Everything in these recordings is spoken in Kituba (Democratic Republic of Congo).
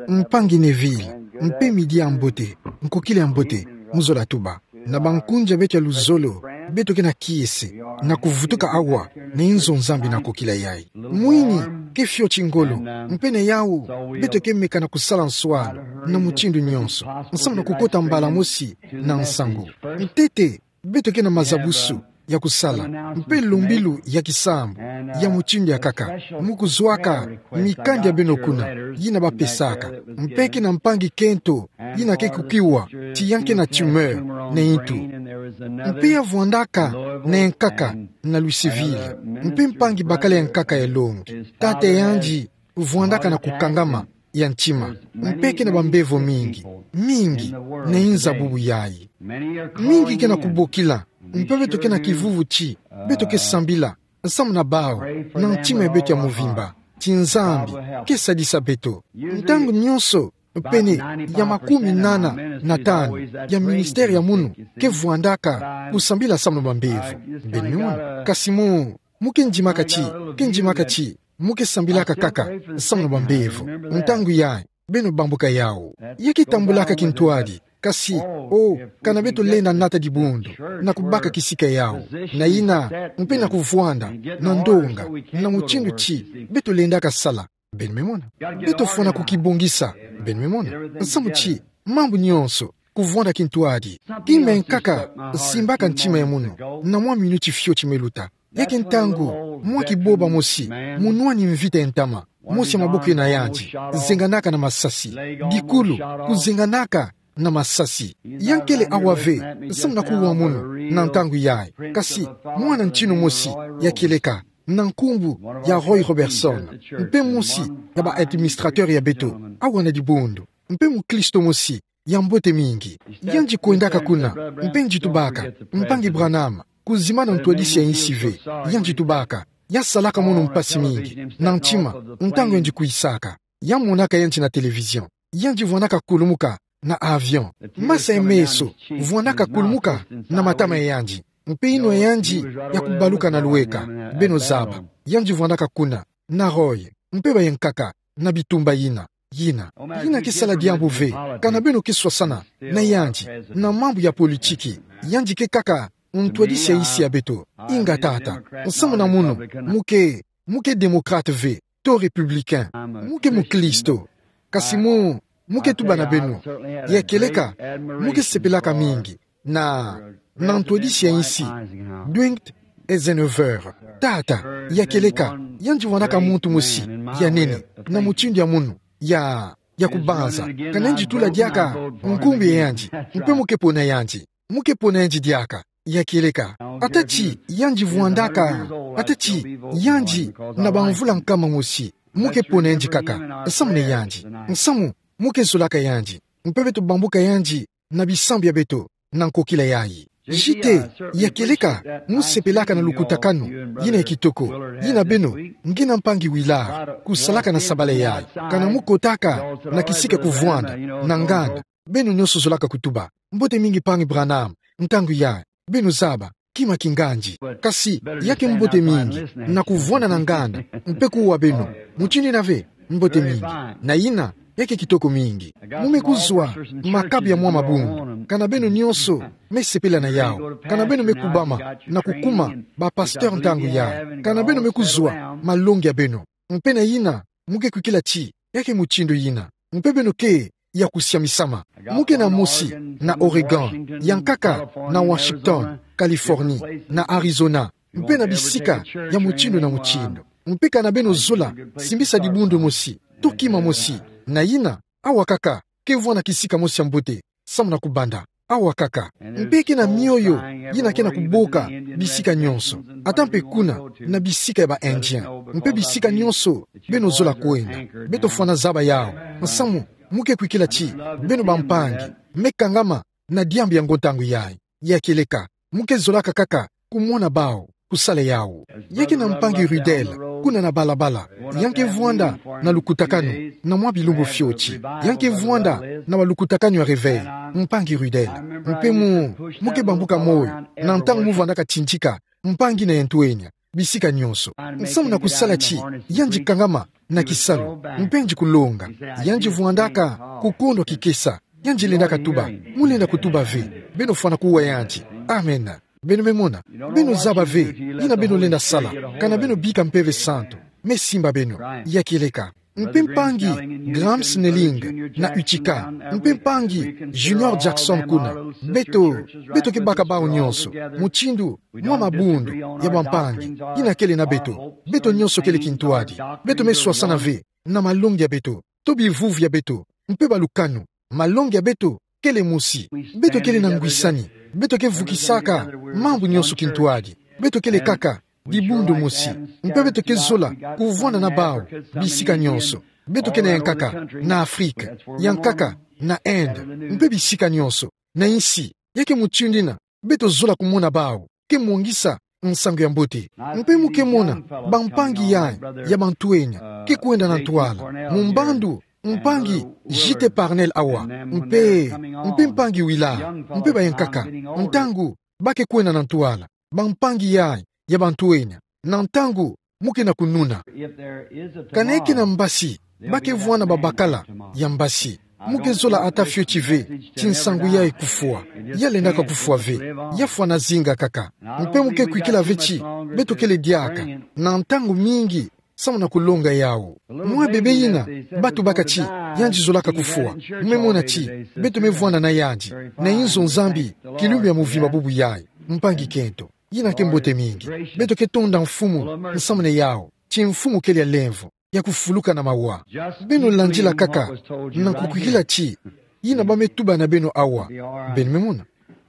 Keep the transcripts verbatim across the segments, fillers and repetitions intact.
Mpangi Neville, mpe midi ya mbote, nkokila ya mbote, mu zola tuba. Na bankunzi ya beto ya luzolo, beto ke na kiese, na kuvutuka awa, na inzo Nzambi na nkokila yayi. Mwini, ke fioti ngolo, mpe na yawu, beto ke meka na kusala nswano, na mutindu nyonso, nsamu na kukota mbala mosi, na nsangu. Ntete, beto ke na mazabusu ya kusala, mpe lumbilu ya kisambu, ya mutindu ya nkaka, mu kuzwaka mikanda ya beno kuna, yina bapesaka, mpe ke na mpangi kento, yina ke kukiwa ti ya ke na tumeur na ntu. Mpe ya vwandaka na yankaka na Louisville, mpe mpangi bakala yankaka ya longi. Tata yandi vwandaka na kukangama ya ntima, mpe ke na bambevo mingi, mingi, na inza bubu yayi. Mingi ke na kubokila, mpe beto ke na kivuvu ti beto ke sambila, nsamu na bawu, na ntima ya beto ya muvimba, ti Nzambi ke sadisa beto. Ntangu nyonso, pene ya makumi nana na tanu ya ministère ya munu ke vwandaka kusambila nsamu na bambevo. Beno me mona. Kasi mu, mu ke ndimaka ti, ke ndimaka ti mu ke sambilaka nkaka nsamu na bambevo. Ntangu yayi, beno bambuka yawu. Ya ke tambulaka kintwadi, kasi, o, kana beto lenda nata dibundu, na kubaka kisika yawu, na yina, mpe na kuvwanda na ndonga, na mutindu ti beto lendaka sala. Beno me mona. Beto fwana kukibongisa. Beno me mona. Nsamu ti mambu nyonso, kuvwanda kintwadi. Kima ya nkaka simbaka ntima ya munu, na mwa minuti fioti me luta. Ya ke ntangu, mwa kiboba mosi, munwani mvita ya ntama, mosi ya maboko na yandi zenganaka na masasi. Dikulu, kuzenganaka na masasi. Ya nkele awa ve, nsamu na kuwa munu, na ntangu yayi. Kasi, mwana ntinu mosi, ya kieleka, na nkumbu ya Roy Robertson, mpe mosi ya ba administrateur ya beto, awa na dibundu, mpe mukristo mosi ya mbote mingi. Yandi kwendaka kuna, mpe yandi tubaka: Mpangi Branham, kuzimana ntwadisi ya insi ve. Yandi tubaka: Ya salaka munu mpasi mingi na ntima, ntangu yandi kwisaka. Ya monaka yandi na télévision. Yandi vwandaka kulumuka na avion. Masa ya meso vwandaka kulumuka na matama ya yandi, mpe yinwa ya yandi ya kubaluka na luweka. Beno zaba. Yandi vwandaka kuna na Roy, mpe bayankaka, na bitumba yina, yina. Yina ke sala diambu ve, kana beno ke swasana na yandi na mambu ya politiki. Yandi ke nkaka ntwadisi ya insi ya beto. Inga tata, nsamu na munu, mu ke, mu ke démocrate ve, to républicain. Mu ke mukristo. Kasi mu, mu ke tuba na beno, ya kieleka, mu ke sepelaka mingi na, na ntwadisi ya insi, Dwight Eisenhower. Tata, ya kieleka, yandi vwandaka muntu mosi ya nene, na mutindu ya munu, ya, ya kubanza. Kana yandi tula diaka nkumbu ya yandi, mpe mu ke pona yandi. Mu ke pona yandi diaka, ya kieleka. Ata ti yandi vwandaka, ata ti yandi na bamvula nkama mosi, mu ke pona yandi nkaka, nsamu na yandi. Nsamu, mu ke zolaka yandi, mpe beto bambuka yandi na bisambu ya beto, na nkokila yayi. Jite, ya kieleka, mu sepelaka na lukutakanu yina ya kitoko, yina beno nge na Mpangi Willard kusalaka na sabala yayi. Kana mu kotaka na kisika kuvwanda na nganda, beno nyonso zolaka kutuba: Mbote mingi, Mpangi Branham. Ntangu yayi, beno zaba, kima kingandi. Kasi, ya ke mbote mingi na kuvwanda na nganda, mpe kuwa beno, mutindu yina ve, mbote mingi. Na yina, ya ke kitoko mingi. Mu me kuzwa makabu ya mwa mabundu, kana beno nyonso me sepela na yawu, kana beno me kubama na kukuma bapasteur ntangu yayi, kana beno me kuzwa malongi ya beno. Mpe na yina, mu ke kwikila ti ya ke mutindu yina. Mpe beno ke ya kusiamisama. Mu ke na mosi na Oregon, ya nkaka na Washington, Californie, na Arizona, mpe na bisika ya mutindu na mutindu. Mpe kana beno zola simbisa dibundu mosi, to kima mosi, na yina, awa nkaka ke vwanda kisika mosi ya mbote, samu na kubanda, awa nkaka. Mpe ke na mioyo yina ke na kuboka bisika nyonso, ata mpe kuna na bisika ya ba Indien, mpe bisika nyonso beno zola kwenda. Beto fwana zaba yawu. Nsamu, mu ke kwikila ti beno bampangi me kangama na diambu yango ntangu yayi. Ya kieleka, mu ke zolaka nkaka kumona bawu kusala yawu. Ya ke na Mpangi Ruddell kuna na balabala, ya ke vwanda na lukutakanu na mwa bilumbu fioti. Ya ke vwanda na balukutakanu ya réveil, Mpangi Ruddell. Mpe mu, mu ke bambuka moyo na ntangu mu vwandaka tindika mpangi na ya ntwenya. bisika nyonso. Nsamu na kusala ti, yandi kangama na kisalu, mpe yandi kulonga, yandi vwandaka kukondwa kikesa, yandi lendaka tuba, mu lenda kutuba ve, beno fwana kuwa yandi. Amen. Beno me mona, beno zaba ve, yina beno lenda sala, kana beno bika Mpeve Santu me simba beno, ya kieleka. Mpe mpangi Graham Snelling na Utica, mpe mpangi Junior Jackson kuna, beto, beto ke baka bau nyonso, mutindu mwa mabundu ya bampangi, yina kele na beto, beto nyonso kele kintwadi, beto me swasana ve na malongi ya beto, to bivuvu ya beto, mpe balukanu, malongi ya beto kele mosi, beto kele na ngwisani, beto ke vukisaka mambu nyonso kintwadi, beto kele kaka dibundu mosi, mpe beto ke zola kuvwanda na bau bisika nyonso, beto ke na yankaka na Afrika, yankaka na Inde, mpe bisika nyonso na insi, ya ke mutindu yina beto zola kumona bau ke mwangisa nsangu ya mbote. Mpe mu ke mona bampangi ya, ya bantwenya ke kwenda na ntwala, mu mbandu mpangi J T Parnell awa, mpe, mpe mpangi Willard, mpe bayankaka, ntangu ba ke kwenda na ntwala, bampangi ya, ya bantwenya, na ntangu mu ke na kununa. Kana ke na mbasi, ba ke vwanda babakala ya mbasi. Mu ke zola ata fioti ve ti nsangu ya kufwa, ya lendaka kufwa ve, ya fwana zinga kaka. Mpe mu ke kwikila ve ti beto kele diaka na ntangu mingi samu na kulonga yawu. Mwa bebe yina ba tubaka ti yandi zolaka kufwa, mu me mona ti beto me vwanda na yandi na inzo Nzambi kilumbu ya muvimba bubu yayi. Mpangi kento, yina ke mbote mingi. Beto ke tonda Mfumu nsamu na yawu, ti Mfumu kele ya lemvo, ya kufuluka na mawa. Beno landila kaka na kukwikila ti yina ba me tuba na beno awa, beno me mona,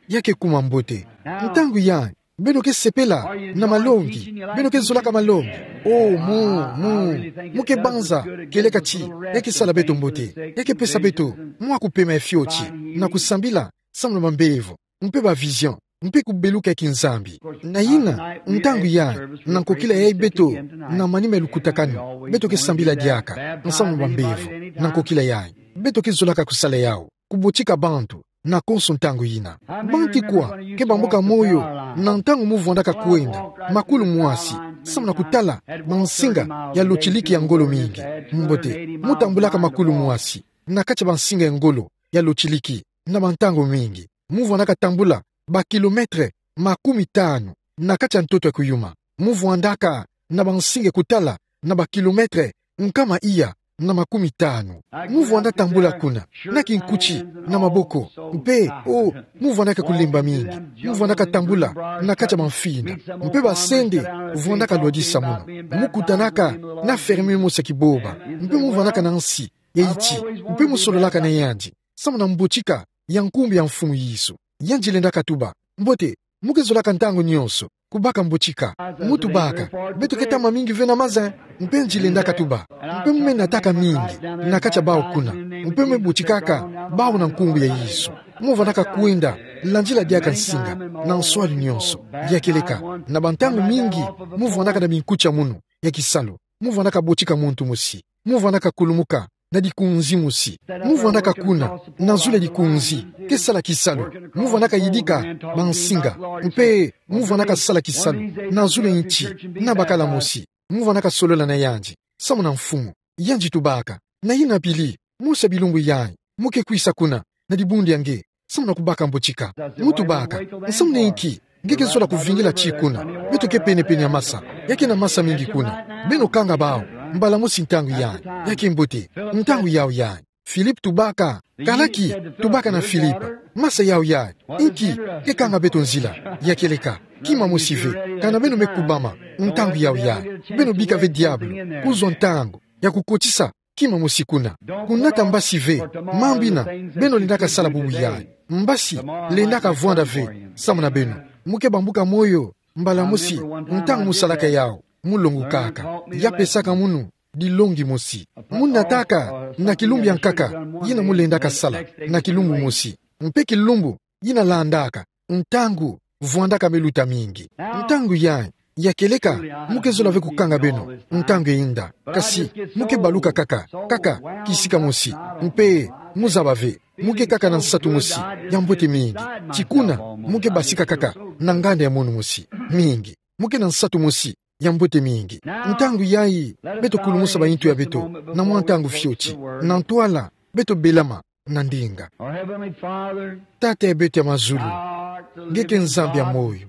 ya ke kuma mbote. Ntangu yayi beno ke sepela na malongi, beno ke zolaka malongi. Oh, mu, mu, mu ke banza kieleka ti ya ke sala beto mbote, ya ke pesa beto mwa kupema ya fioti na kusambila samu na bambevo, mpe ba vision, mpe kubeluka ya kinzambi. Na yina, ntangu yayi, na nkokila yayi beto na manima ya lukutakanu, beto ke sambila diaka nsamu na bambevo, na nkokila yayi. Beto ke zolaka kusala yawu, kubotika bantu na konso ntangu yina. Banti kwa ke bambuka moyo na ntangu mu vwandaka kwenda makulu mwasi samu na kutala bansinga ya lotiliki ya ngolo mingi? Mbote, mu tambulaka makulu mwasi na kati ya bansinga ya ngolo ya lotiliki na bantangu mingi. Mu vwandaka tambula ba kilomètre makumi tanu na kati ya ntoto ya kuyuma. Mu vwandaka na bansinga ya kutala na ba kilomètre nkama iya na makumi tanu. Mu vwanda tambula kuna na kinkuti na maboko. Mpe, oh, mu vwandaka kulemba mingi. Mu vwandaka tambula na kati ya bamfinda. Mpe basende vwandaka lwadisa munu. Mu kutanaka na infirmier mosi ya kiboba. Mpe mu vwandaka na nsi ya iti. Mpe mu sololaka na yandi samu na mbotika ya nkumbu ya Mfumu Yesu. Yandi lendaka tuba: Mbote, mu ke zolaka ntangu nyonso kubaka mbotika. Mu tubaka: Beto ke tama mingi ve na maza. Mpe yandi lendaka tuba: Mpe mu me nataka mingi na kati ya bau kuna. Mpe mu me botikaka bau na nkumbu ya Yesu. Mu vwandaka kwenda landila diaka nsinga na nswalu nyonso. Ya kieleka, na bantangu mingi mu vwandaka na binkuti ya munu ya kisalu, mu vwandaka botika muntu mosi. Mu vwandaka kulumuka na dikunzi mosi. Mu vwandaka kuna na zulu ya dikunzi, ke sala kisalu. Mu vwandaka yidika bansinga. Mpe mu vwandaka sala kisalu na zulu ya nti na bakala mosi. Mu vwandaka solola na yandi samu na Mfumu. Yandi tubaka. Na yina pili, mosi ya bilumbu yayi, mu ke kwisa kuna na dibundu ya nge samu na kubaka mbotika. Mu tubaka: Nsamu na inki nge ke zola kuvingila ti kuna? Beto ke pene-pene ya masa. Ya ke na masa mingi kuna. Beno kanga bau mbala mosi ntangu yayi. Ya ke mbote. Ntangu yawu yayi. Philippe tubaka: Kalaki, tubaka na Philippe: Masa yawu yayi, inki ke kanga beto nzila? Ya kieleka, kima mosi ve. Kana beno me kubama ntangu yawu yayi, beno bika ve diabulu kuzwa ntangu ya kukotisa kima mosi kuna. Kunata mbasi ve mambu yina beno lendaka sala bubu yayi. Mbasi lendaka vwanda ve samu na beno. Mu ke bambuka moyo mbala mosi ntangu mu salaka yawu, mu longukaka. Ya pesaka munu dilongi mosi. Mu nataka na kilumbu ya nkaka yina mu lendaka sala na kilumbu mosi. Mpe kilumbu yina landaka, ntangu vwandaka me luta mingi. Ntangu yayi, ya kieleka, mu ke zola ve kukanga beno ntangu ya yinda. Kasi mu ke baluka kaka, kaka kisika mosi. Mpe mu zaba ve, mu ke kaka na nsatu mosi ya mbote mingi. Ti kuna mu ke basika kaka na nganda ya munu mosi. Mingi. Mu ke na nsatu mosi ya mbote mingi. Ntangu yayi, beto kulumusa ba intu ya beto, na mwa ntangu fioti, na ntwala, beto belama, na ndinga. Our Heavenly Father, Tata ya beto ya mazulu, thou art the nge ke living Nzambi ya God, moyo.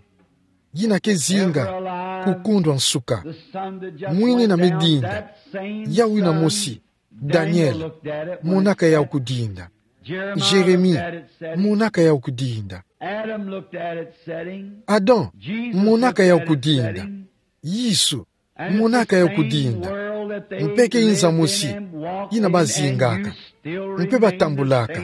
Yina ke zinga, ever alive, kukundwa nsuka. The Son that just Mwini went na down, medinda, that same yawu yina Son mosi, Daniel Daniel, looked at it when it monaka yawu said, kudinda. Jeremiah Jeremi, looked at it, said it. Monaka yawu kudinda. Adam looked at it, said it. Adam, Jesus monaka looked yawu at it, said kudinda. It. Yesu, monaka yawu kudinda. Mpe ke nza mosi, yina bazingaka. Mpe batambulaka.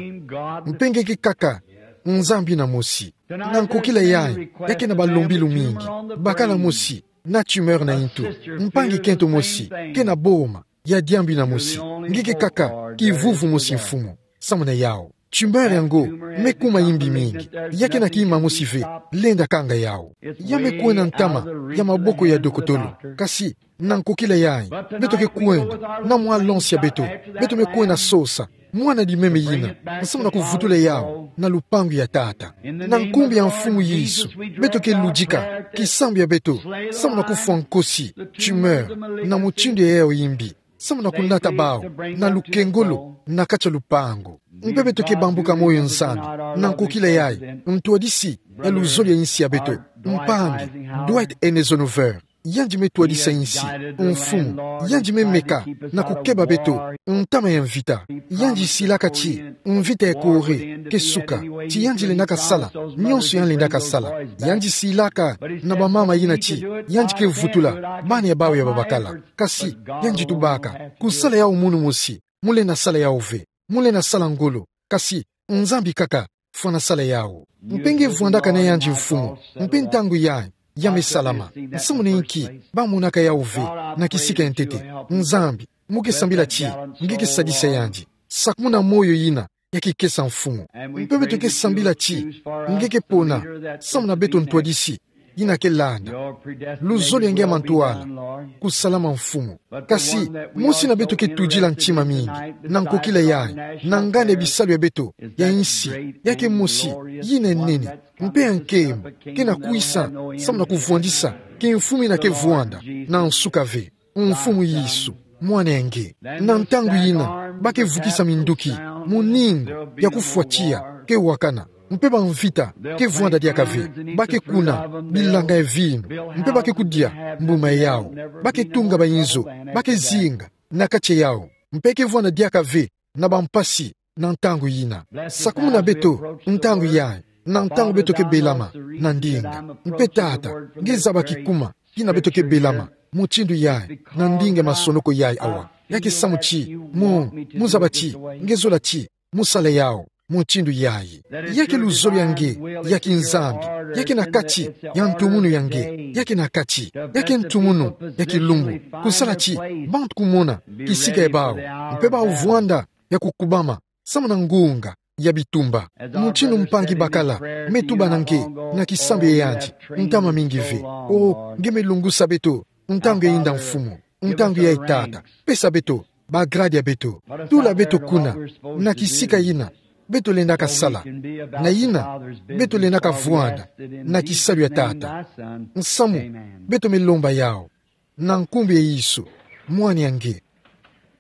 Mpe nge ke kaka, Nzambi yina mosi. Na nkokila yayi, ya ke na balombilu mingi. Bakala mosi, na tumeur na intu. Mpangi kento mosi, ke na boma, ya diambu yina mosi. Nge ke kaka, kivuvu mosi Mfumu. Samu na yawu. Tumeur yango, me kuma yimbi mingi. Ya ke na kima mosi ve, lenda kanga yawu. Ya me kwena ntama, ya maboko ya dokotolo. Kasi, na nkokila yayi, beto ke kwenda, na mwa lansi ya beto, beto me kwenda sosa, mwana di meme yina, samu na kuvutula yawu, na lupangu ya Tata. Na nkumbu ya Mfumu Yesu, beto ke ludika, kisambu ya beto, samu na kufwa nkosi, tumeur, na mutindu ya yawu yimbi. Samu na kunata bawu, na lukengolo, na kati ya lupangu. Mpe beto ke bambuka moyo Nzambi, na nkokila yayi, ntwadisi, ya luzolo ya insi ya beto, mpangi, Dwight Eisenhower. Yandi me twadisa insi, Mfumu, yandi me meka, na kukeba beto, ntama ya mvita. Yandi silaka ti, mvita ya Corée, ke suka, ti yandi lendaka sala, nionso yandi lendaka sala. Yandi silaka, na bamama yina ti, yandi ke vutula, bana ya bawu ya babakala. Kasi, yandi tubaka, kusala yawu munu mosi, mu lenda sala yawu ve, mu lenda sala ngolo, kasi, Nzambi kaka, fwana sala yawu. Mpe nge vwandaka na yandi Mfumu, mpe ntangu yayi, ya me salama. Samu na inki, ba monaka yawu ve, na kisika ya ntete. Nzambi, mu ke sambila ti, nge ke sadisa yandi. Sakumuna moyo yina, ya kikesa Mfumu. Mpe beto ke sambila ti, nge ke pona, samu na beto ntwadisi, yina ke landa. Luzolo ya nge ya mantwala, kusalama Mfumu. Kasi, mosi na beto ke tudila ntima mingi, na nkokila yayi, na nganda ya bisalu ya beto, ya insi, ya ke mosi, yina nene, mpe ya nkembo, ke na kwisa, samu na kuvwandisa, kimfumu yina ke vwanda, na nsuka ve. Mfumu Yesu, mwana ya nge. Na ntangu yina, ba ke vukisa minduki, muningu, ya kufwa tiya, ke wakana. Mpe bamvita, ke vwanda diaka ve, ba ke kuna, bilanga ya vinu, mpe ba ke kudia, mbuma yawu, ba ke tunga bayinzo, ba ke zinga, na kati yawu, mpe ke vwanda diaka ve, na bampasi, na ntangu yina. Sakumuna beto, ntangu yayi, na ntangu beto ke belama, na ndinga. Mpe Tata, nge zaba kikuma, kina beto ke belama, mutindu yayi, na ndinga ya masonoko yayi awa. Ya ke samu ti, mu, mu zaba ti, nge zola ti, mu sala yawu, mutindu yayi. Ya ke luzolo ya nge, ya kinzambi, ya ke na kati, ya ntumunu ya nge, ya ke na kati, ya ke ntumunu, ya kilumbu, kusala ti, bantu kumona, kisika ya bawu, mpe bawu vwanda, ya kukubama, samu na ngunga, ya bitumba. Mutindu mpangi bakala, me tuba na nge, na kisambu ya yandi, ntama mingi ve. O, nge me lungusa beto, ntangu ya inda Mfumu, ntangu yayi Tata, pesa beto, bagrade ya beto, tula beto kuna, na kisika yina, beto lendaka sala, na yina, beto lendaka vwanda, na kisalu ya Tata. Nsamu, beto me lomba yawu, na nkumbu ya Yesu, mwana ya nge.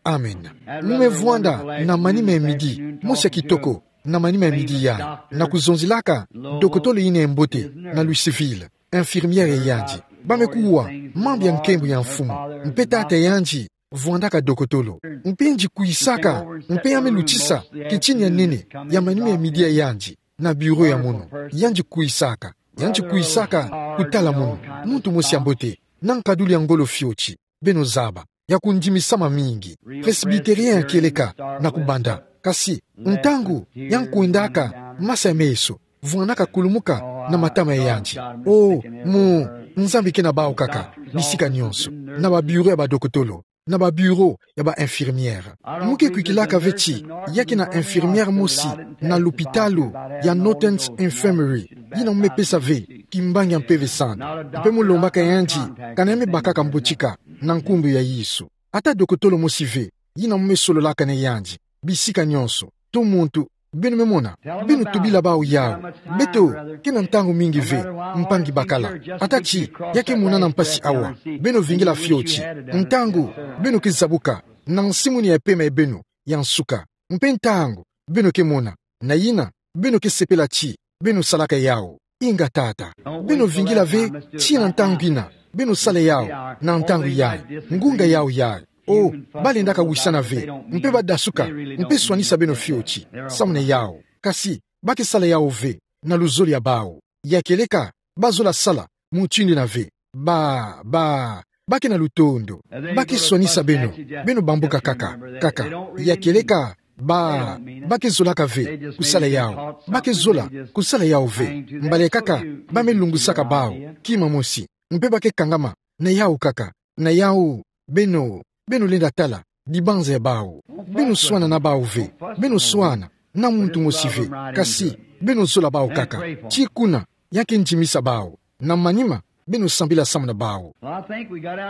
Amen. Mu me vwanda, na manima ya midi, mosi ya kitoko, na manima ya midi yayi, na kuzonzelaka, dokotolo yina ya mbote, na Louisville, infirmière ya yandi. Ba me kuwa, mambu ya nkembo ya Mfumu, mpe tata ya yandi, vwandaka dokotolo. Mpe yandi kwisaka, mpe ya me lutisa, kitini ya nene, ya manima ya midi ya yandi, na bureau ya munu. Yandi kwisaka, yandi kwisaka, kutala munu, muntu mosi ya mbote, na nkadulu ya ngolo fioti, beno zaba, ya kundimisama mingi. Presbytérien ya kieleka, na kubanda. Kasi, ntangu, ya nkwendaka, masa ya meso, vwandaka kulumuka, na matama ya yandi. O, mu, Nzambi ke na bawu kaka, bisika nionso, na ba bureau ya badokotolo, na ba bureau ya ba infirmière. Mu ke kwikilaka ve ti, ya ke na infirmière mosi, na lupitalu, ya Northern Infirmary, yina mu me pesa ve, kimbangi ya mpeve sanda. Mpe mu lombaka yandi, kana ya me bakaka mbotika, na nkumbu ya Yesu. Ata dokotolo mosi ve, yina mu me sololaka na yandi, bisika nionso, to muntu, Beno me mona, beno tubila bawu yawu. Beto ke na ntangu mingi ve, mpangi bakala. Ata ti ya ke monana mpasi awa, beno vingila fioti. Ntangu beno ke zabuka na nsimuni ya pema ya beno ya nsuka, mpe ntangu beno ke mona, na yina beno ke sepela ti beno salaka yawu. Inga tata, beno vingila ve tii na ntangu yina beno sala yawu. Na ntangu yayi, ngunga yawu yayi, o, ba lendaka wisana ve, mpe ba dasuka, mpe swanisa beno fioti. Samu na yawu, kasi ba ke sala yawu ve na luzolo ya bawu. Ya kieleka ba zola sala mutindu yina ve. Ba, ba, ba ke na lutondo. Ba ke swanisa beno, beno bambuka kaka, kaka. Ya kieleka ba, ba ke zolaka ve kusala yawu. Ba ke zola kusala yawu ve. Mbala kaka ba me lungusaka bawu kima mosi, mpe ba ke kangama na yawu kaka. Na yawu, beno, beno lenda tala dibanza ya bawu. Beno swana na bawu ve. Beno swana na muntu mosi ve, kasi beno zola bawu kaka. Ti kuna ya ke ndimisa bawu. Na manima beno sambila samu na bawu.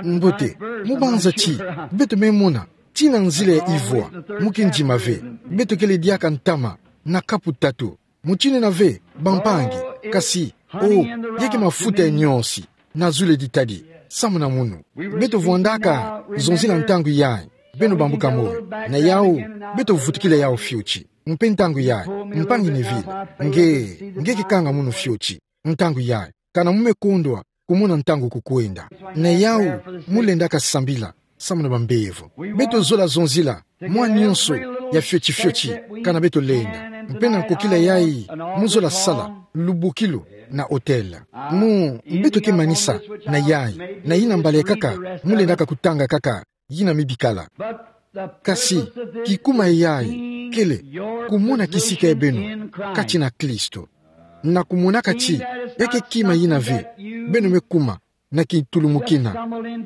Mbote, mu banza ti beto me mona ti na nzila ya ivwa, mu ke ndima ve. Beto kele diaka ntama na kapu tatu. Mutindu yina ve, bampangi, kasi, o, ya ke mafuta ya nyosi na zulu ya ditadi samu na munu. Beto vwandaka zonzila ntangu yayi, beno bambuka moyo. Na yawu, beto vutukila yawu fioti. Mpe ntangu yayi, mpangi Neville, nge, nge ke kanga munu fioti. Ntangu yayi, kana mu me kondwa kumona ntangu kukwenda. Na yawu, mu lendaka sambila samu na bambevo. Beto zola zonzila mwa nyonso ya fioti fioti kana beto lenda. Mpe na nkokila yayi, mu zola sala lubukilu na hotel. Mu, beto ke manisa na yayi, na yina mbala kaka mu lendaka kutanga kaka yina me bikala. Kasi kikuma yayi kele kumona kisika ya beno kati na Kristo, na kumonaka ti ya ke kima yina ve beno me kuma na kitulumukina,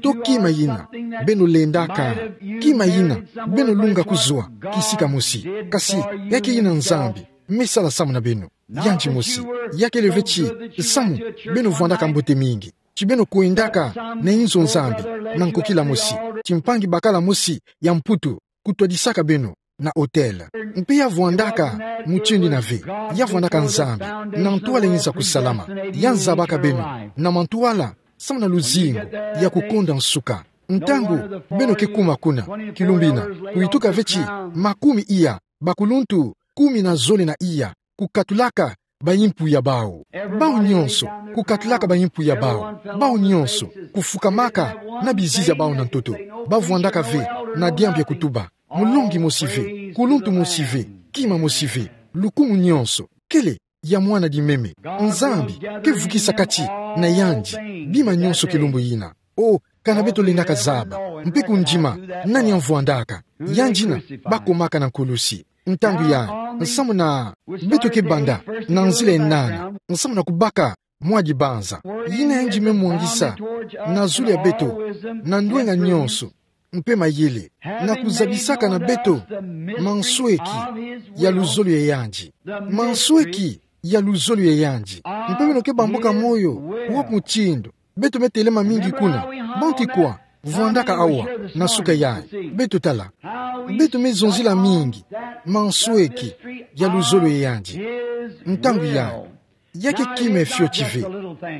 to kima yina beno lendaka, kima yina beno lunga kuzwa kisika mosi. Kasi ya ke yina Nzambi me sala samu na beno. Yandi mosi, ya kele ve ti samu beno vwandaka mbote mingi, ti beno kwendaka na inzo Nzambi na nkokila mosi, ti mpangi bakala mosi ya Mputu kutwadisaka beno na hotel. Mpe ya vwandaka mutindu yina ve, ya vwandaka Nzambi na ntwala yinza kusalama. Ya nzabaka beno na mantwala samu na luzingu ya kukonda nsuka. Ntangu beno ke kuma kuna kilumbu yina, kuyituka ve ti makumi iya, bakuluntu kumi na zole na iya kukatulaka baimpu ya bawu. Bawu nyonso kukatulaka baimpu ya bawu. Bawu nyonso kufukamaka na bizizi ya bawu na ntoto. Ba vwandaka ve na diambu ya kutuba: Mulongi mosi ve, kuluntu mosi ve, kima mosi ve, lukumu nyonso kele ya mwana di meme. Nzambi ke vukisa kati na yandi bima nyonso kilumbu yina. O, kana beto lendaka zaba mpe kundima nani ya mvwandaka, yandi yina ba komaka na nkulusi. Ntangu yayi, nsamu na beto ke banda na nzila ya nana, nsamu na kubaka mwa dibanza, yina yandi me mwangisa na zulu ya beto na ndwenga nyonso mpe mayele, na kuzabisaka na beto mansweki ya luzolo ya yandi. Mansweki ya luzolo ya yandi. Mpe beno ke bambuka moyo wa mutindu beto me telema mingi kuna. Bantu kwa vwandaka awa na suka yayi? Beto tala. Beto me zonzila mingi mansweki ya luzolo ya yandi. Ntangu yayi, ya ke kima ya fioti ve.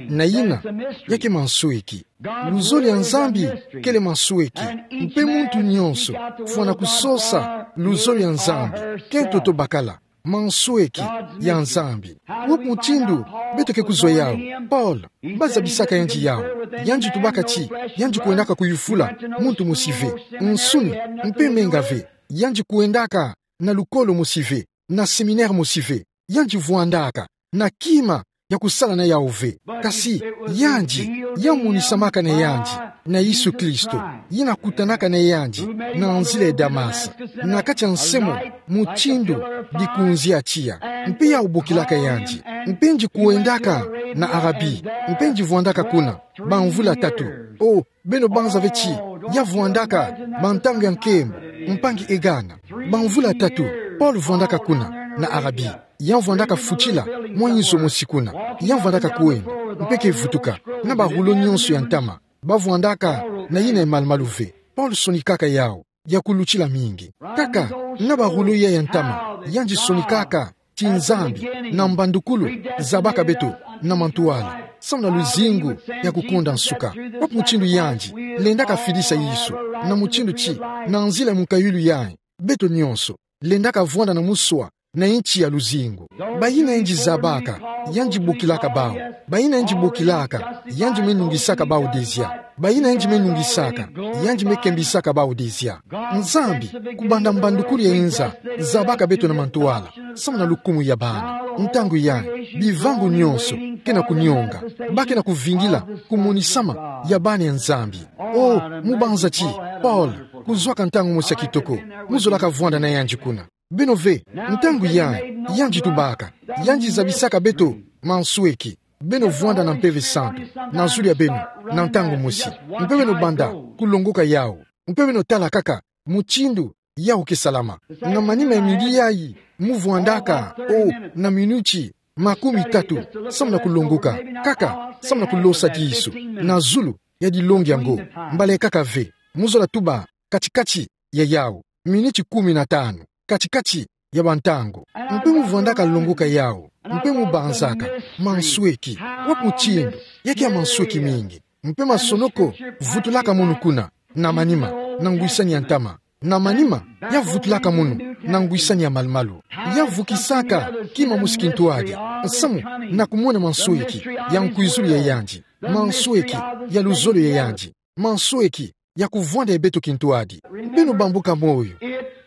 Na yina, ya ke mansweki. Luzolo ya Nzambi kele mansweki. Mpe muntu nyonso fwana kusosa luzolo ya Nzambi, ke ntoto bakala mansweki ya Nzambi. Wa mutindu beto ke kuzwa yawu? Paul, ba zabisaka yandi yawu. Yandi tubaka ti yandi kwendaka kuyufula muntu mosi ve. Nsuni mpe menga ve. Yandi kwendaka na lukolo mosi ve, na séminaire mosi ve. Yandi vwandaka na kima ya kusala na yawu ve. Kasi yandi, ya monisamaka na yandi na Yesu Kristo, yina kutanaka na yandi na nzila ya Damas, na kati ya nse mo, mutindu dikunzi ya tiya. Mpe ya bokilaka yandi. Mpe yandi kwendaka na Arabie, mpe yandi vwandaka kuna bamvula tatu. O, beno banza ve ti ya vwandaka bantangu ya nkembo, mpangi Egana. Bamvula tatu Paul vwandaka kuna na Arabie. Ya vwandaka futila mwa inzo mosi kuna. Ya vwandaka kwenda mpe ke vutuka na ba rouleau nyonso ya ntama. Ba vwandaka na yina ya malumalu ve. Paul sonikaka yawu ya kulutila mingi. Kaka na ba rouleau yayi ya ntama, yandi sonikaka ti Nzambi na mbandukulu zabaka beto na mantwala, samu na luzingu ya kukonda nsuka. Wapi mutindu yandi lendaka fidisa Yesu? Na mutindu ti, na nzila ya munkayulu yayi, beto nyonso lendaka vwanda na muswa na inti ya luzingu. Bayina yandi zabaka, yandi bokilaka bawu. Bayina yandi bokilaka, yandi me nungisaka bawu dezia. Bayina yandi me nungisaka, yandi me kembisaka bawu dezia. Nzambi, kubanda mbandukulu ya inza, zabaka beto na mantwala, samu na lukumu ya bana. Ntangu yayi, bivangu nyonso ke na kunionga, ba ke na kuvingila kumonisama ya bana ya Nzambi. Oh, mu banza ti Paul, kuzwaka ntangu mosi ya kitoko, mu zolaka vwanda na yandi kuna. Beno ve, ntangu yayi, yandi tubaka, yandi zabisaka beto mansweki. Beno vwanda na Mpeve Santu na zulu ya beno, na ntangu mosi. Mpe beno banda kulongoka yawu. Mpe beno tala kaka mutindu yawu ke salama. Na manima ya midi yayi, mu vwandaka, oh, na minuti makumi tatu, samu na kulongoka, kaka samu na kulosa disu na zulu ya dilongi yango. Mbala kaka ve, mu zola tuba kati-kati ya yawu, minuti kumi na tanu, kati-kati ya bantangu. Mpe mu vwandaka longoka yawu, mpe mu banzaka, mansweki, wapi mutindu, ya ke ya mansweki mingi. Mpe masonoko vutulaka munu kuna, na manima, na ngwisani ya ntama. Na manima, ya vutulaka munu, na ngwisani ya malumalu. Ya vukisaka kima mosi kintwadi, samu na kumona mansweki ya nkwizulu ya yandi, mansweki ya luzolo ya yandi, mansweki ya kuvwanda ya beto kintwadi. Beno bambuka moyo,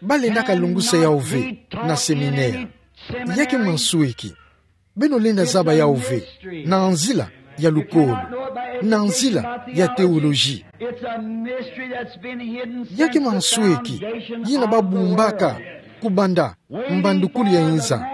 ba lendaka lungusa yawu ve na séminaire. Ya ke mansweki. Beno lenda zaba yawu ve na nzila ya lukolo, na nzila ya théologie. Ya ke mansweki yina ba bumbaka kubanda mbandukulu ya inza,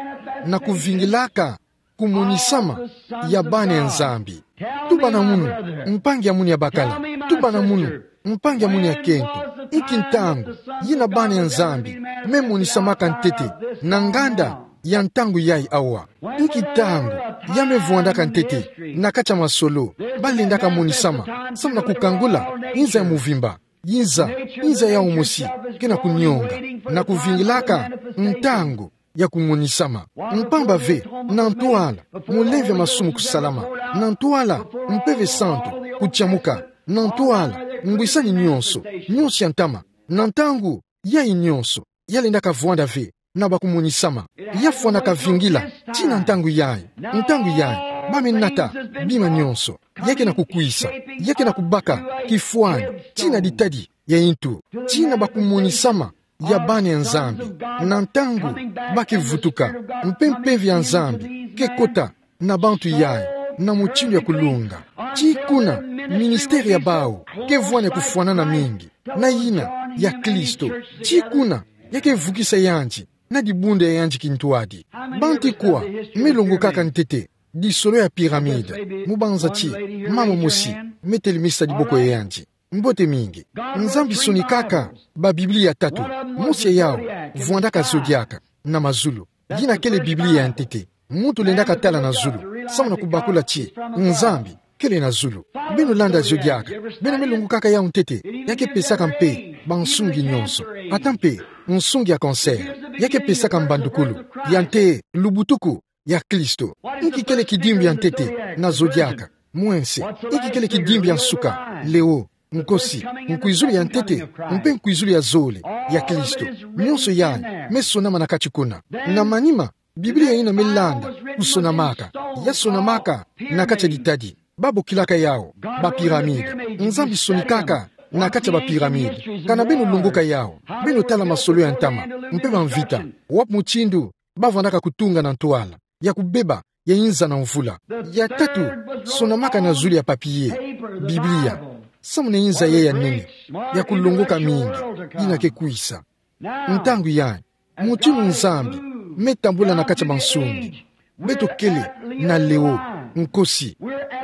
na kuvingilaka kumonisama ya bana ya Nzambi. Tuba na munu, mpangi ya munu ya bakala. Tuba na munu, mpangi ya munu ya kento. Inki ntangu yina bana ya Nzambi me monisamaka ntete na nganda ya ntangu yayi awa? Inki ntangu ya me vwandaka ntete na kati ya masolo ba lendaka monisama, samu na kukangula inza ya muvimba? Inza, inza yawu mosi ke na kunionga, na kuvingilaka ntangu ya kumonisama. Mpamba ve, na ntwala mulemvo ya masumu kusalama, na ntwala Mpeve Santu kutiamuka, na ntwala ngwisani nyonso, nyonso ya ntama, na ntangu yayi nyonso, ya lendaka vwanda ve na ba kumonisama. Ya fwanaka vingila tii na ntangu yayi. Ntangu yayi, ba me nata bima nyonso. Ya ke na kukwisa, ya ke na kubaka kifwani tii na ditadi ya intu, tii na ba kumonisama ya bana ya Nzambi, na ntangu ba ke vutuka, mpe Mpeve ya Nzambi ke kota na bantu yayi na mutindu ya kulunga. Tii kuna, ministère ya bawu ke vwani ya kufwanana mingi na yina ya Kristo. Tii kuna, ya ke vukisa yandi na dibundu ya yandi kintwadi. Banti kwa me longokaka ntete disolo ya pyramide, mu banza ti mama mosi me telemisa diboko ya yandi? Mbote mingi. Nzambi sonikaka ba Biblia tatu. Mosi ya yawu vwandaka Zodiaka na mazulu. Yina kele Biblia ya ntete. Muntu lendaka tala na zulu samu na kubakula ti Nzambi kele na zulu. Beno landa Zodiaka. Beno me longokaka yawu ntete. Ya ke pesaka mpe bansungi nyonso, ata mpe nsungi ya cancer. Ya ke pesaka mbandukulu ya nte lubutuku ya Kristo. Inki kele kidimbu ya ntete na Zodiaka? Mwense. Inki kele kidimbu ya nsuka? Léon, nkosi, nkwizulu ya ntete mpe nkwizulu ya zole ya Kristo. Nyonso yayi me sonama na kati kuna. Na manima, Biblia yina me landa kusonamaka, ya sonamaka na kati ya ditadi ba bokilaka yawu ba pyramide. Nzambi sonikaka na kati ya ba pyramide. Kana beno longoka yawu, beno tala masolo ya ntama mpe bamvita, wapi mutindu ba vandaka kutunga na ntwala ya kubeba ya inza na mvula. Ya tatu, sonamaka na zulu ya papier, Biblia, samu na inza yayi ya nene ya kulongoka mingi yina ke kwisa. Ntangu yayi, mutindu Nzambi me tambula na kati ya bansungi, beto kele na Léon, nkosi.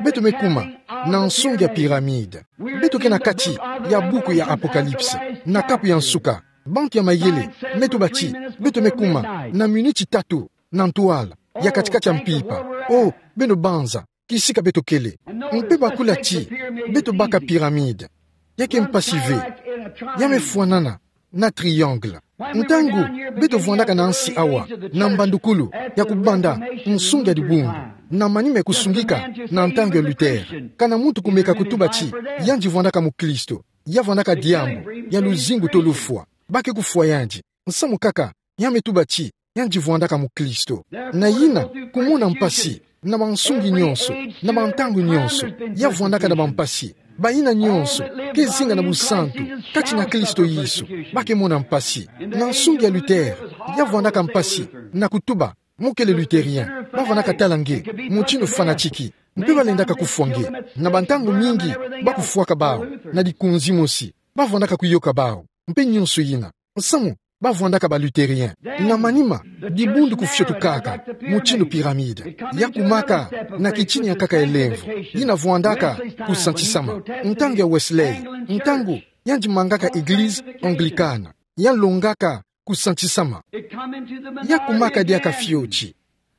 Beto me kuma na nsungi ya pyramide. Beto ke na kati ya buku ya Apocalypse, na kapu ya nsuka. Bantu ya mayele me tuba ti beto me kuma na miniti tatu na ntwala ya kati-kati ya mpimpa. Oh, beno banza kisika beto kele. Mpe bakula ti beto baka pyramide. Ya ke mpasi ve. Ya me fwanana na triangle. Ntangu beto vwandaka na nsi awa, na mbandukulu, ya kubanda nsungi ya dibundu, na manima ya kusungika, na ntangu ya Luther, ka na muntu kumeka kutuba ti yandi vwandaka mukristo, ya vwandaka diambu, ya luzingu to lufwa. Ba ke kufwa yandi. Nsamu kaka, ya me tuba ti yandi vwandaka mukristo. Na yina, kumona mpasi, na bansungi nyonso, na bantangu nyonso, ya vwandaka na bampasi. Bayina nyonso ke zinga na busantu kati na Kristo Yesu, ba ke mona mpasi. Na nsungi ya Luther, ya vwandaka mpasi, na kutuba, mu kele lutherien, ba vwandaka tala nge mutindu fanatiki, mpe ba lendaka kufwa nge. Na bantangu mingi, ba kufwaka bawu na dikunzi mosi, ba vwandaka kuyoka bawu, mpe nyonso yina. Nsamu, ba vwandaka ba lutherien. Na manima, dibundu kufiotukaka mutindu pyramide, ya kumaka na kitini ya nkaka elemvo, yina vwandaka kusantisama. Ntangu ya Wesley, ntangu yandi mangaka eglise anglicane, ya longaka kusantisama, ya kumaka diaka fioti.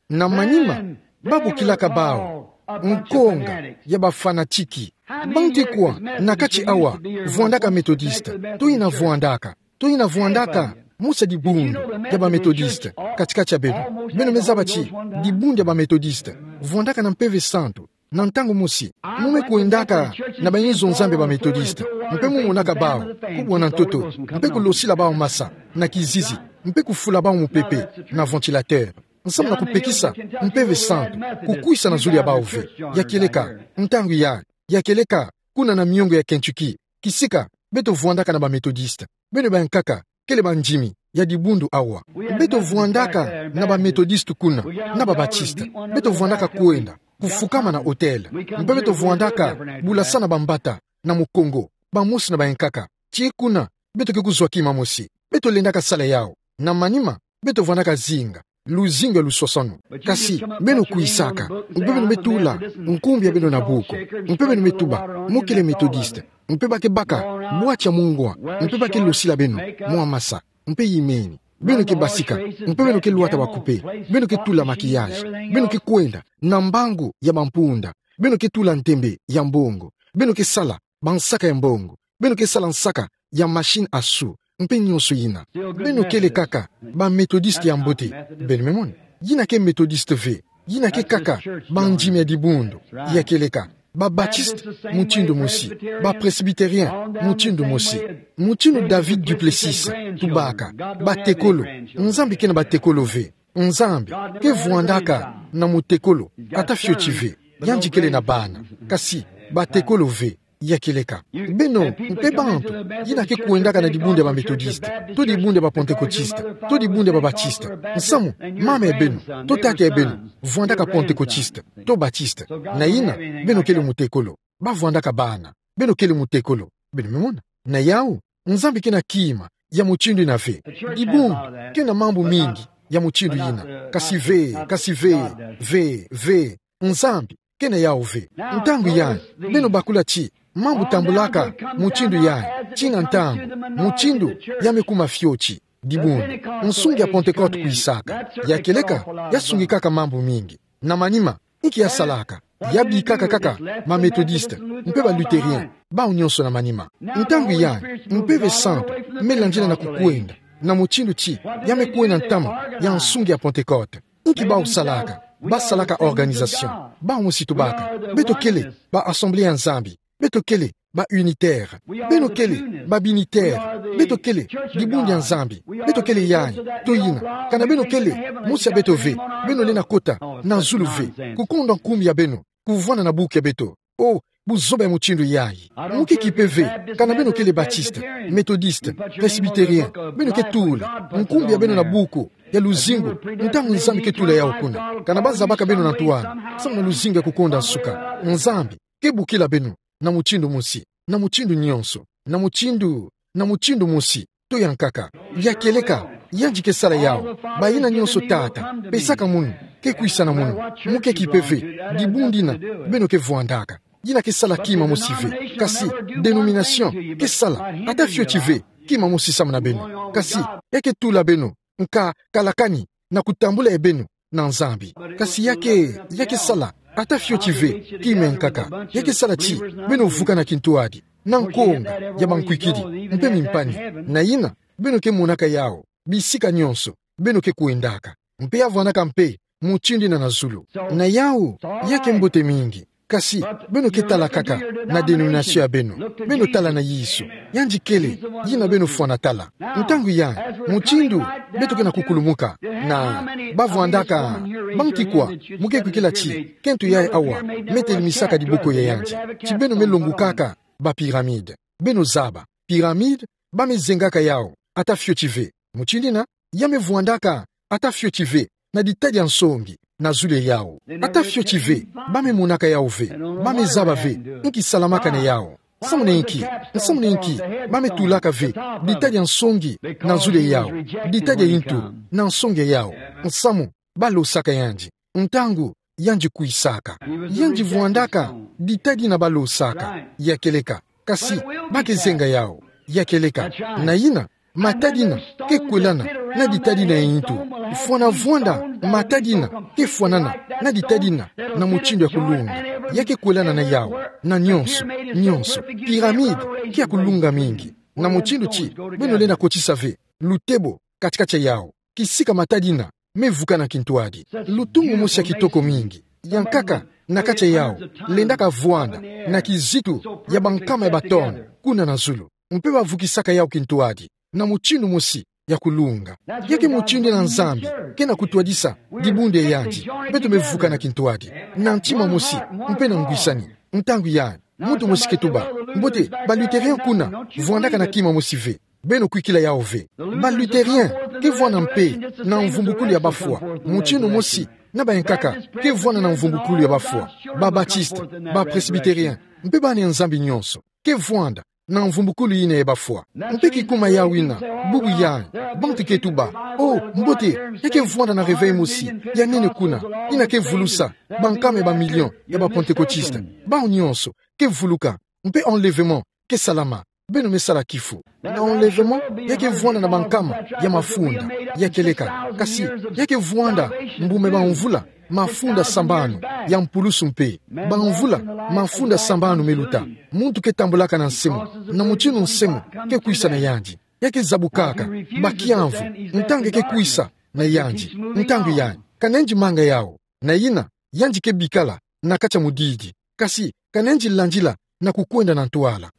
Na manima, ba bokilaka bawu nkonga ya bafanatiki. Bantu kwa na kati awa vwandaka Methodiste, to yina vwandaka, to yina vwandaka mosi ya dibundu ya ba Methodiste, kati-kati ya beno? Beno me zaba ti dibundu ya ba Methodiste vwandaka na Mpeve Santu. Na ntangu mosi, mu me kwendaka na bayinzo-Nzambi ya ba Methodiste, mpe mu monaka bawu kubwana ntoto, mpe kulosila bawu masa na kizizi, mpe kufula bawu mupepe na ventilateur. Nsamu na kupekisa Mpeve Santu kukwisa na zulu ya bawu ve. Ya kieleka, ntangu ya, ya kieleka, kuna na miongo ya Kentucky, kisika beto vwandaka na ba Methodiste. Beno bankaka kele bandimi ya dibundu awa. Beto vwandaka na ba Methodiste kuna, na ba Batiste. Beto vwandaka kwenda kufukama na autel. Mpe beto vwandaka bulasana bambata na mukongo, bamosi na bankaka. Ti kuna, beto ke kuzwa kima mosi. Beto lendaka sala yawu. Na manima, beto vwandaka zinga luzingu ya luswaswanu. Kasi beno kwisaka, mpe beno me tula nkumbu ya beno na buku, mpe beno me tuba, mu kele Methodiste, mpe ba ke baka bwati ya mungwa, mpe ba ke losila beno mwa masa, mpe yimeni. Beno ke basika, mpe beno ke lwata bakupe, beno ke tula maquillage, beno ke kwenda na mbangu ya bampunda, beno ke tula ntembe ya mbongo, beno ke sala bansaka ya mbongo, beno ke sala nsaka ya machine à sous, mpe nyonso yina. Beno kele kaka ba Methodiste ya mbote. Beno me mona? Yina ke Methodiste ve. Yina ke kaka bandimi ya dibundu. Ya kieleka, ba Batiste mutindu mosi, ba Presbytérien mutindu mosi. Mutindu David Duplessis tubaka, batekolo. Nzambi ke na batekolo ve. Nzambi ke vwandaka na mutekolo ata fioti ve. Yandi kele na bana, kasi batekolo ve. Ya kieleka, beno mpe bantu yina ke kwendaka na dibundu ya ba Methodiste, to dibundu ya ba Pentecôtiste, to dibundu ya ba Batiste. Nsamu, mama ya beno to tata ya beno vwandaka Pentecôtiste to Batiste. Na yina, beno kele mutekolo. Ba vwandaka bana, beno kele mutekolo. Beno me mona? Na yawu, Nzambi ke na kima ya mutindu yina ve. Dibundu ke na mambu mingi ya mutindu yina. Kasi ve, kasi ve, ve, ve. Nzambi ke na yawu ve. Ntangu yayi, beno bakula ti mambu tambulaka mutindu yayi, tii na ntangu mutindu ya me kuma fioti. Dibundu, nsungi ya Pentecôte kwisaka. Ya kieleka, ya sungikaka mambu mingi. Na manima, inki ya salaka? Ya bikaka kaka ba Methodiste mpe ba Lutherien, bawu nyonso na manima. Ntangu yayi, Mpeve Santu me landila na kukwenda na mutindu ti ya me kwenda ntama ya nsungi ya Pentecôte. Inki bawu salaka? Ba salaka organisation. Bawu mosi tubaka, beto kele ba Assemblée ya Nzambi. Beto kele ba unitaire. Beno kele ba binitaire. Beto kele dibundu ya Nzambi. Beto kele yayi to yina. Kana beno kele mosi ya beto ve, beno lenda kota na zulu ve. Kukonda nkumbu ya beno kuvwanda na buku ya beto. Oh, buzoba ya mutindu yayi. Mu ke kipe ve. Kana beno kele Batiste, Methodiste, Presbytérien, beno ke tula nkumbu ya beno na buku ya luzingu, ntangu Nzambi ke tula yawu kuna. Kana ba zabaka beno na ntu wana, samu na luzingu ya kukonda nsuka. Nzambi ke bokila beno na mutindu mosi, na mutindu nyonso, na mutindu, na mutindu mosi to ya nkaka. Ya kieleka, yandi ke sala yawu. Bayina nyonso Tata pesaka munu ke kwisa na munu. Mu ke kipe ve dibundu yina beno ke vwandaka. Yina ke sala kima mosi ve. Kasi dénomination ke sala ata fioti ve kima mosi samu na beno. Kasi ya ke tula beno nka kalakani na kutambula ya beno na Nzambi. Kasi ya ke, ya ke sala ata fioti ve kima ya nkaka. Ya ke sala ti beno vuka na kintwadi, na nkonga ya bankwikidi mpe mimpani. Na yina, beno ke monaka yawu bisika nyonso beno ke kwendaka. Mpe ya vwandaka mpe mutindu ina na zulu. Na yawu, ya ke mbote mingi. Kasi, beno ke tala kaka na dénomination ya beno. Beno tala na Yesu. Yandi kele, yina beno fwana tala. Ntangu yayi, mutindu beto ke na kukulumuka, na ba vwandaka, banki kwa mu ke kwikila ti kento yayi awa me telimisa ka diboko ya yandi, ti beno me longukaka ba pyramide. Beno zaba, pyramide, ba me zengaka yawu, ata fioti ve. Mutindu ina, ya me vwandaka ata fioti ve na ditadi ya nsongi na zulu ya yawu. Ata fioti ve, ba me monaka yawu ve, ba me zaba ve nki salamaka na yawu. Nsamu na inki, nsamu na inki ba me tulaka ve ditadi ya nsongi na zulu ya yawu, ditadi ya intu na nsongi ya yawu. Nsamu, ba losaka yandi. Ntangu yandi kwisaka, yandi vwandaka ditadi ina ba losaka, ya kieleka. Kasi, ba ke zenga yawu, ya kieleka. Na yina, matadi ina ke kwelana na ditadi ina ya intu. Fwana vwanda matadi ina ke fwanana na ditadi ina na mutindu ya kulunga. Ya ke kwelana na yawu, na nyonso, nyonso. Pyramide ke ya kulunga mingi. Na mutindu ti beno lenda kotisa ve lutebo kati-kati ya yawu, kisika matadi ina me vukana kintwadi. Lutumu mosi ya kitoko mingi, yankaka na kati ya yawu, lendaka vwanda na kizitu ya bankama ya ba tonne kuna na zulu. Mpe ba vukisaka yawu kintwadi na mutindu mosi ya kulunga. Ya ke mutindu ina Nzambi ke na kutwadisa dibundu ya yandi. Beto me vukana kintwadi, na ntima mosi, mpe na ngwisani. Ntangu yayi, muntu mosi ke tuba: Mbote, ba Lutherien kuna vwandaka na kima mosi ve. Beno kwikila yawu ve. Ba Lutherien ke vwanda mpe na mvumbukulu ya bafwa, mutindu mosi na bayankaka ke vwanda na mvumbukulu ya bafwa. Ba Baptiste, ba Presbytérien, mpe bana ya Nzambi nyonso ke vwanda na mvumbukulu ina ya bafwa. Mpe kikuma yawu ina, bubu yayi, bantu ke tuba: Oh, mbote, ya ke vwanda na réveil mosi ya nene kuna, ina ke vulusa bankama ya ba million ya ba Pentecôtistes. Bawu nyonso ke vuluka, mpe enlèvement ke salama. Beno me sala kifu. Na enlèvement, ya ke vwanda na bankama ya mafunda, ya kieleka. Kasi, ya ke vwanda mbuma ya bamvula mafunda sambanu ya mpulusu mpe. Bamvula mafunda sambanu me luta, muntu ke tambulaka na nse mu, na mutindu nse mu ke kwisa na yandi. Ya ke zabukaka, ba kiamvu, ntangu ya ke kwisa na yandi. Ntangu yayi, ka nayindi manga yawu. Na yina, yandi ke bikala na kati ya mudidi. Kasi, ka nayindi landila na kukwenda na ntwala.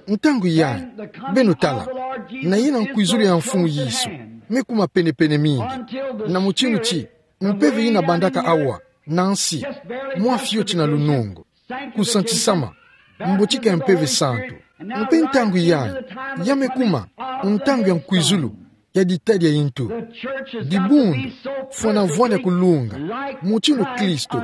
Ntangu yayi, beno tala, na yina nkwizulu ya Mfumu Yesu me kuma pene-pene mingi, na mutindu ti mpeve yina bandaka awa na nsi, mwa fioti na lunungu, kusantisama, mbotika ya Mpeve Santu. Mpe ntangu yayi, ya me kuma ntangu ya nkwizulu ya ditadi ya intu. Dibundu fwana vwanda kulunga mutindu Kristo,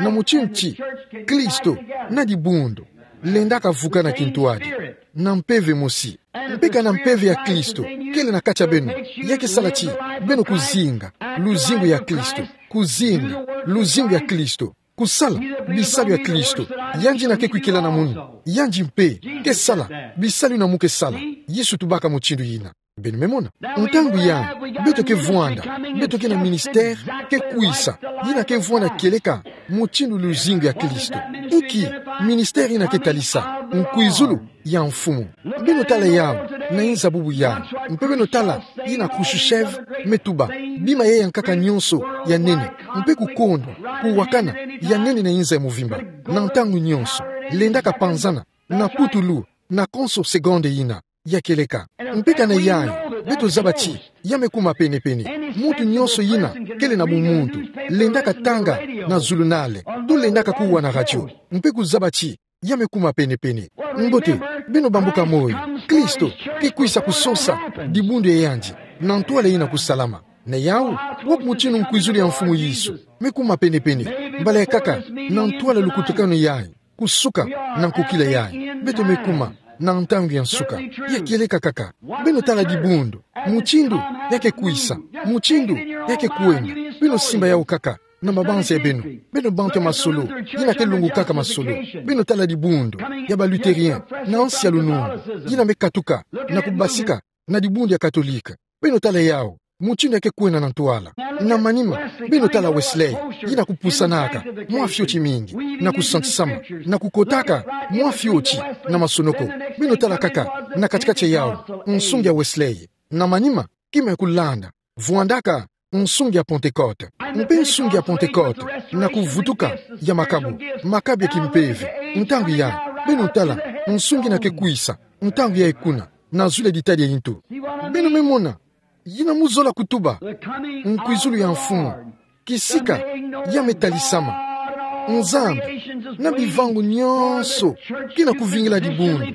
na mutindu ti Kristo na dibundu lendaka vukana kintwadi na mpeve mosi. Mpe ka na Mpeve ya Kristo kele na kati ya beno, ya ke sala ti beno kuzinga luzingu ya Kristo, kuzinga luzingu ya Kristo, kusala bisalu ya Kristo. Yandi ina ke kwikila na munu, yandi mpe ke sala bisalu ina mu ke sala. Yesu tubaka mutindu yina. Beno me mona. Ntangu yayi, beto ke vwanda, beto ke na ministère ke kwisa, yina ke vwanda kieleka mutindu luzingu ya Kristo. Inki ministère yina ke talisa? Nkwizulu ya Mfumu. Beno tala yawu na inza bubu yayi. Mpe beno tala yina Khrouchtchev me tuba: Bima yayankaka nyonso ya nene, mpe kukondwa, kuwakana ya nene na inza ya muvimba, na ntangu nyonso, lendaka panzana na putulu na konso seconde yina, ya kieleka. Mpe ka na yayi, beto zaba ti ya me kuma pene-pene. Muntu nyonso yina kele na bumuntu lendaka tanga na zulunale, to lendaka kuwa na radio, mpe kuzaba ti ya me kuma pene-pene. Mbote, beno bambuka moyo. Kristo ke kwisa kusosa dibundu ya yandi na ntwala yina kusalama. Na yawu, wapi mutindu nkwizulu ya Mfumu Yesu me kuma pene-pene? Mbala ya nkaka na ntwala lukutakanu yayi, kusuka na nkokila yayi, beto me kuma na ntangu ya nsuka. Ya kieleka kaka. Beno tala dibundu, mutindu ya ke kwisa, mutindu ya ke kwenda. Beno simba yawu kaka na mabanza ya beno, beno bantu ya masolo yina ke longokaka masolo. Beno tala dibundu ya ba Lutherien na nsi ya lunungu, yina me katuka na kubasika na dibundu ya Katolike. Beno tala yawu, mutindu ya ke kwenda na ntwala. Na manima, beno tala Wesley, yina kupusanaka mwa fioti mingi na kusantisama, na kukotaka mwa fioti na masonoko. Beno tala kaka na kati-kati ya yawu nsungi ya Wesley. na manima, kima ya kulanda, vwandaka nsungi ya Pentecote. Mpe nsungi ya Pentecote, na kuvutuka ya makabu, makabu ya kimpeve, ntangu yayi, beno tala, nsungi ina ke kwisa, ntangu yayi kuna, na zulu ya ditadi ya ntu. Beno me mona, yina mu zola kutuba, nkwizulu ya Mfumu, kisika ya me talisama. Nzambi, na bivangu nyonso, kina kuvingila dibundu,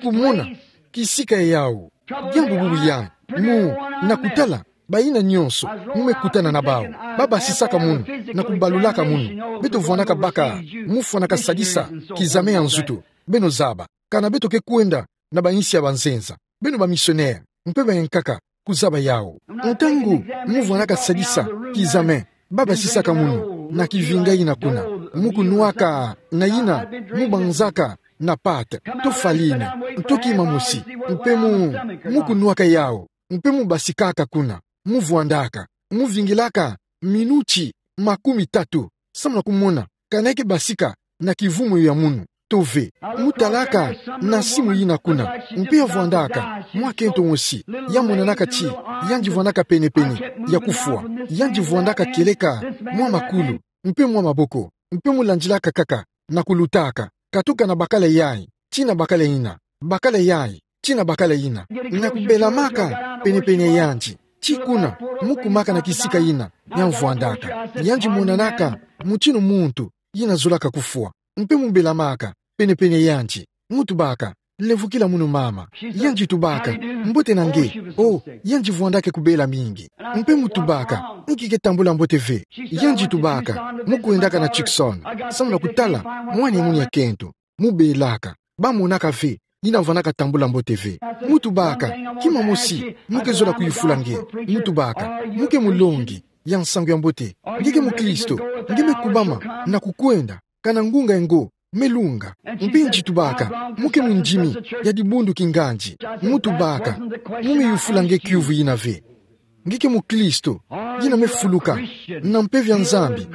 kumona kisika yawu. Diambu bubu yayi, mu, na kutala, bayina nyonso, mu me kutana na bawu, ba basisaka munu, na kubalulaka munu, beto vwandaka baka, mu fwanaka sadisa kizame ya nzutu, beno zaba, kana beto ke kwenda na bayinsi ya banzenza, beno bamisionere, mpe bayankaka, kuzaba yawu. Ntangu mu vwandaka sadisa kizame, ba basisaka munu, na kivinga yina kuna, mu kunwaka, na yina, mu banzaka, na pâte, to farine, to kima mosi, mpe mu, mu kunwaka yawu, mpe mu basikaka kuna, mu vwandaka, mu vingilaka minuti makumi tatu, samu na kumona, kana ke basika na kivumu ya munu, to ve. Mu talaka na simu yina kuna, mpe ya vwandaka mwa kento mosi, ya monanaka ti, yandi vwandaka pene-pene ya kufwa, yandi vwandaka kieleka mwa makulu, mpe mwa maboko, mpe mu landilaka kaka, na kulutaka, katuka na bakala yayi, tii na bakala yina, bakala yayi, tii na bakala yina, na kubelamaka pene-pene yandi, tii kuna, mu kumaka na kisika yina ya vwandaka, yandi monanaka mutinu muntu yina zolaka kufwa, mpe mu belamaka pene-pene yandi, mu tubaka, levukila munu mama. Yandi tubaka, mbote na nge, o, yandi vwandaka kubela mingi. Mpe mu tubaka, nki ke tambula mbote ve. Yandi tubaka, mu kwendaka na Tucson, samu na kutala mwana ya munu ya kento, mu belaka, ba monaka ve, yina vwandaka tambula mbote ve. Mu tubaka, kima mosi mu ke zola kuyufula nge. Mu tubaka, mu ke mulongi ya nsangu ya mbote, nge ke mukristo, nge me kubama na kukwenda, kana ngunga ya ngo me lunga. Mpe yandi tubaka, mu ke mundimi ya dibundu kingandi. Mu tubaka, mu me yufula nge kiuvu yina ve. Nge ke mukristo yina me fuluka na mpeve ya Nzambi,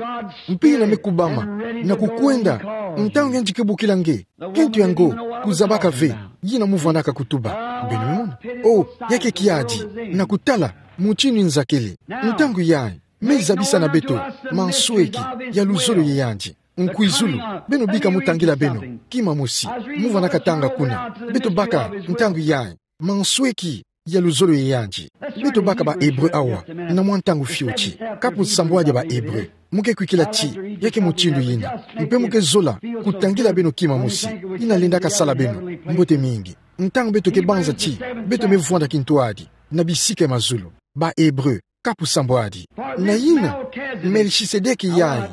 mpe yina me kubama na kukwenda, ntangu yandi ke bokila nge, kento ya ngo kuzabaka ve yina mu vwandaka kutuba. Beno me mona? O, ya ke kiadi, na kutala mutinu nzakele. Ntangu yayi, me zabisa na beto mansweki ya luzolo ya yandi. Nkwizulu, beno bika mu tangila beno kima mosi, mu vwandaka tanga kuna. Beto baka ntangu yayi mansweki ya luzolo ya yandi. Beto baka ba Hébreu awa, na mwa ntangu fioti. Kapu nsambwadi ya ba Hébreu. Mu ke kwikila ti, ya ke mutindu yina. Mpe mu ke zola kutangila beno kima mosi. Yina lenda kasala beno mbote mingi. Ntangu beto ke banza ti, beto me vwanda kintwadi na bisika ya mazulu. Ba Hébreu, kapu nsambwadi. Na yina, Melchisedeki yayi.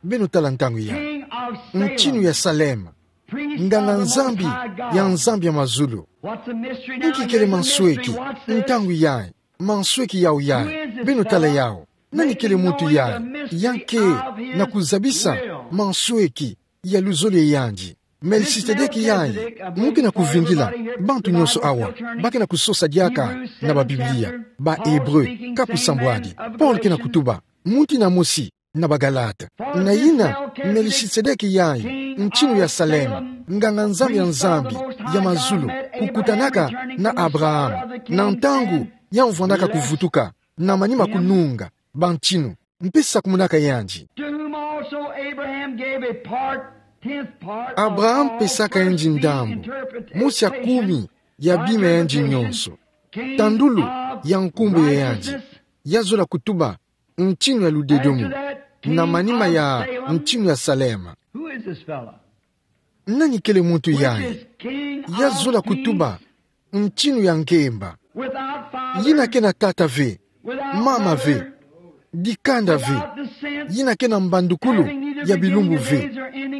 Beno tala ntangu yayi. Mutinu ya Salem. Nganga-Nzambi ya Nzambi ya mazulu. Nki kele mansweki ntangu yayi? Mansweki yawu yayi. Beno tala yawu. Nani kele muntu yayi? Ya ke na kuzabisa mansweki ya luzolo ya yandi. Melchisedeki yayi, mu ke na kuvingila bantu nyonso awa ba ke na kusosa diaka na ba Biblia. Ba Hébreu, kapu nsambwadi. Paul ke na kutuba, muntu yina mosi na ba Galate. Na yina, Melchisedeki yayi, mutinu ya Salem, nganga-Nzambi ya Nzambi ya mazulu, kukutanaka na Abraham na ntangu ya vwandaka kuvutuka na manima kununga bamutinu, mpe sakumunaka yandi. To whom also Abraham gave a part, tenth part of Abraham all pesaka yandi ndambu mosi ya kumi ya bima ya yandi nyonso. Tandulu ya nkumbu ya yandi, ya zola kutuba mutinu ya ludedomo na manima ya mutinu ya Salem. Who is this fellow? Nani kele muntu yayi? Ya zola kutuba mutinu ya ngemba. Yina ke na tata ve, mama ve, dikanda ve, yina ke na mbandukulu ya bilumbu ve,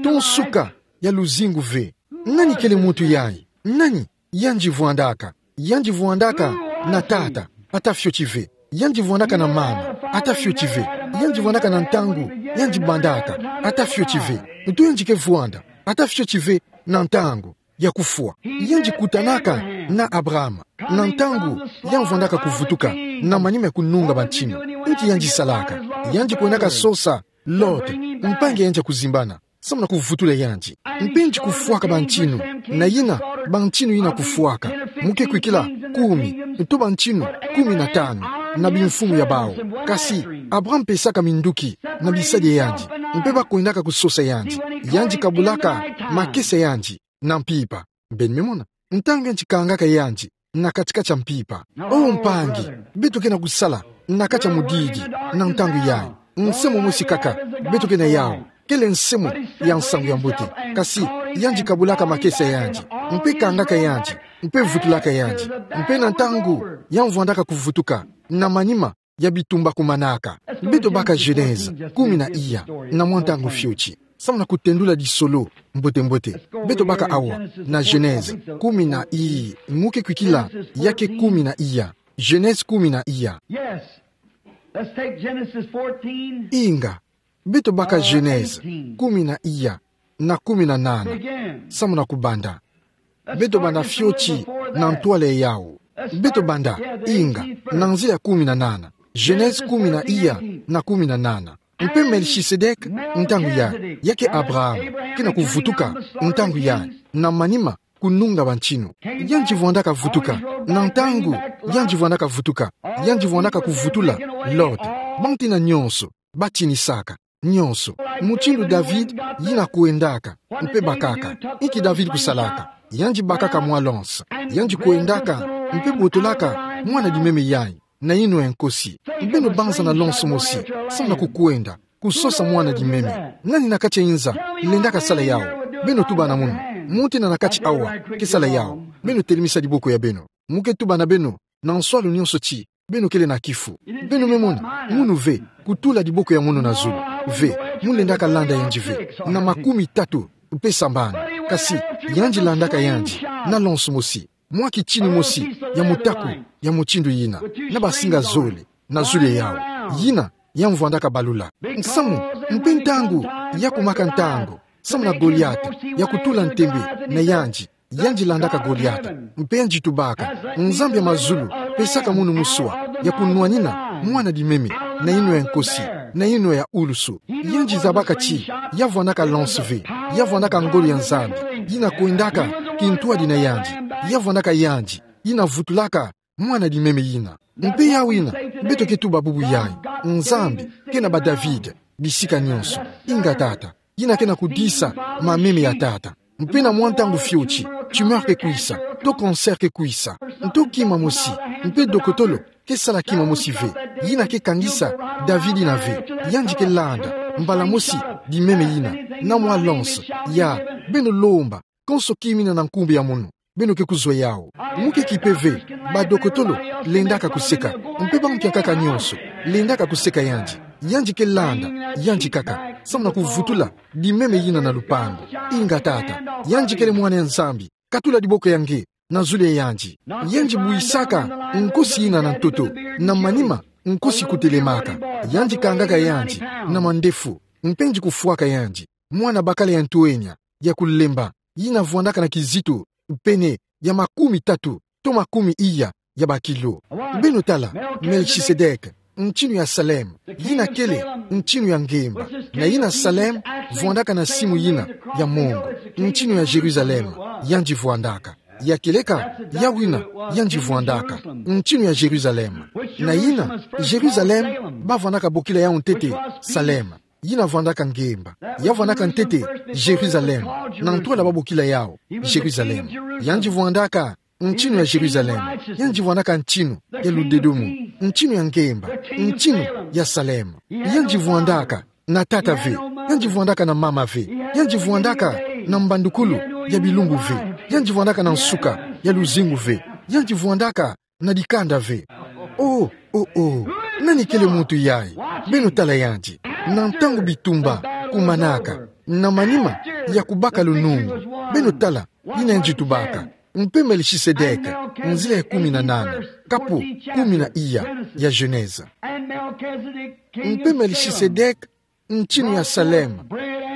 to nsuka ya luzingu ve. Nani kele muntu yayi? Nani? Yandi vwandaka. Yandi vwandaka na tata, ata fioti ve. Yandi vwandaka na mama, ata fioti ve. Yandi vwandaka na ntangu yandi bandaka, ata fioti ve. Nto yandi ke vwanda, ata fioti ve na ntangu ya kufwa. Yandi kutanaka na Abraham na ntangu ya vwandaka kuvutuka na manima ya kununga bamutinu. Nki yandi salaka? Yandi kwendaka sosa Lot, mpangi ya yandi ya kuzimbana, samu na kuvutula yandi. Mpe yandi kufwaka bamutinu, na yina bamutinu yina kufwaka. Mu ke kwikila kumi, nto bantinu kumi na tanu, na bimfumu ya bau. Kasi Abraham pesaka minduki na bisadi ya yandi, mpe bakwendaka kusosa yandi. Yandi kabulaka makesa ya yandi na mpimpa. Beno me mona, ntangu yandi kangaka yandi na kati-kati ya mpimpa. O mpangi, beto ke na kusala na kati ya mudidi na ntangu yayi. Nsemu'e mosi kaka beto ke na yawu, kele nsemu'e ya nsangu ya mbote. Kasi yandi kabulaka makesa ya yandi, mpe kangaka yandi, mpe vutulaka yandi. Mpe na ntangu yandi vwandaka kuvutuka, na manima ya bitumba kumanaka. Beto baka Genèse kumi na iya, na mwa ntangu fioti, samu na kutendula lisolo mbote-mbote. Beto baka awa na Genèse kumi na i-, mu ke kwikila, ya ke kumi na iya. Genèse kumi na iya. Yes. Let's take Genesis fourteen. Inga, beto baka Genèse kumi na iya na kumi na nana. Samu na kubanda. Beto banda fioti na ntwala yawu. Beto banda, inga, na nzila ya kumi na nana. Genèse kumi na iya na kumi na nana. Mpe Melchisedek, ntangu yayi, ya ke Abraham, ke na kuvutuka, ntangu yayi, na manima, kununga bantinu. Yandi vwandaka vutuka, na ntangu yandi vwandaka vutuka, yandi vwandaka kuvutula Lot, bantina nyonso batinisaka, nyonso. Mutindu David yina kwendaka, mpe bakaka. Inki David kusalaka? Yandi bakaka mwa lance. Yandi kwendaka, mpe botolaka mwana dimeme yayi na yinwa ya nkosi. Beno banza na lance mosi, samu na kukwenda kusosa mwana dimeme. Nani na kati ya inza lendaka sala yawu? Beno tuba na munu. Muntu yina na kati awa ke sala yawu, beno telemisa diboko ya beno. Mu ke tuba na beno na nswalu nyonso ti beno kele na kifu. Beno me mona, munu ve kutula diboko ya munu na zulu. Ve, mu lendaka landa yandi ve na makumi tatu mpe sambanu. Kasi yandi landaka yandi na lance mosi, mwa kitini mosi ya mutaku ya mutindu yina, na basinga zole na zulu yawu. Yina yandi vwandaka balula. Nsamu, mpe ntangu ya kumaka ntangu samu na Goliata ya kutula ntembe na yandi, yandi landaka Goliata, mpe yandi tubaka: Nzambi ya mazulu, pesaka munu muswa ya kunwanina mwana dimeme na yinwa ya nkosi, na yinwa ya ulusu. Yandi zabaka ti ya vwandaka lance ve, ya vwandaka ngolo ya Nzambi yina kwendaka kintwadi na yandi, ya vwandaka yandi yina vutulaka mwana dimeme yina. Mpe yawu yina, beto ke tuba bubu yayi: Nzambi ke na ba David bisika nyonso. Inga, Tata, yina ke na kudisa mameme ya tata. Mpe na mwa ntangu fioti, tumeur ke kwisa, to cancer ke kwisa, nto kima mosi, mpe dokotolo ke sala kima mosi ve, yina ke kangisa David yina ve. Yandi ke landa mbala mosi dimeme yina na mwa lance. Ya, beno lomba konso kima yina na nkumbu ya munu, beno ke kuzwa yawu. Mu ke kipe ve, badokotolo lendaka kuseka, mpe bantu ya nkaka nyonso lendaka kuseka yandi. Yandi ke landa yandi kaka samu na kuvutula dimeme yina na lupangu. Inga, Tata, yandi kele mwana ya Nzambi, katula diboko ya nge na zulu ya yandi. Yandi buyisaka nkosi yina na ntoto, na manima nkosi kutelemaka. Yandi kangaka yandi na mandefu, mpe yandi kufwaka yandi mwana bakala ya ntwenya, ya kulemba, yina vwandaka na kizito pene ya makumi tatu to makumi iya ya bakilo. Beno tala Melchisedek, ntinu ya Salem, yina kele ntinu ya ngemba. Na yina Salem vwandaka na simu yina ya mongo, ntinu ya Jérusalem yandi vwandaka. Ya kieleka yawu yina yandi vwandaka, ntinu ya Jérusalem. Na yina Jérusalem bavwandaka bokila yawu ntete Salem, yina vwandaka ngemba. Ya vwandaka ntete Jérusalem, na ntwala babokila yawu Jérusalem. Yandi vwandaka ntinu ya Jérusalem, yandi vwandaka ntinu ya ludedomo, ntinu ya ngemba, ntinu ya Salem. Yandi vwandaka na tata ve, yandi vwandaka na mama ve, yandi vwandaka na mbandukulu ya bilumbu ve, yandi vwandaka na nsuka ya luzingu ve, yandi vwandaka na dikanda ve. Oh, oh, oh. Nani kele muntu yayi? Beno tala yandi. Na ntangu bitumba kumanaka, na manima ya kubaka lunungu, beno tala yina yandi tubaka. Mpe Melchisedek, nzila ya kumi na nana, kapu kumi na iya ya Genèse. Mpe Melchisedek, ntinu ya Salem,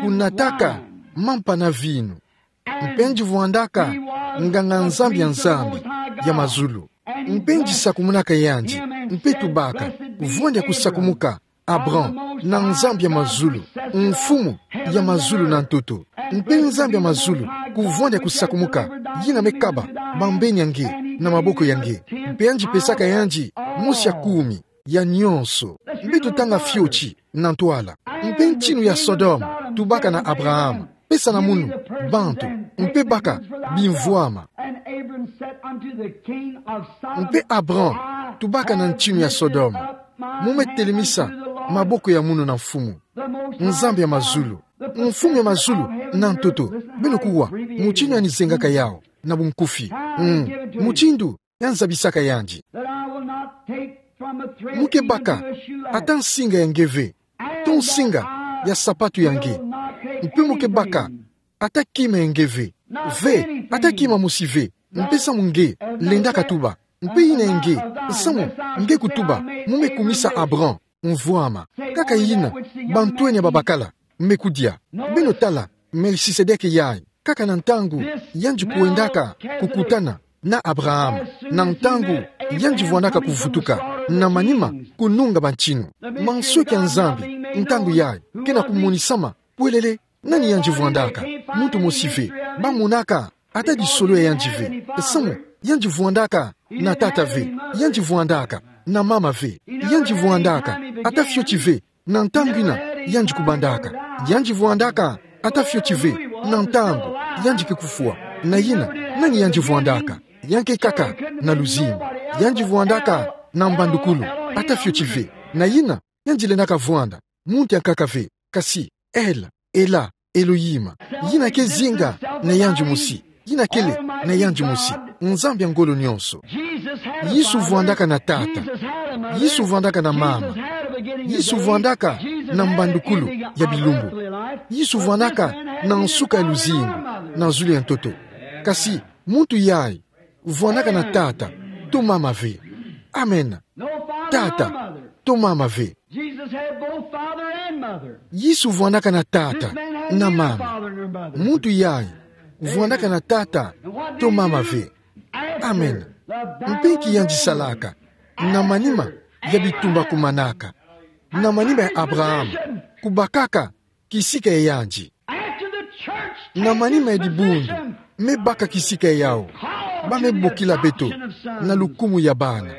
kunataka mampa na vinu. Mpe yandi vwandaka nganga-Nzambi ya Nzambi ya mazulu. Mpe yandi sakumunaka yandi, mpe tubaka: Vwanda ya kusakumuka, Abraham, na Nzambi ya mazulu, Mfumu ya mazulu na ntoto. Mpe Nzambi ya mazulu, kuvwanda ya kusakumuka, yina me kaba bambeni ya nge na maboko ya nge. Mpe yandi pesaka yandi mosi ya kumi ya nyonso. Mpe totanga fioti na ntwala. Mpe ntinu ya Sodome tubaka na Abraham, pesa na munu bantu, mpe baka bimvwama. Mpe Abraham tubaka na ntinu ya Sodome: Mu me telemisa maboko ya munu na Mfumu, Nzambi ya mazulu. Mfumu ya mazulu na ntoto, beno kuwa mutinu yani zengaka yawu na bunkufi. Mm. Mutindu yani zabisaka yandi: Mu ke baka ata nsinga ya nge ve, to nsinga ya sapatu ya nge. Mpe mu ke baka ata kima ya nge ve. Ve, ata kima mosi ve. Mpe samu nge lendaka tuba, mpe yina ya nge. Samu nge kutuba, mu me kumisa Abraham mvwama. Kaka yina bantwenya babakala me kudia. Beno tala Melchisedeke yayi, kaka na ntangu yandi kwendaka kukutana na Abraham, na ntangu yandi vwandaka kuvutuka na manima kununga bantinu. Mansweki ya Nzambi ntangu yayi kena kumonisama pwelele. Nani yandi vwandaka? Muntu mosi ve. Bamonaka ata disolo ya yandi ve. Samu yandi vwandaka na tata ve. Yandi vwandaka na mama ve. Yandi vwandaka ata fioti ve na ntangu yina yandi kubandaka. Yandi vwandaka ata fioti ve na ntangu yandi ke kufwa. Na yina, nani yandi vwandaka? Yankaka na luzingu. Yandi vwandaka na mbandukulu ata fioti ve. Na yina, yandi lendaka vwanda muntu yankaka ve, kasi El, Ela, Elohim. Yina ke zinga na yandi mosi. Yina kele na yandi mosi, Nzambi ya ngolo nyonso. Yesu vwandaka na tata. Yesu vwandaka na mama. Yesu vwandaka na mbandukulu ya bilumbu. Yesu vwandaka na nsuka ya luzingu na zulu ya ntoto. Kasi muntu yayi vwandaka na tata to mama ve. Amen. Tata to mama ve. Yesu vwandaka na tata na mama. Muntu yayi vwandaka na tata to mama ve. Amen. Mpe nki yandi salaka na manima ya bitumba kumanaka, na manima ya Abraham kubakaka kisika ya yandi? Na manima ya dibundu me baka kisika yawu, ba me bokila beto na lukumu ya bana,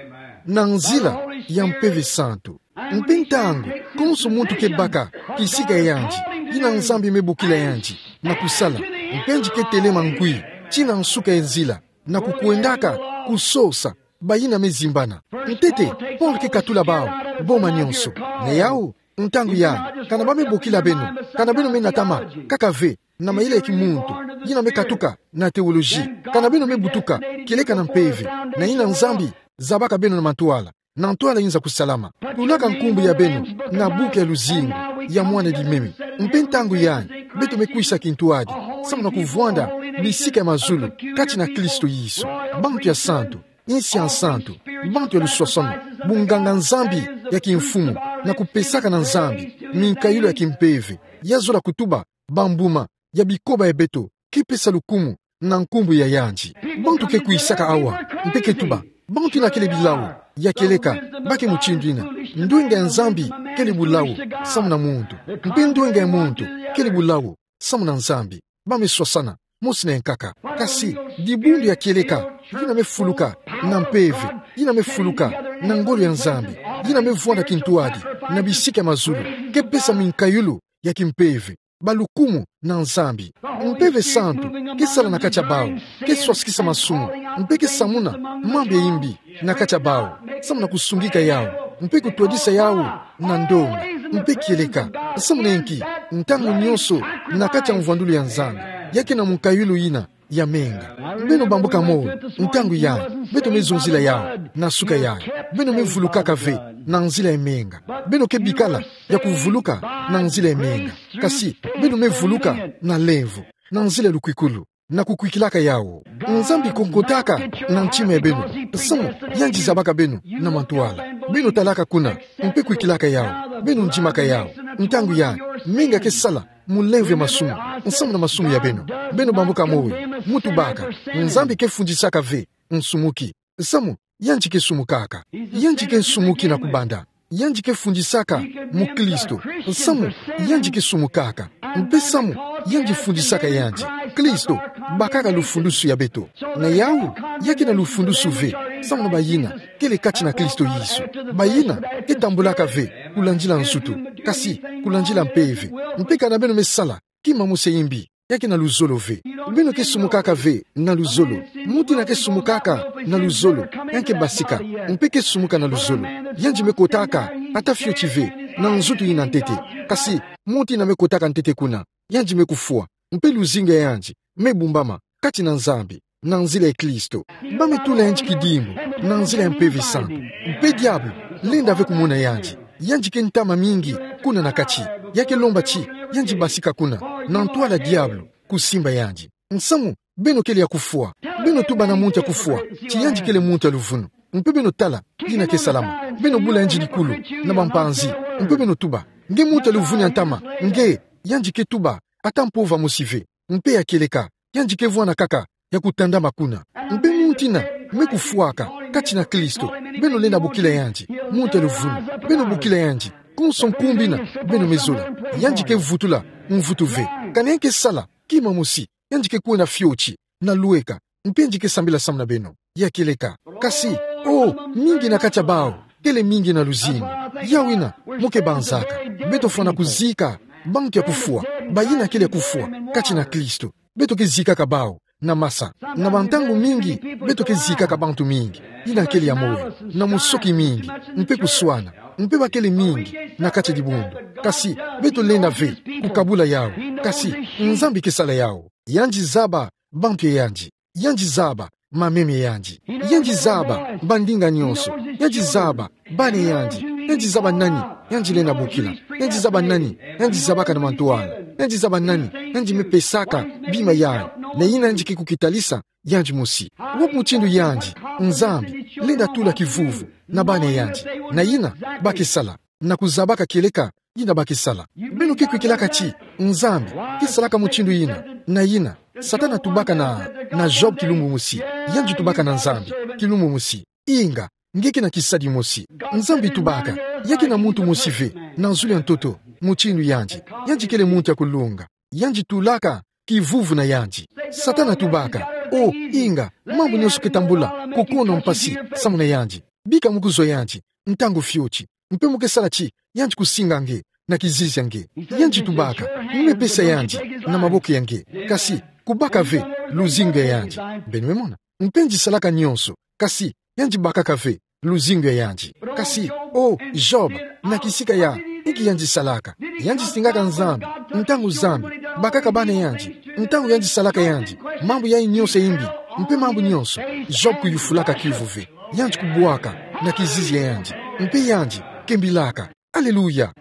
na nzila ya Mpeve Santu. Mpe ntangu konso muntu ke baka kisika ya yandi, yina Nzambi me bokila yandi na kusala, mpe yandi ke telema ngwi tii na nsuka ya nzila, na kukwendaka kusosa bayina me zimbana. Ntete, Paul ke katula bawu: Boma nyonso. Na yawu, ntangu yayi, kana ba me bokila beno, kana beno me natama kaka ve na mayele ya kimuntu, yina me katuka na théologie, kana beno me butuka kieleka na mpeve, na yina Nzambi zabaka beno na mantwala, na ntwala yinza kusalama. Tulaka nkumbu ya beno na buku ya luzingu ya mwana-di-meme. Mpe ntangu yayi, beto me kwisa kintwadi samu na kuvwanda bisika ya mazulu kati na Kristo Yesu. Bantu ya santu, insi ya nsantu, bantu ya luswaswanu, bunganga-Nzambi ya kimfumu, na kupesaka na Nzambi minkayulu ya kimpeve, ya zola kutuba bambuma ya bikoba ya beto, ke pesa lukumu na nkumbu ya yandi. Bantu ke kwisaka awa, mpe ke tuba: Bantu yina kele bilawu ya kieleka, ba ke mutindu yina. Ndwenga ya Nzambi kele bulawu samu na muntu, mpe ndwenga ya muntu kele bulawu samu na Nzambi. Ba me swasana mosi na yankaka. Kasi dibundu ya kieleka, yina me fuluka na mpeve, yina me fuluka na ngolo ya Nzambi, yina me vwanda kintwadi na bisika ya mazulu, ke pesa minkayulu ya kimpeve, balukumu na Nzambi. Mpeve Santu ke sala na kati ya bawu, ke swasikisa masumu, mpe ke samuna mambu ya yimbi na kati ya bawu, samu na kusungika yawu, mpe kutwadisa yawu na ndonga, mpe kieleka. Samu na inki? Ntangu nyonso na kati ya mvwandulu ya Nzambi, ya ke na munkayulu yina ya menga. Beno bambuka moyo, ntangu yayi, beto me zonzila yawu na suka yayi. Beno me vulukaka ve na nzila ya menga. Beno ke bikala ya kuvuluka na nzila ya menga, kasi beno me vuluka na lemvo, na nzila ya lukwikulu, na kukwikilaka yawu. Nzambi kokotaka na ntima ya beno, samu yandi zabaka beno na mantwala. Beno talaka kuna, mpe kwikilaka yawu, beno ndimaka yawu. Ntangu yayi, menga ke sala mu lemvo ya masumu, samu na masumu ya beno. Beno bambuka moyo, mu tubaka: Nzambi ke fundisaka ve nsumuki, samu yandi ke sumukaka. Yandi ke nsumuki na kubanda. Yandi ke fundisaka mukristo, samu yandi ke sumukaka. Mpe samu yandi fundisaka yandi, Kristo bakaka lufundusu ya beto. Na yawu, ya ke na lufundusu ve, samu na bayina kele kati na Kristo Yesu, bayina ke tambulaka ve kulandila nsutu, kasi kulandila mpeve. Mpe kana beno me sala kima mosi ya mbi, ya ke na luzolo ve. Beno ke sumukaka ve na luzolo. Muntu ina ke sumukaka na luzolo, yandi ke basika, mpe ke sumuka na luzolo. Yandi me kotaka ata fioti ve na nzutu ina ntete. Kasi muntu ina me kotaka ntete kuna, yandi me kufwa. Mpe luzingu ya yandi me bumbama kati na Nzambi, na nzila ya Kristo. Ba me tula yandi kidimbu na nzila ya Mpeve Santu. Mpe diabulu lenda ve kumona yandi. Yandi ke ntama mingi kuna na kati. Ya ke lomba ti yandi basika kuna, na ntwala diabulu kusimba yandi. Nsamu, beno kele ya kufwa. Beno tuba na muntu ya kufwa ti yandi kele muntu ya luvunu. Mpe beno tala yina ke salama. Beno bula yandi likulu na bampanzi. Mpe beno tuba: Nge muntu ya luvunu ya ntama, nge? Yandi ke tuba ata mpova mosi ve. Mpe ya kieleka, yandi ke vwanda kaka ya kutandama kuna. Mpe muntu ina me kufwaka kati na Kristo, beno lenda bokila yandi muntu ya luvunu. Beno bokila yandi konso nkumbu ina beno me zola. Yandi ke vutula mvutu ve. Kana yandi ke sala kima mosi, yandi ke kwenda fioti na lweka, mpe yandi ke sambila samu na beno. Ya kieleka. Kasi, oh, mingi na kati ya bawu kele mingi na luzingu. Yawu ina mo ke banzaka. Beto fwana kuzika bantu ya kufwa, bayina kele ya kufwa kati na Kristo. Beto ke zikaka bawu na masa. Na bantangu mingi beto ke zikaka bantu mingi yina kele ya moyo, na musoki mingi, mpe kuswana, mpe ba kele mingi na kati ya dibundu. Kasi beto lenda ve kukabula yawu. Kasi Nzambi ke sala yawu. Yandi zaba bantu ya yandi. Yandi zaba mameme ya yandi. Yandi zaba bandinga nyonso. Yandi zaba bana ya yandi. Yandi zaba nani yandi lenda bokila. Yandi zaba nani yandi zabaka na mantwala. Yandi zaba nani yandi me pesaka bima yandi, na yina yandi ke kukitalisa yandi mosi. Wapi mutindu yandi Nzambi lenda tula kivuvu na bana ya yandi, na yina ba ke sala, na kuzabaka kieleka yina ba ke sala? Beno ke kwikilaka ti Nzambi ke salaka mutindu yina, na yina Satana tubaka na, na Job kilumbu mosi. Yandi tubaka na Nzambi kilumbu mosi: Inga, nge ke na kisadi mosi. Nzambi tubaka ya ke na muntu mosi ve na zulu ya ntoto mutindu yandi. Yandi kele muntu ya kulunga. Yandi tulaka kivuvu na yandi. Satana tubaka: Oh, inga, mambu nyonso ke tambula kukono mpasi samu na yandi. Bika mo kuzwa yandi ntangu fioti, mpe mo ke sala ti yandi kusinga nge na kizizi ya nge. Yandi tubaka: Nge me pesa yandi na maboko ya nge. Kasi kubaka ve luzingu ya yandi. Beno me mona? Mpe yandi salaka nyonso, kasi yandi bakaka ve luzingu ya yandi. Kasi, oh, Job, na kisika ya, inki yandi salaka? Yandi singaka Nzambi ntangu Nzambi bakaka bana ya yandi, ntangu yandi salaka yandi mambu ya nyonso ya imbi, mpe mambu nyonso. Job kuyufulaka kiuvu ve. Yandi kubwaka na kizizi ya yandi, mpe yandi kembilaka. Aleluya!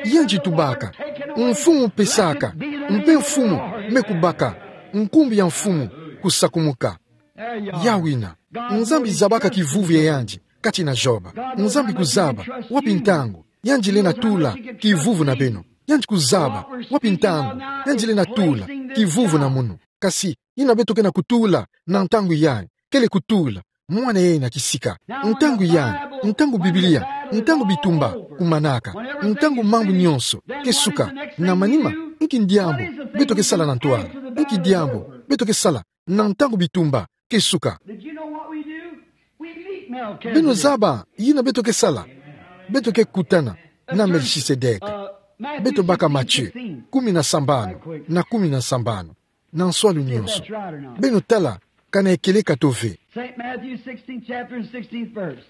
Yandi tubaka: Mfumu pesaka, mpe Mfumu me kubaka, nkumbu ya Mfumu kusakumuka. Yawu ina. Nzambi zabaka kivuvu ya yandi kati na Job. Nzambi kuzaba wapi ntangu yandi lenda tula kivuvu na beno. Yandi kuzaba wapi ntangu yandi lenda tula kivuvu na munu. Kasi yina beto ke na kutula na ntangu yayi kele kutula mwana yayi na kisika. Ntangu yayi, ntangu Biblia, ntangu bitumba kumanaka, ntangu mambu nyonso ke suka, na manima, inki diambu beto ke sala na ntwala? Inki diambu beto ke sala na ntangu bitumba ke suka? Did you know what we do? We meet Melchizedek. Beno zaba yina beto ke sala? Beto ke kutana na Melchisedek. Beto baka Matthieu kumi na sambanu na kumi na sambanu. Na nswalu nyonso. Beno tala kana e kieleka to ve. Saint Matthew sixteenth chapter and sixteenth verse.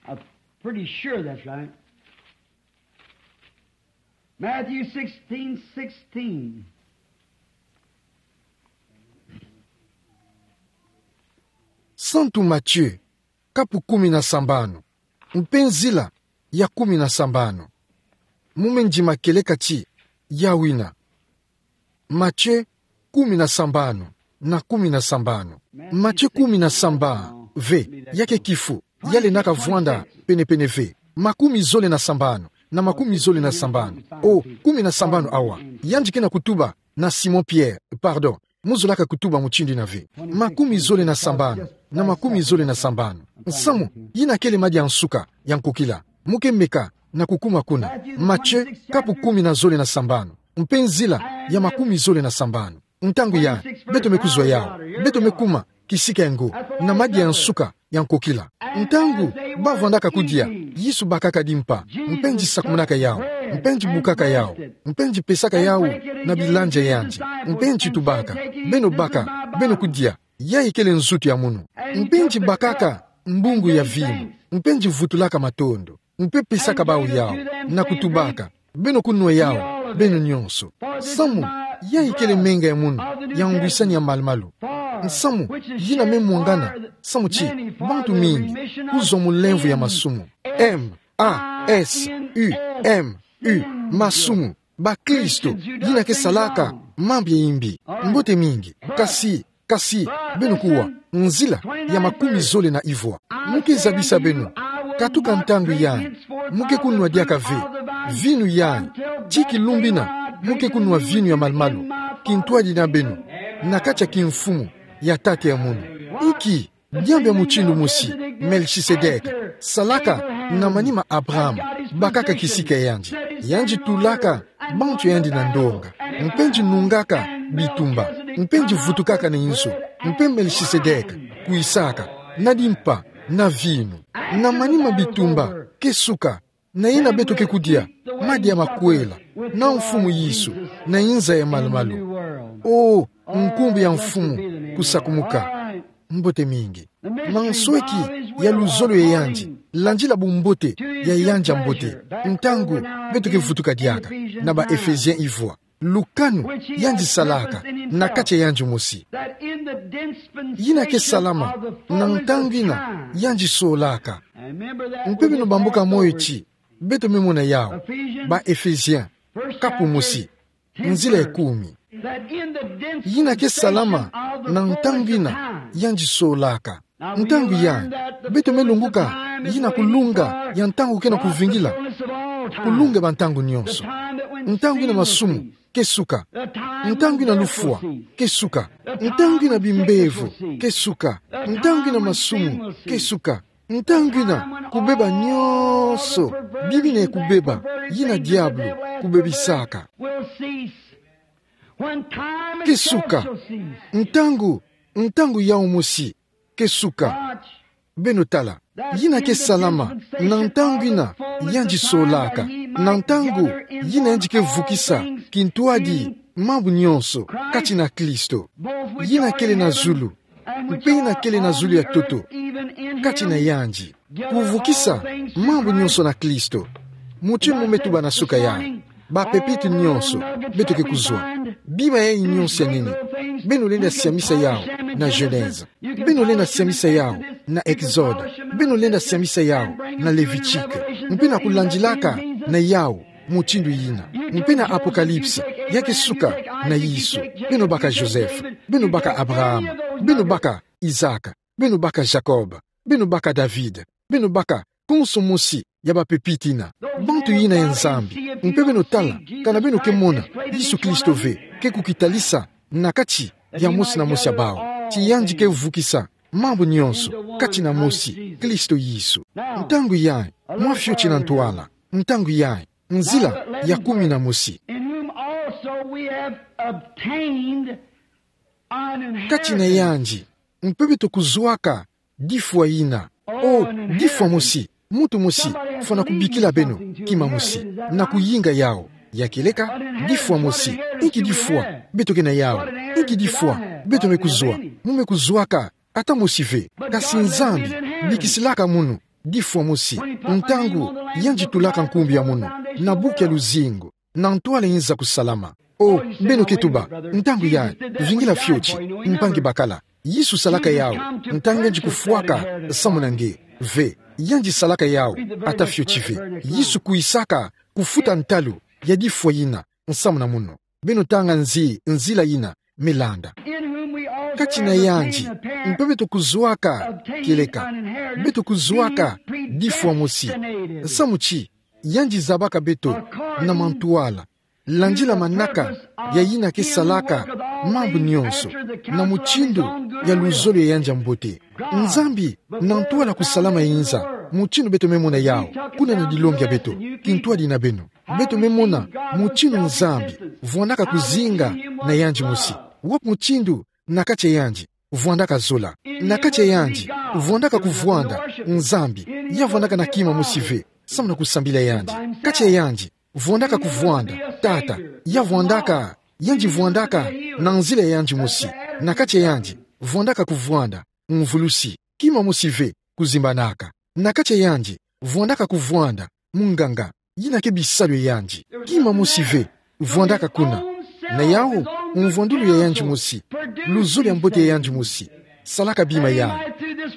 I'm pretty sure that's right. Matthew sixteen sixteen. Santu Matthieu, kapu kumi na sambanu, mpe nzila ya kumi na sambanu. Mo me ndima kieleka ti yawu ina. Matthieu kumi na sambanu na kumi na sambanu. Matthieu kumi na sambanu ve, ya ke kifu, ya lendaka vwanda penepene ve. Makumi zole na sambanu na makumi zole na sambanu. Oh, kumi na sambanu awa. Yandi ke na kutuba na Simon Pierre, pardon. Mo zolaka kutuba mutindu ina ve. Makumi zole na sambanu na makumi zole na sambanu. Nsamu, yina kele madi ya nsuka ya nkokila. Mo ke meka na kukuma kuna. Matthieu, kapu kumi na zole na sambanu. mpe nzila ya makumi zole na sambanu. Ntangu yai, beto me kuzwa yawu, beto me kuma kisika ya ngo, na madia ya nsuka ya nkokila. Ntangu bavwandaka kudia, Yesu bakaka dimpa, mpe nzi sakumunaka yawu, mpe nzi bukaka yawu, mpe nzi pesaka yawu na bilandia yandi, mpe nzi tubaka: Beno baka, beno kudia, yayi kele nzutu ya munu. Mpe nzi bakaka mbungu ya vinu, mpe nzi vutulaka matondo, mpe pesaka bawu yawu, na kutubaka: Beno kunwa yawu, beno nyonso. Samu yayi kele menga ya munu ya ngwisani ya malumalu. Nsamu yina me mwangana, samu ti bantu mingi kuzwa mu nlemvo ya masumu. M A S U M U, masumu. Bakristo yina ke salaka mambu ya imbi. Mbote mingi. Kasi, kasi, beno kuwa, nzila ya makumi zole na ivwa. Mu ke zabisa beno, katuka ntangu yai, mu ke kunwa diaka ve vinu yai, ti kilumbu ina mu ke kunwa vinu ya malumalu kintwadi na beno, na kati ya kimfumu ya tata ya munu. Inki diambu ya mutindu mosi Melchisedek salaka na manima Abraham? Bakaka kisika ya yandi, yandi tulaka bantu ya yandi na ndonga, mpe nzi nungaka bitumba, mpe nzi vutukaka na inzo, mpe Melchisedek kwisaka na dimpa, na vinu, na manima bitumba, ke suka, na yina beto ke kudia, madia makwela, na Mfumu Yesu, na inza ya malumalu. O, nkumbu ya Mfumu kusakumuka. Mbote mingi. Mansweki ya luzolo ya yandi, landila bumbote ya yandi ya mbote. Ntangu beto ke vutuka diaka na ba Ephésiens ivwa, lukanu yandi salaka na kati ya yandi mosi. Yina ke salama na ntangu ina yandi solaka. Mpe beno bambuka moyo ti beto me mona yawu. Ba Ephésiens, kapu mosi, nzila ya kumi. Yina ke salama na ntangu ina yandi solaka. Ntangu yai, beto me lunguka yina kulunga ya ntangu ke na kuvingila, kulunga ya bantangu nyonso. Ntangu ina masumu ke suka. Ntangu ina lufwa ke suka. Ntangu ina bimbevo ke suka. Ntangu ina masumu ke suka. Ntangu ina kubeba nyonso, bibi na kubeba, yina diabulu kubebisaka ke suka. Ntangu, ntangu yawu mosi ke suka. Beno tala, yina ke salama na ntangu ina yandi solaka, na ntangu yina yandi ke vukisa kintwadi mambu nyonso kati na Kristo. Yina kele na zulu, mpe yina kele na zulu ya ntoto kati na yandi. Kuvukisa mambu nyonso na Kristo. Mutindu mu me tuba na suka yai, ba pépite nyonso beto ke kuzwa, bima yayi nyonso ya nene, beno lenda siamisa yawu na Genèse. Beno lenda siamisa yawu na Exode. Beno lenda siamisa yawu na Levitique. Mpe na kulandilaka na yawu mutindu yina, mpe na Apocalypse, ya ke suka na Yesu. Beno baka Joseph. Beno baka Abraham. Beno baka Isaac. Beno baka Jacob. Beno baka David. Beno baka konso mosi ya ba pépite ina, bantu yina ya Nzambi. Mpe beno tala, kana beno ke mona Yesu Kristo ve ke kukitalisa na kati ya mosi na mosi ya bawu, ti yandi ke vukisa mambu nyonso kati na mosi, Kristo Yesu. Ntangu yai, mwa fioti na ntwala, ntangu yai, nzila ya kumi na mosi. In whom also we have obtained an inheritance. Kati na yandi mpe beto kuzwaka difwa ina. O, difwa mosi, muntu mosi fwana kubikila beno kima mosi na kuyinga yawu. Ya kieleka, difwa mosi. Inki difwa beto ke na yawu? Inki difwa beto me kuzwa? Mu me kuzwaka ata mosi ve. Kasi Nzambi bikisilaka munu difwa mosi ntangu yandi tulaka nkumbu ya munu na buku ya luzingu, na ntwala inza kusalama. O, beno ke tuba, ntangu yai, vingila fioti, mpangi bakala. Yesu salaka yawu ntangu yandi kufwaka nsamu na nge? Ve, yandi salaka yawu ata fioti ve. Yesu kwisaka kufuta ntalu ya difwa yina nsamu na munu. Beno tanga nzi, nzila yina me landa. Kati na yandi mpe beto kuzwaka, kieleka, beto kuzwaka difwa mosi. Nsamu ti yandi zabaka beto na mantwala, landila manaka ya yina ke salaka mambu nyonso, na mutindu ya luzolo ya yandi ya mbote. Nzambi, na ntwala kusalama inza, mutindu beto me mona yawu, kuna na dilongi ya beto, kintwadi na beno. Beto me mona mutindu Nzambi vwandaka kuzinga na yandi mosi. Wapi mutindu na kati ya yandi vwandaka zola? Na kati ya yandi vwandaka kuvwanda Nzambi, ya vwandaka na kima mosi ve, samu na kusambila yandi. Kati ya yandi vwandaka kuvwanda Tata, ya vwandaka, yandi vwandaka na nzila ya yandi mosi. Na kati ya yandi vwandaka kuvwanda mvulusi, kima mosi ve kuzimbanaka. Na kati ya yandi vwandaka kuvwanda munganga, yina ke bisalu ya yandi. Kima mosi ve vwandaka kuna. Na yawu, mvwandulu ya yandi mosi, luzolo ya mbote ya yandi mosi, salaka bima yayi.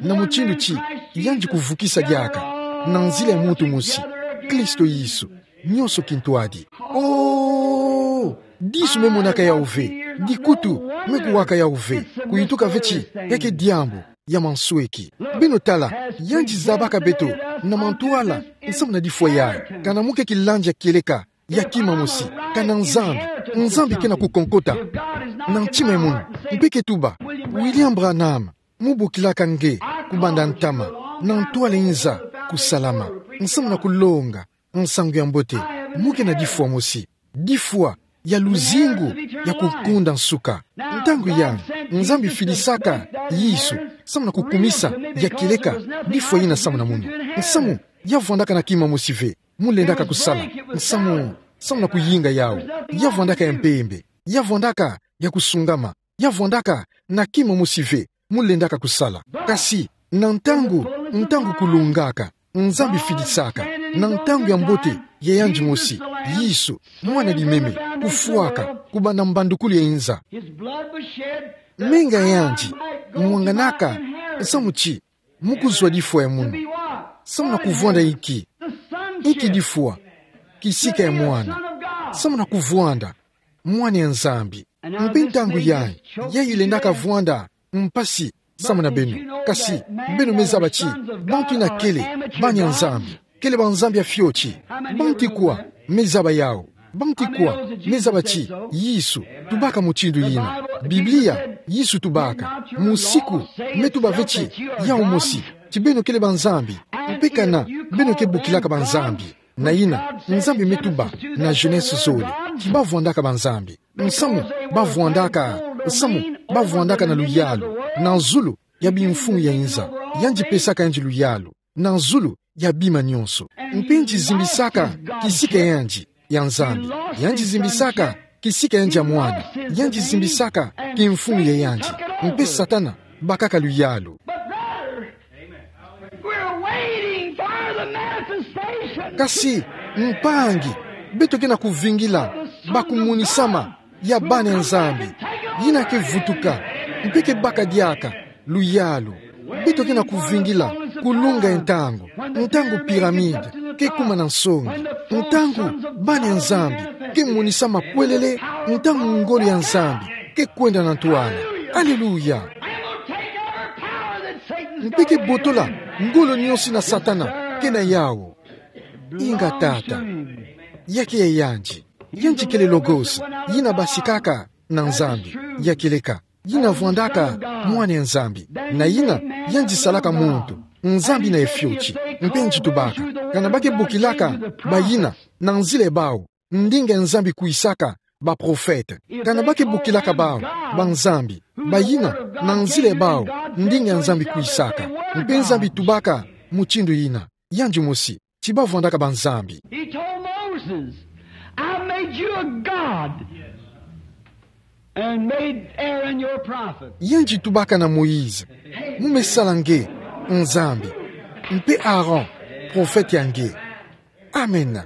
Na mutindu ti yandi kuvukisa diaka, na nzila ya muntu mosi, Kristo Yesu, nionso kintwadi. Oh, disu me monaka yawu ve, dikutu me kuwaka yawu ve, kuyituka ve ti ya ke diambu ya mansweki. Beno tala, yandi zabaka beto na mantwala, samu na difwa yayi. Kana mu ke kilandi ya kieleka ya kima mosi, kana Nzambi, Nzambi ke na kukonkota na ntima ya munu, mpe ke tuba: William Branham, mu bokilaka nge kubanda ntama, na ntwala inza kusalama, samu na kulonga nsangu ya mbote. Mu ke na difwa mosi, difwa ya luzingu ya kukonda nsuka. Ntangu yayi, Nzambi fidisaka Yesu samu na kukumisa ya kieleka difwa yina samu na munu. Samu ya vwandaka na kima mosi ve mu lendaka kusala, samu, samu na kuyinga yawu. Ya vwandaka ya mpembe, ya vwandaka ya kusungama, ya vwandaka na kima mosi ve mu lendaka kusala. Kasi na ntangu, ntangu kulungaka, Nzambi fidisaka, na ntangu ya mbote ya yandi mosi, Yesu, mwana limeme, kufwaka, kubanda mbandukulu ya inza. Menga ya yandi mwanganaka samu ti mu kuzwa difwa ya munu. Samu na kuvwanda inki? Inki difwa? Kisika ya mwana. Samu na kuvwanda mwana ya Nzambi. Mpe ntangu yayi, yayi lendaka vwanda mpasi samu na beno. Kasi beno me zaba ti bantu yina kele bana ya Nzambi, kele banzambi ya fioti. Banti kwa me zaba yawu? Banti kwa me zaba ti Yesu tubaka mutindu yina? Biblia, Yesu tubaka, musiku me tuba ve ti yawu mosi, ti beno kele banzambi. Mpe kana beno ke bokilaka banzambi, na yina Nzambi me tuba na Genese zole ti ba vwandaka banzambi. Samu ba vwandaka, samu ba vwandaka na luyalu na zulu ya bimfumu ya inza. Yandi pesaka yandi luyalu na zulu ya bima nionso. Mpe yandi zimbisaka kisika ya yandi ya Nzambi. Yandi zimbisaka kisika ya yandi ya mwana. Yandi zimbisaka kimfumu ya yandi. Mpe Satana bakaka luyalu. But brother, we're waiting for the manifestation. Kasi, mpangi, beto ke na kuvingila bakumunisama ya bana ya Nzambi yina ke vutuka mpe ke baka diaka luyalu. Beto ke na kuvingila kulunga ya ntangu, ntangu pyramide ke kuma na nsongi, ntangu bana ya Nzambi ke monisama kwelele, ntangu ngolo ya Nzambi ke kwenda na ntwala. Aleluya! Mpe ke botola ngolo nionso na Satana ke na yawu. Inga Tata, ya ke ya yandi. Yandi kele Logos, yina basikaka na Nzambi, ya kieleka, yina vwandaka mwana ya Nzambi, na yina yandi salaka muntu, Nzambi na ya fioti. Mpe yandi tubaka, kana ba ke bokilaka bayina na nzila ya bawu, ndinga ya Nzambi kwisaka baprofete. Kana ba ke bokilaka bawu banzambi, bayina na nzila ya bawu, ndinga ya Nzambi kwisaka. Mpe Nzambi tubaka mutindu yina, yandi mosi, ti ba vwandaka banzambi. He told Moses, "I made you a God and made Aaron your prophet." Yandi tubaka na Moïse, "Mu me sala nge Nzambi, mpe Aaron, profete ya nge." Amen.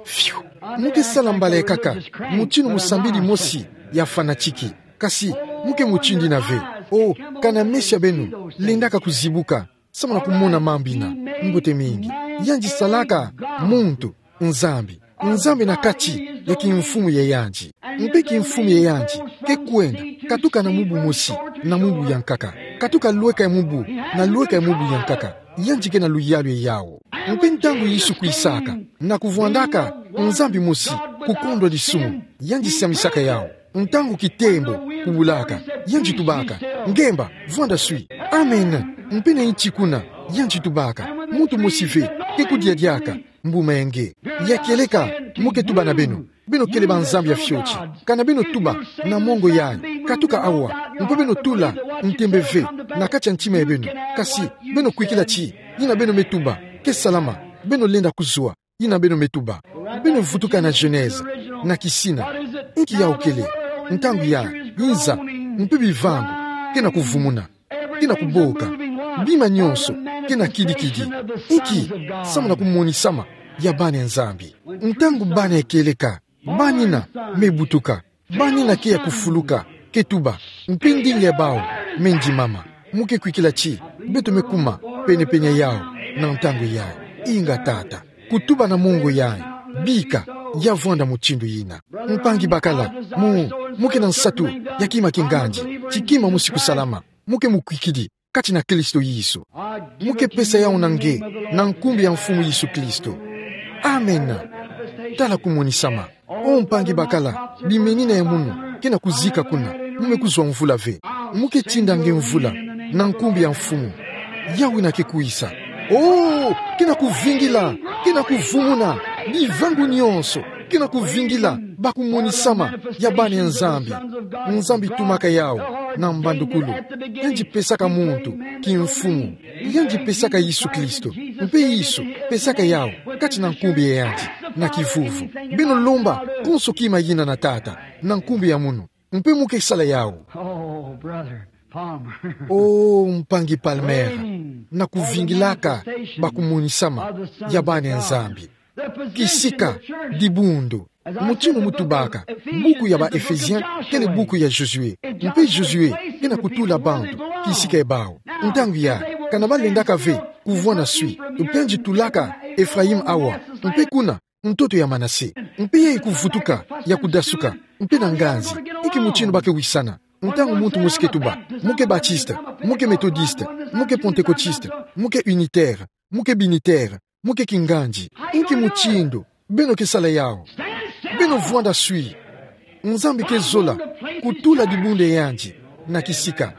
Fiu. Mu ke sala mbala ya nkaka mutindu musambidi mosi ya fanatiki. Kasi mu ke mutindu yina ve. Oh, kana meso ya beno lendaka kuzibuka samu na kumona mambu yina, mbote mingi. Yandi salaka muntu Nzambi, Nzambi na kati ya kimfumu ya yandi. Mpe kimfumu ya yandi ke kwenda katuka na mubu mosi na mubu ya nkaka, katuka lweka ya mubu na lweka ya mubu ya nkaka. Yandi ke na luyalu ya yawu. Mpe ntangu Yesu kwisaka, na kuvwandaka Nzambi mosi, kukondwa disumu, yandi siamisaka yawu. Ntangu kitembo kubulaka, yandi tubaka, "Ngemba, vwanda swi." Amen. Mpe na nti kuna, yandi tubaka, Muntu mosi ve ke kudia diaka mbuma ya nge. Ya kieleka, mu ke tuba na beno. Beno kele banzambi ya fioti. Kana beno tuba na mongo yayi, katuka awa, mpe beno tula ntembe ve na kati ya ntima ya beno. Kasi beno kwikila ti yina beno me tuba ke salama. Beno lenda kuzwa yina beno me tuba. Beno vutuka na Genèse, na kisina. Inki yawu kele? Ntangu yayi, inza, mpe bivangu ke na kuvumuna, ke na kuboka. Bima nyonso ke na kidikidi. Inki? Samu na kumonisama ya bana ya Nzambi. Ntangu bana ya kieleka, bana yina me butuka, bana yina ke ya kufuluka, ke tuba, mpe ndinga ya bawu me ndimama. Mu ke kwikila ti beto me kuma penepene yawu na ntangu yayi. Inga, Tata, kutuba na mongo yayi, bika ya vwanda mutindu yina. Mpangi bakala, mu, mu ke na nsatu ya kima kingandi, ti kima mosi kusalama. Mu ke mukwikidi kati na Kristo Yesu. Mu ke pesa yawu na nge na nkumbu ya Mfumu Yesu Kristo. Amen. Tala kumonisama. O mpangi bakala, bimenina ya munu ke na kuzika kuna, mu me kuzwa mvula ve. Mu ke tinda nge mvula na nkumbu ya Mfumu. Yawu yina ke kwisa. O, ke na kuvingila, ke na kuvumuna, bivangu nyonso ke na kuvingila bakumonisama ya bana ya Nzambi. Nzambi tumaka yawu na mbandukulu. Yandi pesaka muntu kimfumu. Yandi pesaka Yesu Kristo. Mpe Yesu pesaka yawu kati na nkumbu ya yandi na kivuvu. Beno lomba konso kima yina na Tata na nkumbu ya munu, mpe mu ke sala yawu. Oh, brother Palmer. O mpangi Palmer, na kuvingilaka bakumonisama ya bana ya Nzambi. Kisika, dibundu. Mutindu mu tubaka, buku ya ba Ephésiens kele buku ya Josué. Mpe Josué ke na kutula bantu kisika ya bawu. Ntangu yayi, kana balendaka ve kuvwanda swi, mpe yandi tulaka Ephraïm awa, mpe kuna ntoto ya Manase. Mpe yayi kuvutuka, ya kudasuka, mpe na nganzi. Inki mutindu ba ke wisana? Ntangu muntu mosi ke tuba, mu ke Baptiste, mu ke Méthodiste, mu ke Pentecôtiste, mu ke Unitaire, mu ke Binitaire, mu ke kingandi. Inki mutindu beno ke sala yawu? Beno vwanda swi. Nzambi ke zola kutula dibundu ya yandi na kisika.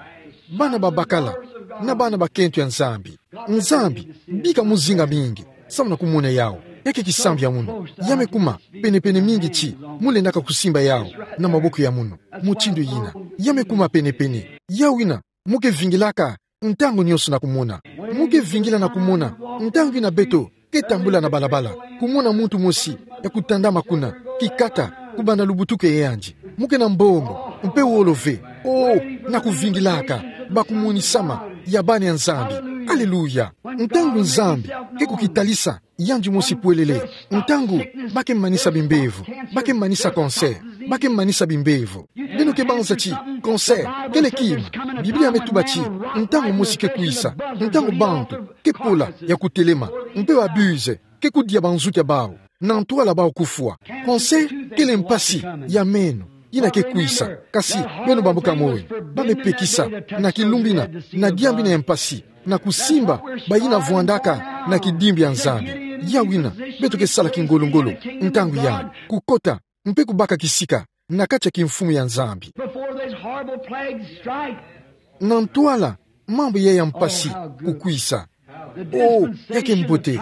Bana babakala na bana bakento ya Nzambi. Nzambi, bika mu zinga mingi samu na kumona yawu. Ya ke kisambi ya munu. Ya me kuma penepene mingi ti mu lendaka kusimba yawu na maboko ya munu. Mutindu yina, ya me kuma penepene. Yawu yina mu ke vingilaka ntangu nyonso na kumona. Mu ke vingila na kumona ntangu yina beto ke tambula na balabala, kumona muntu mosi ya kutandama kuna, kikata, kubanda lubutoko ya yandi. Mu ke na mbongo, mpe wolo ve. Oh, na kuvingilaka bakumonisama ya bana ya Nzambi. Aleluya. Ntangu Nzambi ke kukitalisa yandi mosi pwelele, ntangu ba ke manisa bimbevo, ba ke manisa cancer, ba ke manisa bimbevo. Beno ke banza ti cancer kele kima. Biblia me tuba ti ntangu mosi ke kwisa, ntangu bantu ke pola ya kutelema, mpe ba bus ke kudia banzuti ya bawu, na ntwala bawu kufwa. Cancer kele mpasi ya meno yina ke kwisa, kasi beno bambuka moyo, ba me pekisa na kilumbu yina, na diambu yina ya mpasi, na kusimba bayina vwandaka na kidimbu ya Nzambi. Yawu yina beto ke sala kingolo-ngolo ntangu yayi, kukota mpe kubaka kisika na kati ya kimfumu ya Nzambi. Before these horrible plagues strike, na ntwala mambu yayi ya mpasi kukwisa. Oh, ya ke mbote.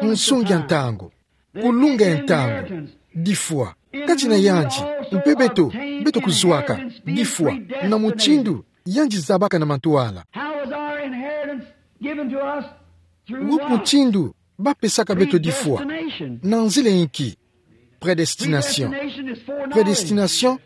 Nsongi ya ntangu, kulunga ya ntangu, difwa. Kati na yandi, mpe beto, beto kuzwaka difwa na mutindu yandi zabaka na mantwala. How was our inheritance given to us? Through what? Wapi mutindu ba pesaka beto difwa? Predestination. Na nzila inki? Predestination. Predestination is foreknowledge. Predestination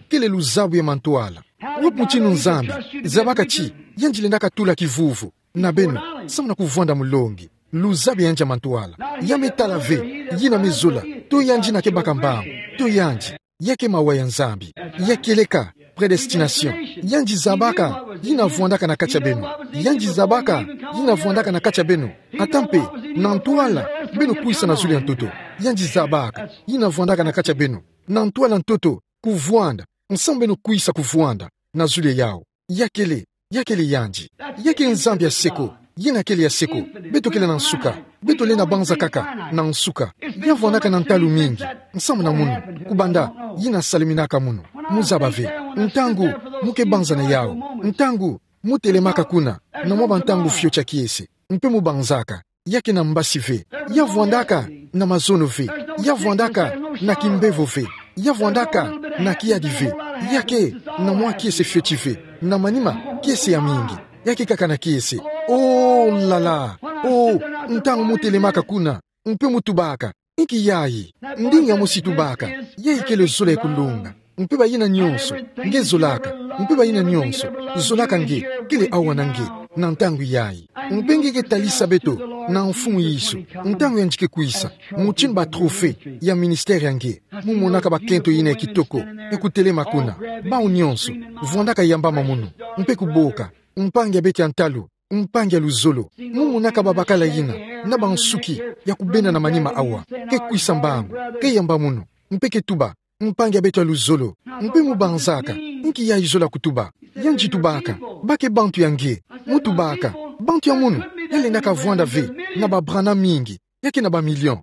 kele luzabu ya mantwala. Wapi mutindu Nzambi zabaka ti yandi lendaka tula kivuvu na beno samu na kuvwanda mulongi? Luzabu ya yandi ya mantwala. Ya me tala ve yina me zola, to yandi yina ke baka mbangu, to yandi. Ya ke mawa ya Nzambi. Ya kieleka, predestination. Yandi zabaka yina vwandaka na kati ya beno. Yandi zabaka yina vwandaka na kati ya beno. Ata mpe na ntwala beno kwisa na zulu ya ntoto, yandi zabaka yina vwandaka na kati ya beno. Na ntwala ntoto, kuvwanda, nsamu beno kwisa kuvwanda na zulu ya yawu. Ya kele, ya kele yandi. Ya ke Nzambi ya seko, yina kele ya seko. Beto kele na nsuka. Beto lenda banza kaka na nsuka. Ya vwandaka na ntalu mingi. Nsamu na munu, kubanda yina saleminaka munu, mu zaba ve. Ntangu mu ke banza na yawu, ntangu mu telemaka kuna, na mwa bantangu fioti ya kiese, mpe mu banzaka, Ya ke na mbasi ve. Ya vwandaka na mazono ve. Ya vwandaka na kimbevo ve. Ya vwandaka na kiadi ve. Ya ke na mwa kiese fioti ve. Na manima kiese ya mingi. Ya ke kaka na kiese. Oh, lala. Oh, ntangu mu telemaka kuna, mpe mu tubaka: Inki yayi? Ndinga mosi tubaka: Yayi kele zola ya kulonga. Mpe bayina nyonso nge zolaka, mpe bayina nyonso zolaka nge, kele awa na nge, na ntangu yayi. Mpe nge ke talisa beto na Mfumu Yesu, ntangu yandi ke kwisa, mutindu ba trophée ya ministère ya nge, mu monaka bakento yina ya kitoko ya kutelema kuna. Bawu nyonso, vwandaka yambama munu, mpe kuboka: Mpangi ya beto ya ntalu, mpangi ya luzolo, mu monaka babakala yina, na bansuki ya kubenda na manima awa, ke kwisa mbangu, ke yamba munu, mpe ke tuba: Mpangi ya beto ya luzolo. Mpe mu banzaka: Inki yayi zola kutuba? Yandi tubaka: Ba ke bantu ya nge. Mu tubaka: Bantu ya munu ya lendaka vwanda ve na ba Branham mingi, ya ke na ba million.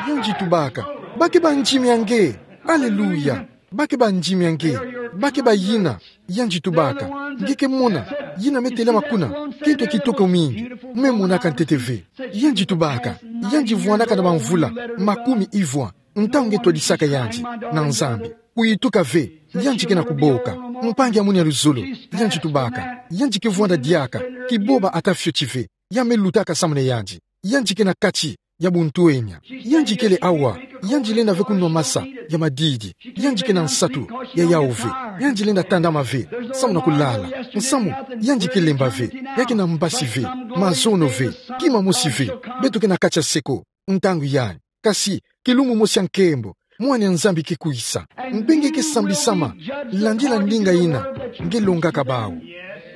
Yandi tubaka: Ba ke bandimi ya nge. Aleluya. Ba ke bandimi ya nge. Ba ke bayina. Yandi tubaka: Nge ke mona yina me telema kuna, kento kitoko mingi, me monaka ntete ve. Yandi tubaka: Yandi vwandaka na bamvula makumi ivwa ntangu nge twadisaka yandi na Nzambi. Kuyituka ve, yandi ke na kuboka: Mpangi ya munu ya luzolo. Yandi tubaka: Yandi ke vwanda diaka, kiboba ata fioti ve. Ya me lutaka samu na yandi. Yandi ke na kati ya buntwenya. Yandi kele awa. Yandi lenda ve kunwa masa ya madidi. Yandi ke na nsatu ya yawu ve. Yandi lenda tandama ve samu na kulala. Nsamu yandi ke lemba ve. Ya ke na mbasi ve. Mazono ve. Kima mosi ve. Beto ke na kati ya seko ntangu yayi. Kasi kilumbu mosi ya nkembo, Mwana ya Nzambi ke kwisa. Mpe nge ke sambisama landila ndinga yina nge longaka bawu.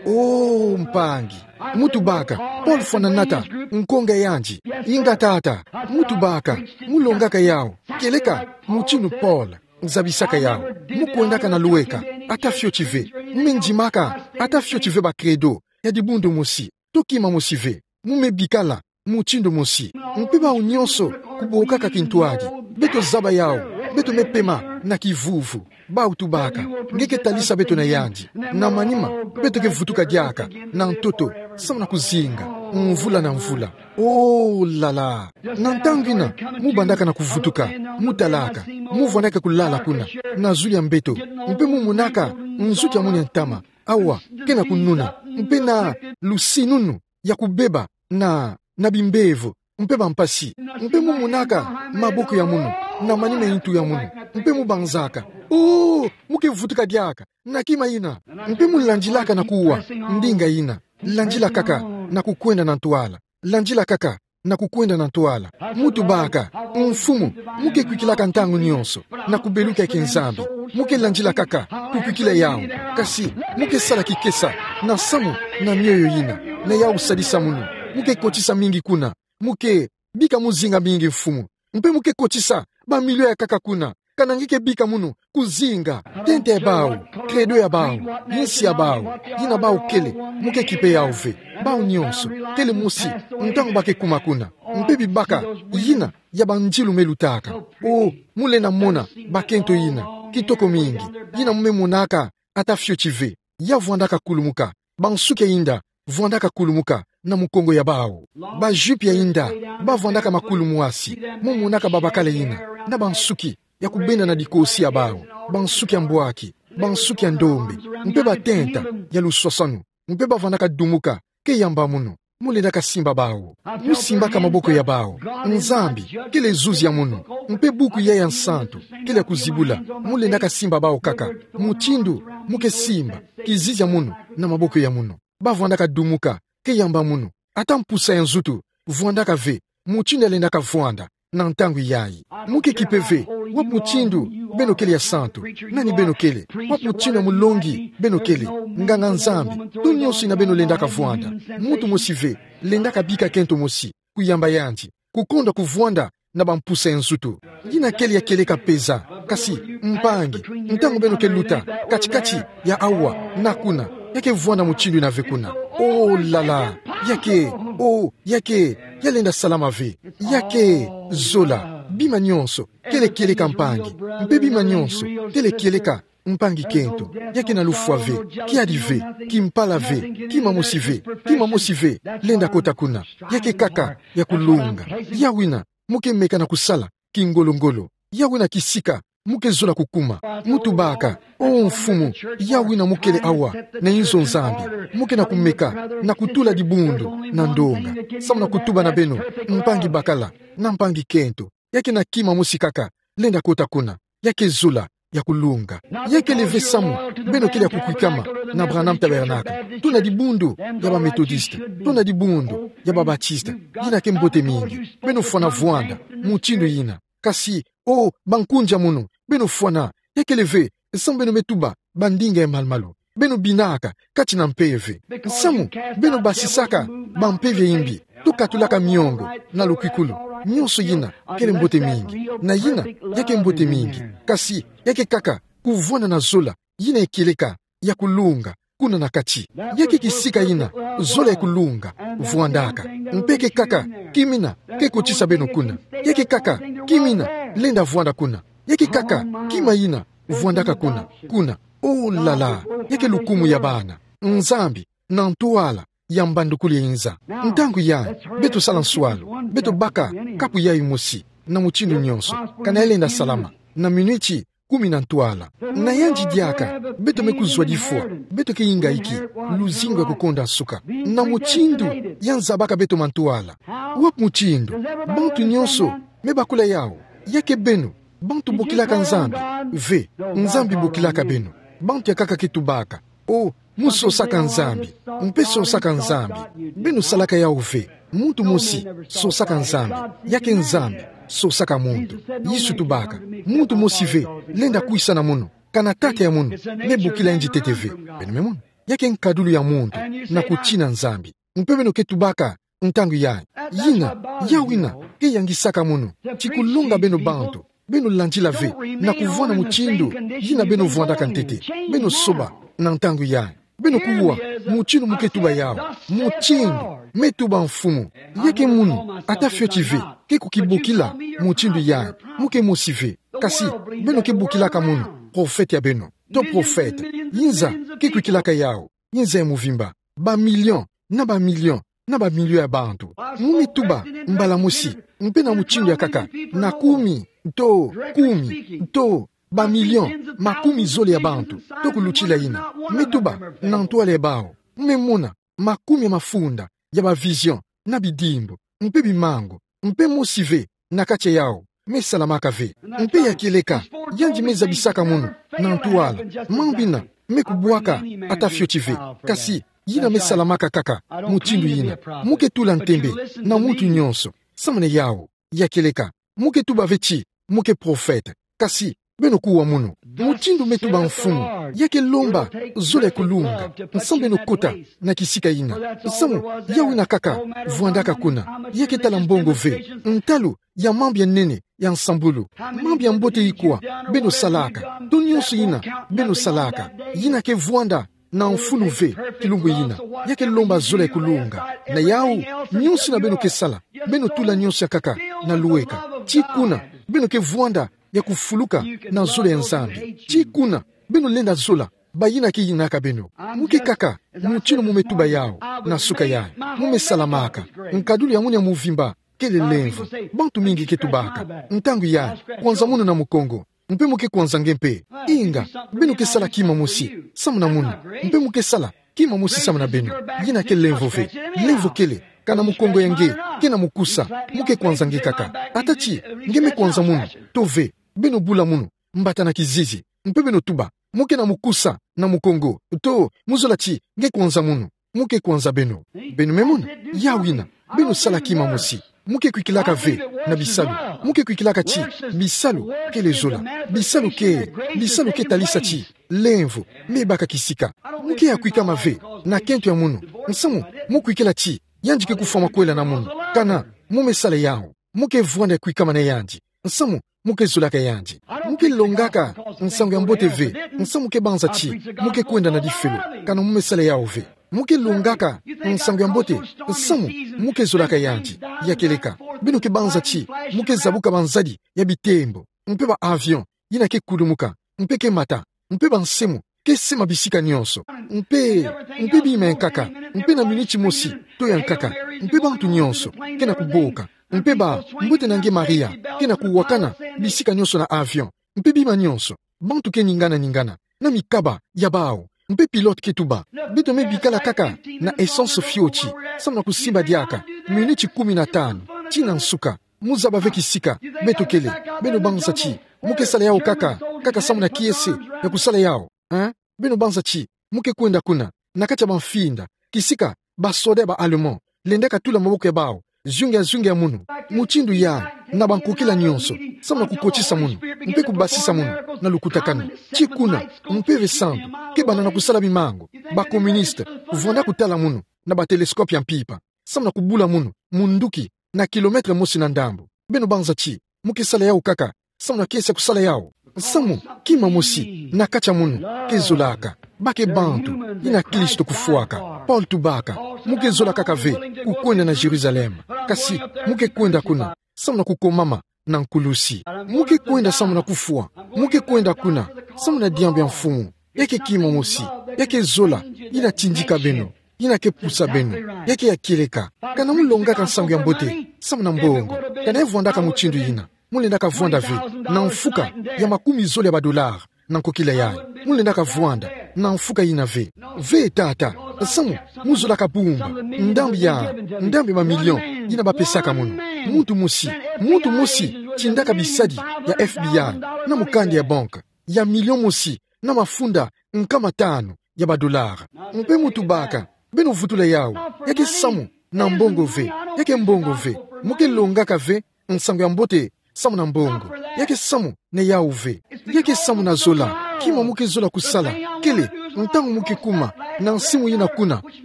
Oh, mpangi. Mu tubaka: Paul Fwananata, nkonga yandi. Inga tata. Mu tubaka: Mu longaka yawu kieleka mutindu Paul zabisaka yawu. Mu kwendaka na lweka ata fioti ve. Mu me ndimaka ata fioti ve ba credo ya dibundu mosi, to kima mosi ve. Mu me bikala mutindu mosi. Mpe bawu nyonso, kubokaka kintwadi, beto zaba yawu, beto me pema na kivuvu. Bawu tubaka: Nge ke talisa beto na yandi. Na manima, beto ke vutuka diaka na ntoto samu na kuzinga, mvula na mvula. Oh, lala. Na ntangu yina, mu bandaka na kuvutuka, mu talaka, mu vwandaka kulala kuna, na zulu ya mbeto, mpe mu monaka nzuki ya munu ya ntama awa ke na kununa, mpe na lusinunu ya kubeba na, na bimbevo, mpe bampasi, mpe mu monaka maboko ya munu, na manima ya ntu ya munu, mpe mu banzaka: Oh, mu ke vutuka diaka na kima yina. Mpe mu landilaka na kuwa ndinga yina. Landila kaka na kukwenda na ntwala. Landila kaka na kukwenda na ntwala. Mu tubaka: Mfumu, mu ke kwikilaka ntangu nyonso na kubeluka ya kinzambi. Mu ke landila kaka kukwikila yawu. Kasi mu ke sala kikesa na samu na mioyo yina, na yawu sadisa munu. Mu ke kotisa mingi kuna. Mu ke bika muzinga mingi, Mfumu. Mpe mu ke kotisa ba milio ya nkaka kuna. Kana nge ke bika munu kuzinga, tenta ya bawu, credo ya bawu, yinsi ya bawu, yina bawu kele, mu ke kipe yawu ve. Bawu nyonso, kele mosi, ntangu ba ke kuma kuna. Mpe bibaka yina ya bandilu me lutaka. Oh, mu lenda mona bakento yina kitoko mingi, yina mu me monaka ata fioti ve. Ya vwandaka kulumuka. Bansuki ya inda vwandaka kulumuka na mukongo ya bawu. Ba jupe ya inda, ba vwandaka makulu mwasi. Mu monaka babakala yina, na bansuki ya kubenda na dikosi ya bawu, bansuki ya mbwaki, bansuki ya ndombe, mpe batenta ya luswaswanu, mpe ba vwandaka dumuka, ke yamba munu. Mu lendaka simba bawu. Mu simbaka maboko ya bawu. Nzambi kele zuzi ya munu, mpe buku yayi ya nsantu kele ya kuzibula. Mu lendaka simba bawu kaka, mutindu mu ke simba kizizi ya munu na maboko ya munu. Ba vwandaka dumuka, ke yamba munu. Ata mpusa ya nzutu vwandaka ve mutindu ya lendaka vwanda na ntangu yayi. Mu ke kipe ve, wapi mutindu beno kele ya santu, nani beno kele, wapi mutindu ya mulongi beno kele, nganga-Nzambi, to nyonso yina beno lendaka vwanda. Muntu mosi ve lendaka bika kento mosi, kuyamba yandi, kukonda kuvwanda na bampusa ya nzutu. Yina kele ya kieleka mpeza, kasi, mpangi, ntangu beno ke luta kati-kati ya awa na kuna, ya ke vwanda mutindu yina ve kuna. Oh là là, ya ke, oh, ya ke, ya lenda salama ve. Ya ke zola, bima nyonso, kele kieleka, mpangi, mpe bima nyonso, kele kieleka mpangi kento, ya ke na lufwa ve, kiadi ve, kimpala ve, kima mosi ve, kima mosi ve lenda kota kuna. Ya ke kaka ya kulunga. Yawu ina mu ke meka na kusala kingolo-ngolo. Yawu ina kisika mu ke zola kukuma. Mu tubaka: O Mfumu, yawu ina mu kele awa na inzo Nzambi, mu ke na kumeka na kutula dibundu na ndonga, samu na kutuba na beno, mpangi bakala na mpangi kento, ya ke na kima mosi kaka lenda kota kuna. Ya ke zola ya kulunga. Ya kele ve samu beno kele ya kukwikama na Branham Tabernacle, to na dibundu ya ba Methodiste, to na dibundu ya ba Baptiste. Ina ke mbote mingi. Beno fwana vwanda mutindu ina. Kasi, o bankunzi a munu, beno fwana. Ya kele ve samu beno me tuba bandinga ya malu-malu. Beno binaka kati na mpeve. Samu beno basisaka bampeve ya imbi, to katulaka miongo na lukwikulu. Nionso ina kele mbote mingi. Na ina ya ke mbote mingi. Kasi ya ke kaka kuvwanda na zola ina ya kieleka ya kulunga kuna na kati. Ya ke kisika ina zola ya kulunga vwandaka. Mpe ke kaka kima ina ke kotisa beno kuna. Ya ke kaka kima ina lenda vwanda kuna. Ya ke kaka kima ina vwandaka kuna. Kuna. Oh là là. Ya ke lukumu ya bana Nzambi na ntwala ya mbandukulu ya inza. Ntangu yayi, beto sala nswalu, beto baka kapu yayi mosi, na mutindu nionso, kana ya lenda salama na minuti kumi na ntwala. Na yandi diaka beto me kuzwa difwa, beto ke ingaiki luzingu ya kukonda nsuka, na mutindu ya nzabaka beto mantwala. Wapi mutindu? Bantu nionso me bakula yawu. Ya ke beno, bantu bokilaka Nzambi? Ve, Nzambi bokilaka beno. Bantu ya kaka ke tubaka: O, mu sosaka Nzambi, mpe sosaka Nzambi. Beno salaka yawu ve. Muntu mosi sosaka Nzambi, ya ke Nzambi sosaka muntu. Yesu tubaka: Muntu mosi ve lenda kwisa na mono, kana Tata ya mono me bokila yandi ntete ve. Beno me mona? Ya ke nkadulu ya muntu na kutina Nzambi. Mpe beno ke tubaka ntangu yayi: Ina, yawu ina ke yangisaka mono ti kulonga beno bantu. Beno landila ve na kuvwanda mutindu ina beno vwandaka ntete. Beno soba na ntangu yayi. Beno kuwa mutindu mu ke tuba yawu. Mutindu me tuba Mfumu. Ya ke mono, ata fioti ve, ke kukibokila mutindu yayi. Mu ke mosi ve. Kasi beno ke bokilaka mono profete ya beno, to profete. Inza ke kwikilaka yawu. Inza ya muvimba, ba million na ba million na ba million ya bantu. Mu me tuba mbala mosi, mpe na mutindu ya kaka, na kumi, to kumi, to ba million makumi zole ya bantu, to kulutila ina. Me tuba na ntwala ya bawu. Mu me mona makumi ya mafunda ya ba vision na bidimbu, mpe bimangu, mpe mosi ve na kati ya yawu me salamaka ve. Mpe ya kieleka, yandi me zabisaka mono na ntwala. Mambu ina me kubwaka ata fioti ve, kasi ina me salamaka kaka mutindu ina. Mu ke tula ntembe na muntu nionso samu na yawu. Ya kieleka, mu ke tuba ve ti mu ke profete. Kasi beno kuwa mono. Mutindu me tuba Mfumu, ya ke lomba zola ya kulunga, nsamu beno kota na kisika ina. Nsamu yawu ina kaka vwandaka kuna. Ya ke tala mbongo ve, ntalu ya mambu ya nene ya nsambulu, mambu ya mbote ikwa beno salaka, to nionso ina beno salaka, ina ke vwanda na mfunu ve kilumbu ina. Ya ke lomba zola ya kulunga. Na yawu, nionso ina beno ke sala, beno tula nionso ya kaka na luweka. Ti kuna beno ke vwanda ya kufuluka na zola ya Nzambi. Ti kuna beno lenda zola ba ina ke inaka beno. Mu ke kaka mutindu mu me tuba yawu na suka yayi. Mu me salamaka. Nkadulu ya mono ya muvimba kele lemvo. Bantu mingi ke tubaka ntangu yayi: Kwanza mono na Mukongo, mpe mu ke kwanza nge mpe. Inga, beno ke sala kima mosi samu na mono, mpe mu ke sala kima mosi samu na beno. Ina ke lemvo ve. Lemvo kele, kana Mukongo ya nge ke na mukusa, mu ke kwanza nge kaka. Ata ti nge me kwanza mono, to ve, beno bula mono mbata na kizizi, mpe beno tuba: Mu ke na mukusa na Mukongo, to mu zola ti nge kwanza mono. Mu ke kwanza beno. Beno me mona? Yawu ina, beno sala kima mosi. Mu ke kwikilaka ve na bisalu. Mu ke kwikilaka ti bisalu kele zola. Bisalu ke, bisalu ke talisa ti lemvo me baka kisika. Mu ke ya kwikama ve na kento ya mono, nsamu mu kwikila ti yandi ke kufwa makwela na mono. Kana mu me sala yawu, mu ke vwanda ya kwikama na yandi, nsamu mu ke zolaka yandi. Mu ke longaka nsangu ya mbote ve, nsamu mu ke banza ti mu ke kwenda na lifelo. Kana mu me sala yawu ve. Mu ke longaka nsangu ya mbote, nsamu mu ke zolaka yandi. Ya kieleka, beno ke banza ti mu ke zabuka banzadi ya bitembo, mpe ba avion ina ke kulumuka, mpe ke mata, mpe bansemo ke sema bisika nyonso, mpe, mpe bima ya nkaka, mpe na miniti mosi to ya nkaka, mpe bantu nyonso ke na kuboka, mpe ba, mbote na nge Maria, ke na kuwakana bisika nyonso na avion, mpe bima nyonso, bantu ke ningana-ningana na mikaba ya bawu, mpe pilote ke tuba: Beto me bikala kaka na essence fioti, samu na kusimba diaka miniti kumi na tanu tii na nsuka. Muzaba ve kisika beto kele. Beno banza ti mu ke sala yawu kaka, kaka samu na kiese ya kusala yawu, eh? Beno banza ti mu ke kwenda kuna, na kati ya bamfinda, kisika basoda ya ba Allemand lendaka tula maboko ya bawu zingu ya zingu ya munu, mutindu ya, na bankokila nyonso, samu na kukotisa munu mpe kubasisa munu na lukutakanu. Tii kuna, Mpeve Santu ke banda na kusala bimangu. Ba communiste vwanda kutala munu na ba télescope ya mpimpa, samu na kubula munu munduki na kilomètre mosi na ndambu. Beno banza ti mu ke sala yawu kaka samu na kiese ya kusala yawu. Samu kima mosi na kati ya munu ke zolaka, ba ke bantu yina Kristo kufwaka. Paul tubaka: Mu ke zola kaka ve kukwenda na Jérusalem, kasi mu ke kwenda kuna samu na kukomama na nkulusi. Mu ke kwenda samu na kufwa. Mu ke kwenda kuna samu na diambu ya Mfumu. Ya ke kima mosi, ya ke zola yina tindika beno, yina ke pusa beno, ya ke ya kieleka. Kana mu longaka nsangu ya mbote samu na mbongo? Kana e vwandaka mutindu yina, mu lendaka vwanda ve na mfuka ya makumi zole ya ba dollars na nkokila yayi? Mu lendaka vwanda na mfuka yina ve. Ve tata, samu mu zolaka bumba ndambu ya, ndambu ya ba million yina ba pesaka munu. Muntu mosi, muntu mosi tindaka bisadi ya F B I na mukanda ya banque ya million mosi na mafunda nkama tanu ya ba dollars. Mpe mu tubaka: Beno vutula yawu. Ya ke samu na mbongo ve. Ya ke mbongo ve. Mu ke longaka ve nsangu ya mbote samu na mbongo. Ya ke samu na yawu ve. Ya ke samu na zola. Kima mu ke zola kusala kele, ntangu mu ke kuma na nsimu yina kuna,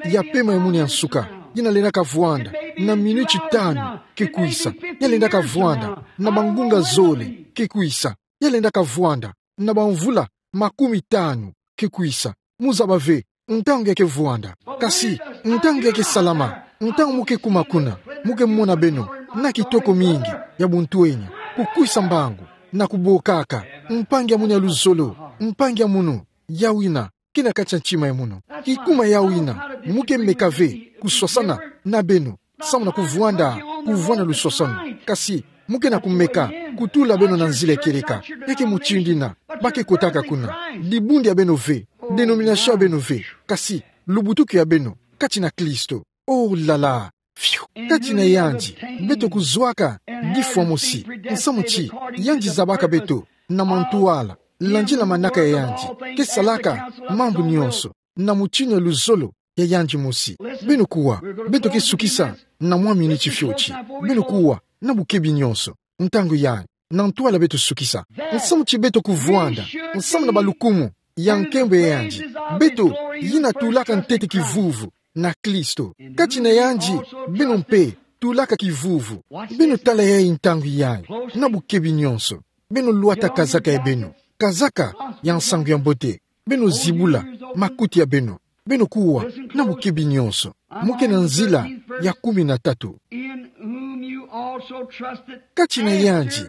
ya pema ya munu ya nsuka, yina lendaka vwanda na miniti tanu ke kwisa, ya lendaka vwanda na bangunga zole ke kwisa, ya lendaka vwanda na bamvula makumi tanu ke kwisa. Mu zaba ve ntangu ya ke vwanda. Kasi ntangu ya ke salama, ntangu mu ke kuma kuna, mu ke mona beno na kitoko mingi ya buntwenya, kukwisa mbangu na kubokaka: Mpangi ya munu ya luzolo, mpangi ya munu, yawu yina ke na kati ya ntima ya munu. Kikuma yawu yina mu ke meka ve kuswasana na beno samu na kuvwanda, kuvwanda luswaswanu. Kasi mu ke na kumeka kutula beno na nzila ya kieleka. Ya ke mutindu yina ba ke kotaka kuna. Dibundu ya beno ve, dénomination ya beno ve, kasi lubutuku ya beno kati na Kristo. Oh là là! Fiu! Kati na yandi beto kuzwaka difwa mosi, nsamu ti yandi zabaka beto na mantwala, landila manaka ya yandi, ke salaka mambu nyonso na mutindu ya luzolo ya yandi mosi. Beno kuwa, beto ke sukisa na mwa miniti fioti. Beno kuwa, na bukebi nyonso, ntangu yayi, na ntwala beto sukisa. Nsamu ti beto kuvwanda nsamu na balukumu ya nkembo ya yandi, beto yina tulaka ntete kivuvu na Kristo. Kati na yandi beno mpe tulaka kivuvu. Beno tala yayi ntangu yayi, na bukebi nyonso. Beno lwata kazaka ya beno, kazaka ya nsangu ya mbote. Beno zibula makuti ya beno. Beno kuwa, na bukebi nyonso. Mu ke na nzila ya kumi na tatu. In whom you also trusted. Kati na yandi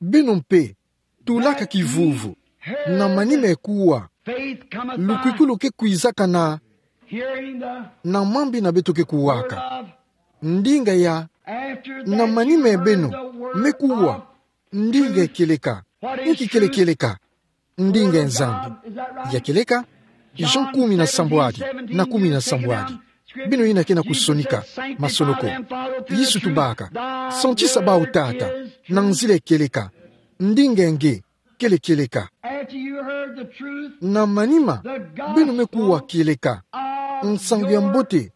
beno mpe tulaka kivuvu. Na manima ya kuwa, faith cometh by lukwikulu ke kwizaka na, hearing the, na mambu yina beto ke kuwaka. Word of, ndinga ya, after that, na manima ya beno, you heard the word, me kuwa, of, ndinga ya kieleka. What is truth? Inki kele kieleka? Ndinga ya Nzambi. Ya kieleka? Jean kumi na sambwadi na kumi na sambwadi. Beno yina ke na kusonika masolo ko. Yesu tubaka: Santisa bawu, Tata, na nzila ya kieleka. Ndinga ya nge kele kieleka. Na manima beno me kuwa kieleka, nsangu ya mbote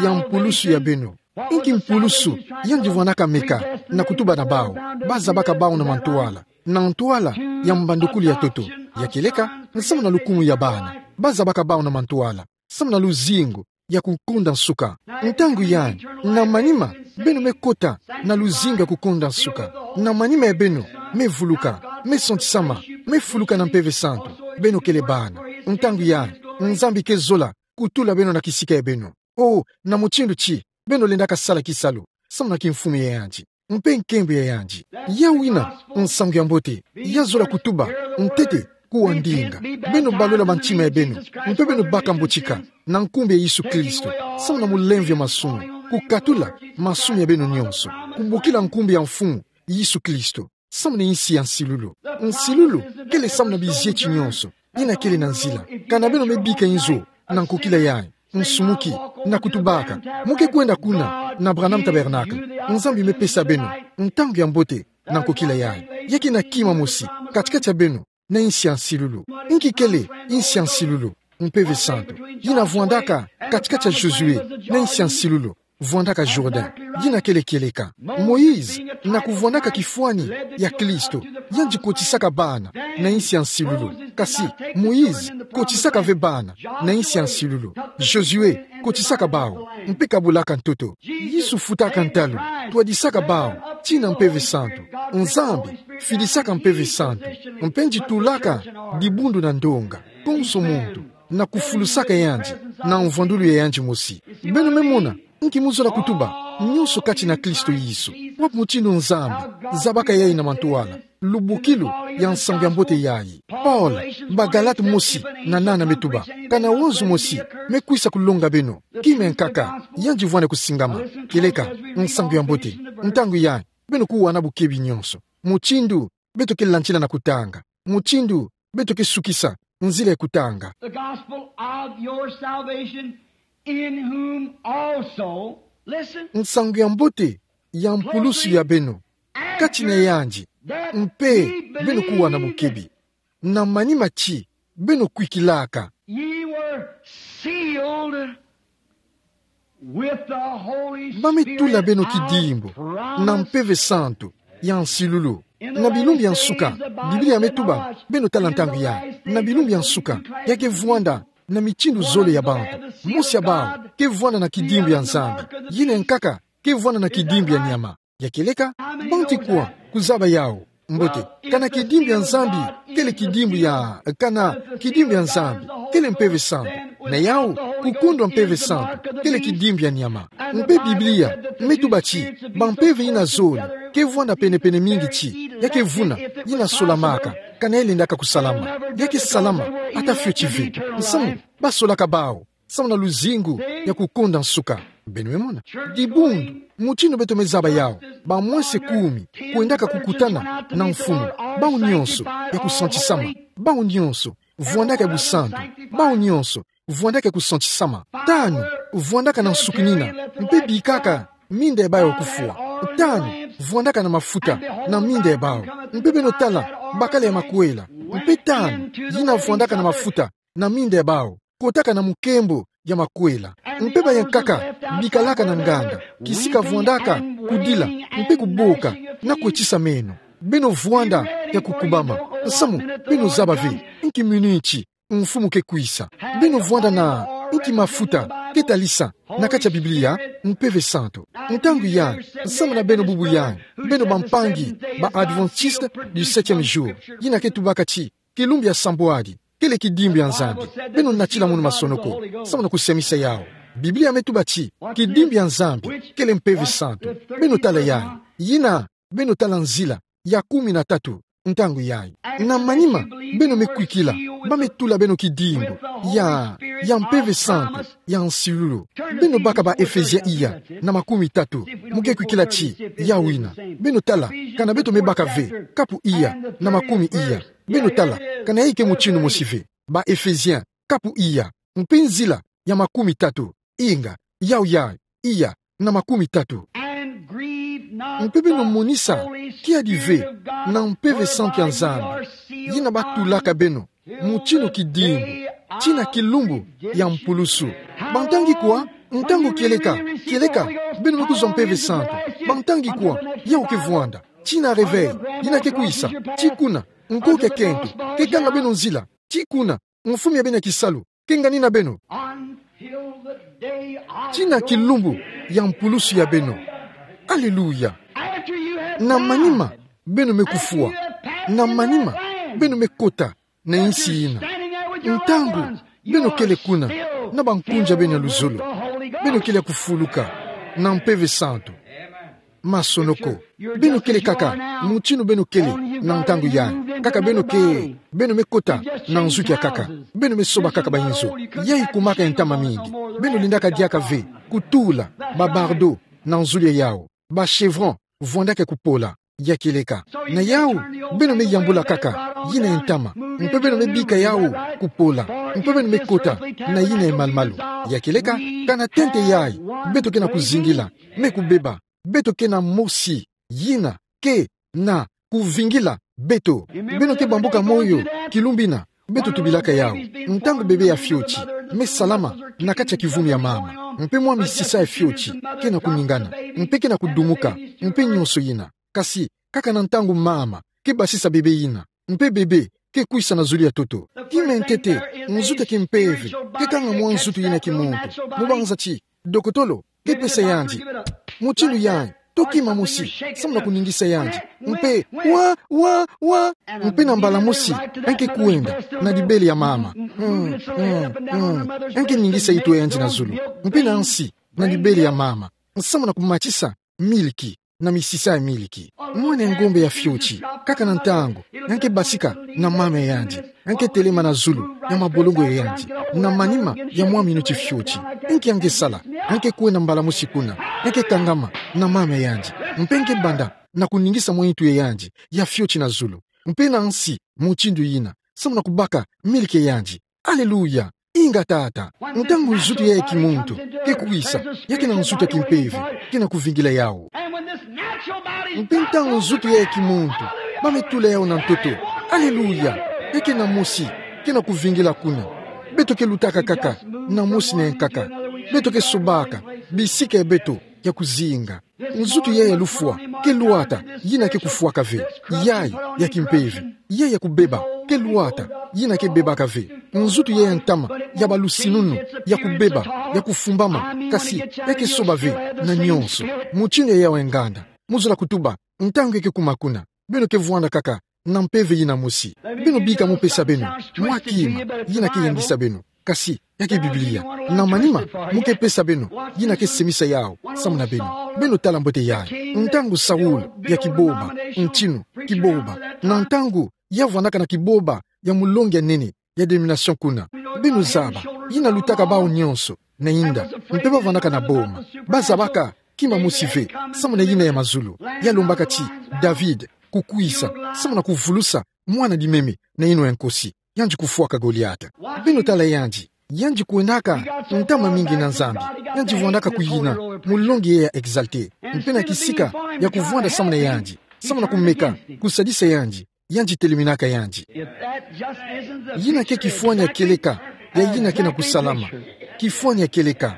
ya mpulusu ya beno. Inki mpulusu yandi vwanaka meka na kutuba na bawu? Ba zabaka bawu na mantwala, na ntwala ya mbandukulu ya ntoto. Ya kieleka? Nsamu na lukumu ya bana. Ba zabaka bawu na mantwala samu na luzingu ya kukonda nsuka. Ntangu yayi, na manima beno me kota na luzingu ya kukonda nsuka. Na manima ya beno me vuluka, me santisama, me fuluka na Mpeve Santu. Beno kele bana. Ntangu yayi, Nzambi ke zola kutula beno na kisika ya beno. Oh, na mutindu ti beno lendaka sala kisalu samu na kimfumu ya yandi mpe nkembo ya yandi. Yawu yina nsangu ya mbote ya zola kutuba ntete kuwa ndinga. Beno balola mantima ya beno, mpe beno baka mbotika, na nkumbu ya Yesu Kristo, samu na mulemvo ya masumu, kukatula masumu ya beno nyonso, kubokila nkumbu ya Mfumu Yesu Kristo, samu na insi ya nsilulu. Nsilulu kele samu na bizieti nyonso, yina kele na nzila. Kana beno me bika inzo, na nkokila yayi, nsumuki, na kutubaka, mu ke kwenda kuna, na Branham Tabernacle, Nzambi me pesa beno ntangu ya mbote, na nkokila yayi. Ya ke na kima mosi katikati ya beno na insi ya nsilulu. Nki kele insi ya nsilulu? Mpeve santu. Yina vwandaka katikati ya Josué na insi ya nsilulu, vwandaka Jourdain. Yina kele kieleka. Moïse, na kuvwandaka kifwani ya Kristo, yandi kotisaka bana na insi ya nsilulu. Kasi Moïse kotisaka ve bana na insi ya nsilulu. Josué kotisaka bawu, mpe kabolaka ntoto. Yesu futaka ntalu, twadisaka bawu tii na Mpeve Santu. Nzambi fidisaka Mpeve Santu, mpe yandi tulaka dibundu na ndonga, konso muntu, na kufulusaka yandi na mvwandulu ya yandi mosi. Beno me mona, nki mu zola kutuba, nyonso kati na Kristo Yesu. Wapi mutindu Nzambi zabaka yayi na mantwala? Lubukilu ya nsangu ya mbote yayi. Paul, Bagalate mosi na nana me tuba: Kana wozo mosi me kwisa kulonga beno, kima ya nkaka, yandi vwanda kusingama. Kieleka nsangu ya mbote. Ntangu yayi, beno kuwana bukebi nyonso. Mutindu beto ke landila na kutanga, mutindu beto ke sukisa nzila ya kutanga. The gospel of your salvation, in whom also, listen, nsangu ya mbote ya mpulusu ya beno, kati na yandi mpe beno kuwana bukebi. Na manima ti beno kwikilaka. Ye were sealed with the Holy Spirit. Ba me tula beno kidimbu na Mpeve Santu ya nsilulu. Na bilumbu ya nsuka, Biblia me tuba, beno tala ntangu yayi. Na bilumbu ya nsuka, ya ke vwanda na mitindu zole ya bantu. Mosi ya bawu ke vwanda na kidimbu ya Nzambi. Yina ya nkaka ke vwanda na kidimbu ya nyama. Ya kieleka, bantu kwa kuzaba yawu? Mbote, kana kidimbu ya Nzambi kele kidimbu ya, kana kidimbu ya Nzambi kele Mpeve Santu, na yawu, kukundwa Mpeve Santu kele kidimbu ya nyama. Mpe Biblia me tuba ti bampeve yina zole ke vwanda pene-pene mingi ti ya ke vuna, yina solamaka, kana yalendaka kusalama. Ya ke salama ata fioti ve. Nsamu, ba solaka bawu samu na luzingu ya kukonda nsuka. Beno me mona? Dibundu, mutindu beto me zaba yawu, bamwese kumi kwendaka kukutana na Mfumu. Bawu nyonso ya kusantisama. Bawu nyonso vwandaka ya busantu. Bawu nyonso vwandaka ya kusantisama. Tanu vwandaka na nsukinina, mpe bikaka minda ya bawu ya kufwa. Tanu vwandaka na mafuta na minda ya bawu, mpe beno tala, bakala ya makwela. Mpe tanu yina vwandaka na mafuta na minda ya bawu kotaka na mukembo ya makwela. Mpe bayankaka bikalaka na nganda, kisika vwandaka kudila mpe kuboka na kwetisa meno. Beno vwanda ya kukubama. Nsamu, beno zaba ve nki miniti Mfumu ke kwisa. Beno vwanda na nki mafuta ke talisa na kati ya Biblia? Mpeve Santu. Ntangu yayi, nsamu na beno bubu yayi, beno bampangi ba Adventiste du septième jour, yina ke tubaka ti kilumbu ya sambwadi kele kidimbu ya Nzambi. Beno natila munu masonoko samu na kusemisa yawu. Biblia me tuba ti kidimbu ya Nzambi kele Mpeve Santu. Beno tala yayi. Yina, beno tala nzila ya kumi na tatu ntangu yayi. Na manima, beno me kwikila ba me tula beno kidimbu ya, ya Mpeve Santu ya nsilulu. Beno baka ba Efesien iya na makumi tatu. Mu ke kwikila ti yawu yina, beno tala kana beto me baka ve kapu iya na makumi iya. Beno tala kana yayi ke mutindu mosi ve. Ba Efesien kapu iya, mpe nzila ya makumi tatu. Inga, yawu yayi, iya na makumi tatu. Mpe beno monisa kiadi ve na Mpeve Santu ya Nzambi, yina ba tulaka beno mutindu kidimbu tii na kilumbu ya mpulusu. Ba ntangi kwa? Ntangu kieleka, kieleka beno me kuzwa Mpeve Santu. Ba ntangi kwa? Yawu ke vwanda tii na réveil yina ke kwisa. Tii kuna, nkoki ya kento ke ganga beno nzila. Tii kuna, mfumu ya beno ya kisalu ke nganina beno. Tii na kilumbu ya mpulusu ya beno. Aleluya. Na manima, beno me kufwa. Na manima, beno me kota na insi yina. Ntangu beno kele kuna na bankunzi ya beno ya luzolo, beno kele ya kufuluka na Mpeve Santu. Masonoko. Beno kele kaka mutindu beno kele na ntangu yayi. Kaka beno ke, beno me kota na nzuki akaka. Beno me soba kaka ba inzo. Yayi kumaka ntama mingi. Beno lindaka diaka ve, kutula, ba bardeaux, na nzulu ya yawu. Ba chevron, vwandaka kupola, ya kieleka. Na yawu, beno me yambula kaka, yina ntama. Mpe beno me bika yawu, kupola. Mpe beno me kota, na yina ya malu-malu. Ya kieleka, kana tente yayi, beto ke na kuzingila, me kubeba, beto ke na mosi, yina, ke, na, kuvingila, beto. Beno ke bambuka moyo, kilumbu ina, beto tubilaka yawu. Ntangu bebe ya fioti, me salama, na kati ya kivumi ya mama. Mpe mwa misisa ya fioti, ke na kuningana. Mpe ke na kudumuka, mpe nyonso yina. Kasi, kaka na ntangu mama, ke basisa bebe yina. Mpe bebe, ke kwisa na zulu ya ntoto. Kima ya ntete, nzutu ya kimpeve, ke kanga mwa nzutu yina kimuntu. Mubanza ti, dokotolo, ke pesa yandi mutindu yayi, to kima mosi, samu na kuningisa yandi. Mpe, wa, wa, wa. Mpe na mbala mosi, en ke kwenda, na dibele ya mama. Mm, mm, mm. En ke ningisa itu ya yandi na zulu. Mpe na nsi, na dibele ya mama. Samu na kumatisa, miliki, na misisa ya miliki. Mwana ngombe ya fioti, kaka na ntangu, en ke basika, na mama ya yandi. En ke telema na zulu, ya mabolongo ya yandi. Na manima, ya mwa minuti fioti. En ke, en ke sala, en ke kwenda mbala mosi kuna. En ke kangama, na mama ya yandi. Mpe en ke banda, na kuningisa mwa nitu ya yandi, ya fioti na zulu. Mpe na nsi, mutindu yina. Samu na kubaka, miliki ya yandi. Aleluya! Inga tata, ntangu nzutu yayi ya kimuntu, ke kwisa, ya ke na nzutu ya kimpeve, ke na kuvingila yawu. Mpe ntangu nzutu yayi ya kimuntu, ba me tula yawu na ntoto. Aleluya! Ya ke na mosi, ke na kuvingila kuna. Beto ke lutaka kaka, na mosi na nkaka. Beto ke sobaka, bisika ya beto, ya kuzinga. Nzutu yayi ya lufwa, ke lwata, yina ke kufwaka ve. Yayi, ya kimpeve. Yayi ya kubeba, ke lwata, yina ke bebaka ve. Nzutu yayi ya ntama, ya balusinunu, ya kubeba, ya kufumbama, kasi, ya ke soba ve, na nyonso. Mutindu yayi ya nganda. Mu zola kutuba, ntangu ya ke kuma kuna. Beno ke vwanda kaka, na mpeve yina mosi. Beno bika mu pesa beno, mwa kima, yina ke yangisa beno. Kasi, ya ke Biblia. Na manima, mu ke pesa beno, yina ke semisa yawu, samu na beno. Beno tala mbote yayi. Ntangu Saul, ya kiboba, ntinu, kiboba. Na ntangu, ya vwandaka na kiboba, ya mulongi ya nene, ya dénomination kuna. Beno zaba, yina lutaka bawu nyonso, na inda, mpe ba vwandaka na boma. Ba zabaka, kima mosi ve, samu na yina ya mazulu. Ya lombaka ti, David, kukwisa, samu na kuvulusa, mwana dimeme, na yino ya nkosi. Yandi kufwaka Goliata. Beno tala yandi. Yandi kwendaka, ntama mingi na Nzambi. Yandi vwandaka kuyina, mulongi yayi ya exalté. Mpe na kisika, ya kuvwanda samu na yandi. Samu na kumeka, kusadisa yandi. Yandi teleminaka yandi. Yina ke kifwani ya kieleka, ya yina ke na kusalama. Kifwani ya kieleka.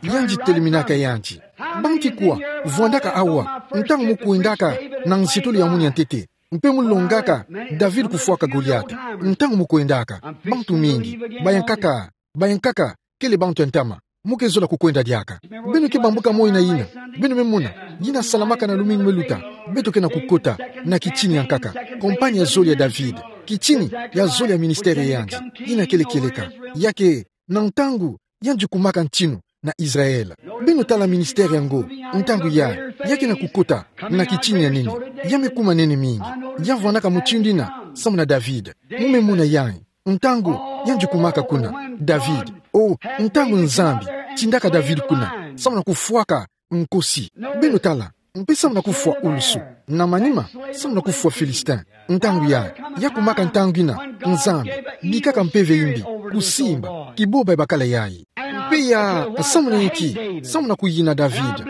Yandi teleminaka yandi. Banki kwa, vwandaka awa, ntangu mu kwendaka, na nzitulu ya munu ya ntete. Mpe mu longaka, David kufwaka Goliata. Ntangu mu kwendaka, bantu mingi, ba yankaka, ba yankaka, kele bantu ya ntama. Mu ke zola kukwenda diaka. Beno ke bambuka moyo na yina. Beno me mona. Yina salamaka na lumingu me luta. Beto ke na kukota. Na kitini ya nkaka. Compagnie ya zole ya David. Kitini ya zole ya ministère ya yandi. Yina kele kieleka. Ya ke, na ntangu, yandi kumaka ntinu, na Israël. Beno tala ministère yango. Ntangu ya, ya ke na kukota. Na kitini ya nene. Ya me kuma nene mingi. Ya vwandaka mutindu yina, samu na David. Mu me mona yayi. Ntangu, yandi kumaka kuna, David. O, ntangu Nzambi, tindaka David kuna, samu na kufwaka, nkosi. Beno tala, mpe samu na kufwa ulusu. Na manima, samu na kufwa Philistin. Ntangu ya, ya kumaka ntangu yina, Nzambi, bikaka mpeve yimbi, kusimba, kiboba ya bakala yayi. Mpe ya, samu na inki, samu na kuyina David.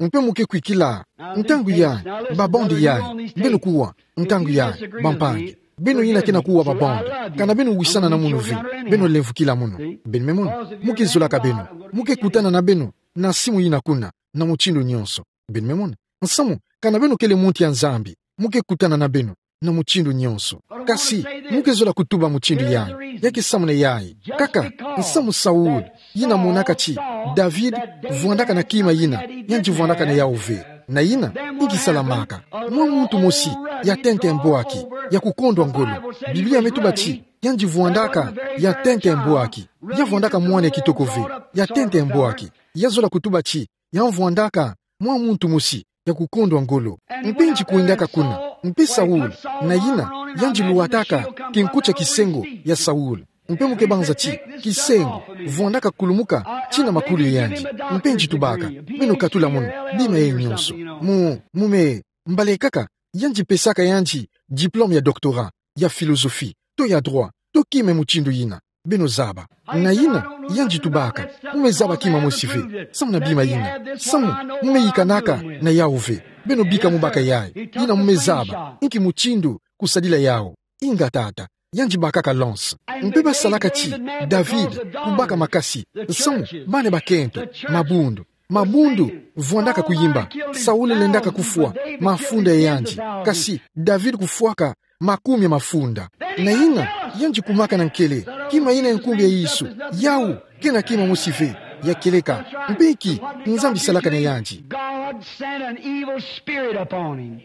Mpe mu ke kwikila, ntangu ya, ba bande yayi, beno kuwa, ntangu ya, bampangi. Beno yina ke na kuwa ba bande. Kana beno wisana na munu ve. Beno lemvukila munu. Beno me mona. Mu ke zolaka beno. Mu ke kutana na beno. Na simu yina kuna. Na mutindu nyonso. Beno me mona. Nsamu, kana beno kele muntu ya Nzambi. Mu ke kutana na beno. Na mutindu nyonso. Kasi, mu ke zola kutuba mutindu yayi. Ya ke samu na yayi. Kaka, nsamu Saul. Yina monaka ti, David, vwandaka na kima yina, yandi vwandaka na yawu ve. Na yina, inki salamaka. Mwa muntu mosi, ya tente mbwaki, ya kukondwa ngolo. Biblia me tuba ti, yandi vwandaka, ya tente mbwaki. Ya vwandaka mwana kitoko ve, ya tente mbwaki. Ya zola kutuba ti, ya vwandaka, mwa muntu mosi, ya kukondwa ngolo. Mpe ngikwendaka kuna, mpe Saul, na yina, yandi luwataka kinkutia kisengo ya Saul. Mpe mu kebanza ti, kisengo, vwandaka kulumuka, tina makulu yandi. Mpe ngi tubaka, beno katula mono, bima ye nyonso. Mu, mu me, mbala kaka, yandi pesaka yandi, diplôme ya doctorat, ya philosophie, to ya droit, to kima mutindu yina. Beno zaba. Na yina, yandi tubaka, mu me zaba kima mosi ve, samu na bima yina. Samu, mu me yikanaka, na yawu ve. Beno bika mu baka yayi, yina mu me zaba, inki mutindu, kusadila yawu. Ingeta tata, yandi bakaka lance. Mpe basalaka ti, David, kubaka makasi, samu, bana bakento, mabundu. Mabundu, vwandaka kuyimba, Saul lendaka kufwa, mafunda ya yandi. Kasi, David kufwaka, makumi ya mafunda. Na yina, yandi kumaka na nkele, kima yina ya nkumbu ya Yesu, yawu, kena kima mosi ve, ya kieleka, mpe ki, Nzambi salaka na yandi. God sent an evil spirit upon him.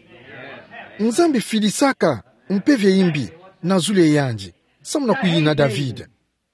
Nzambi fidisaka, mpeve ya imbi, na zulu ya yandi, samu na kuyina David.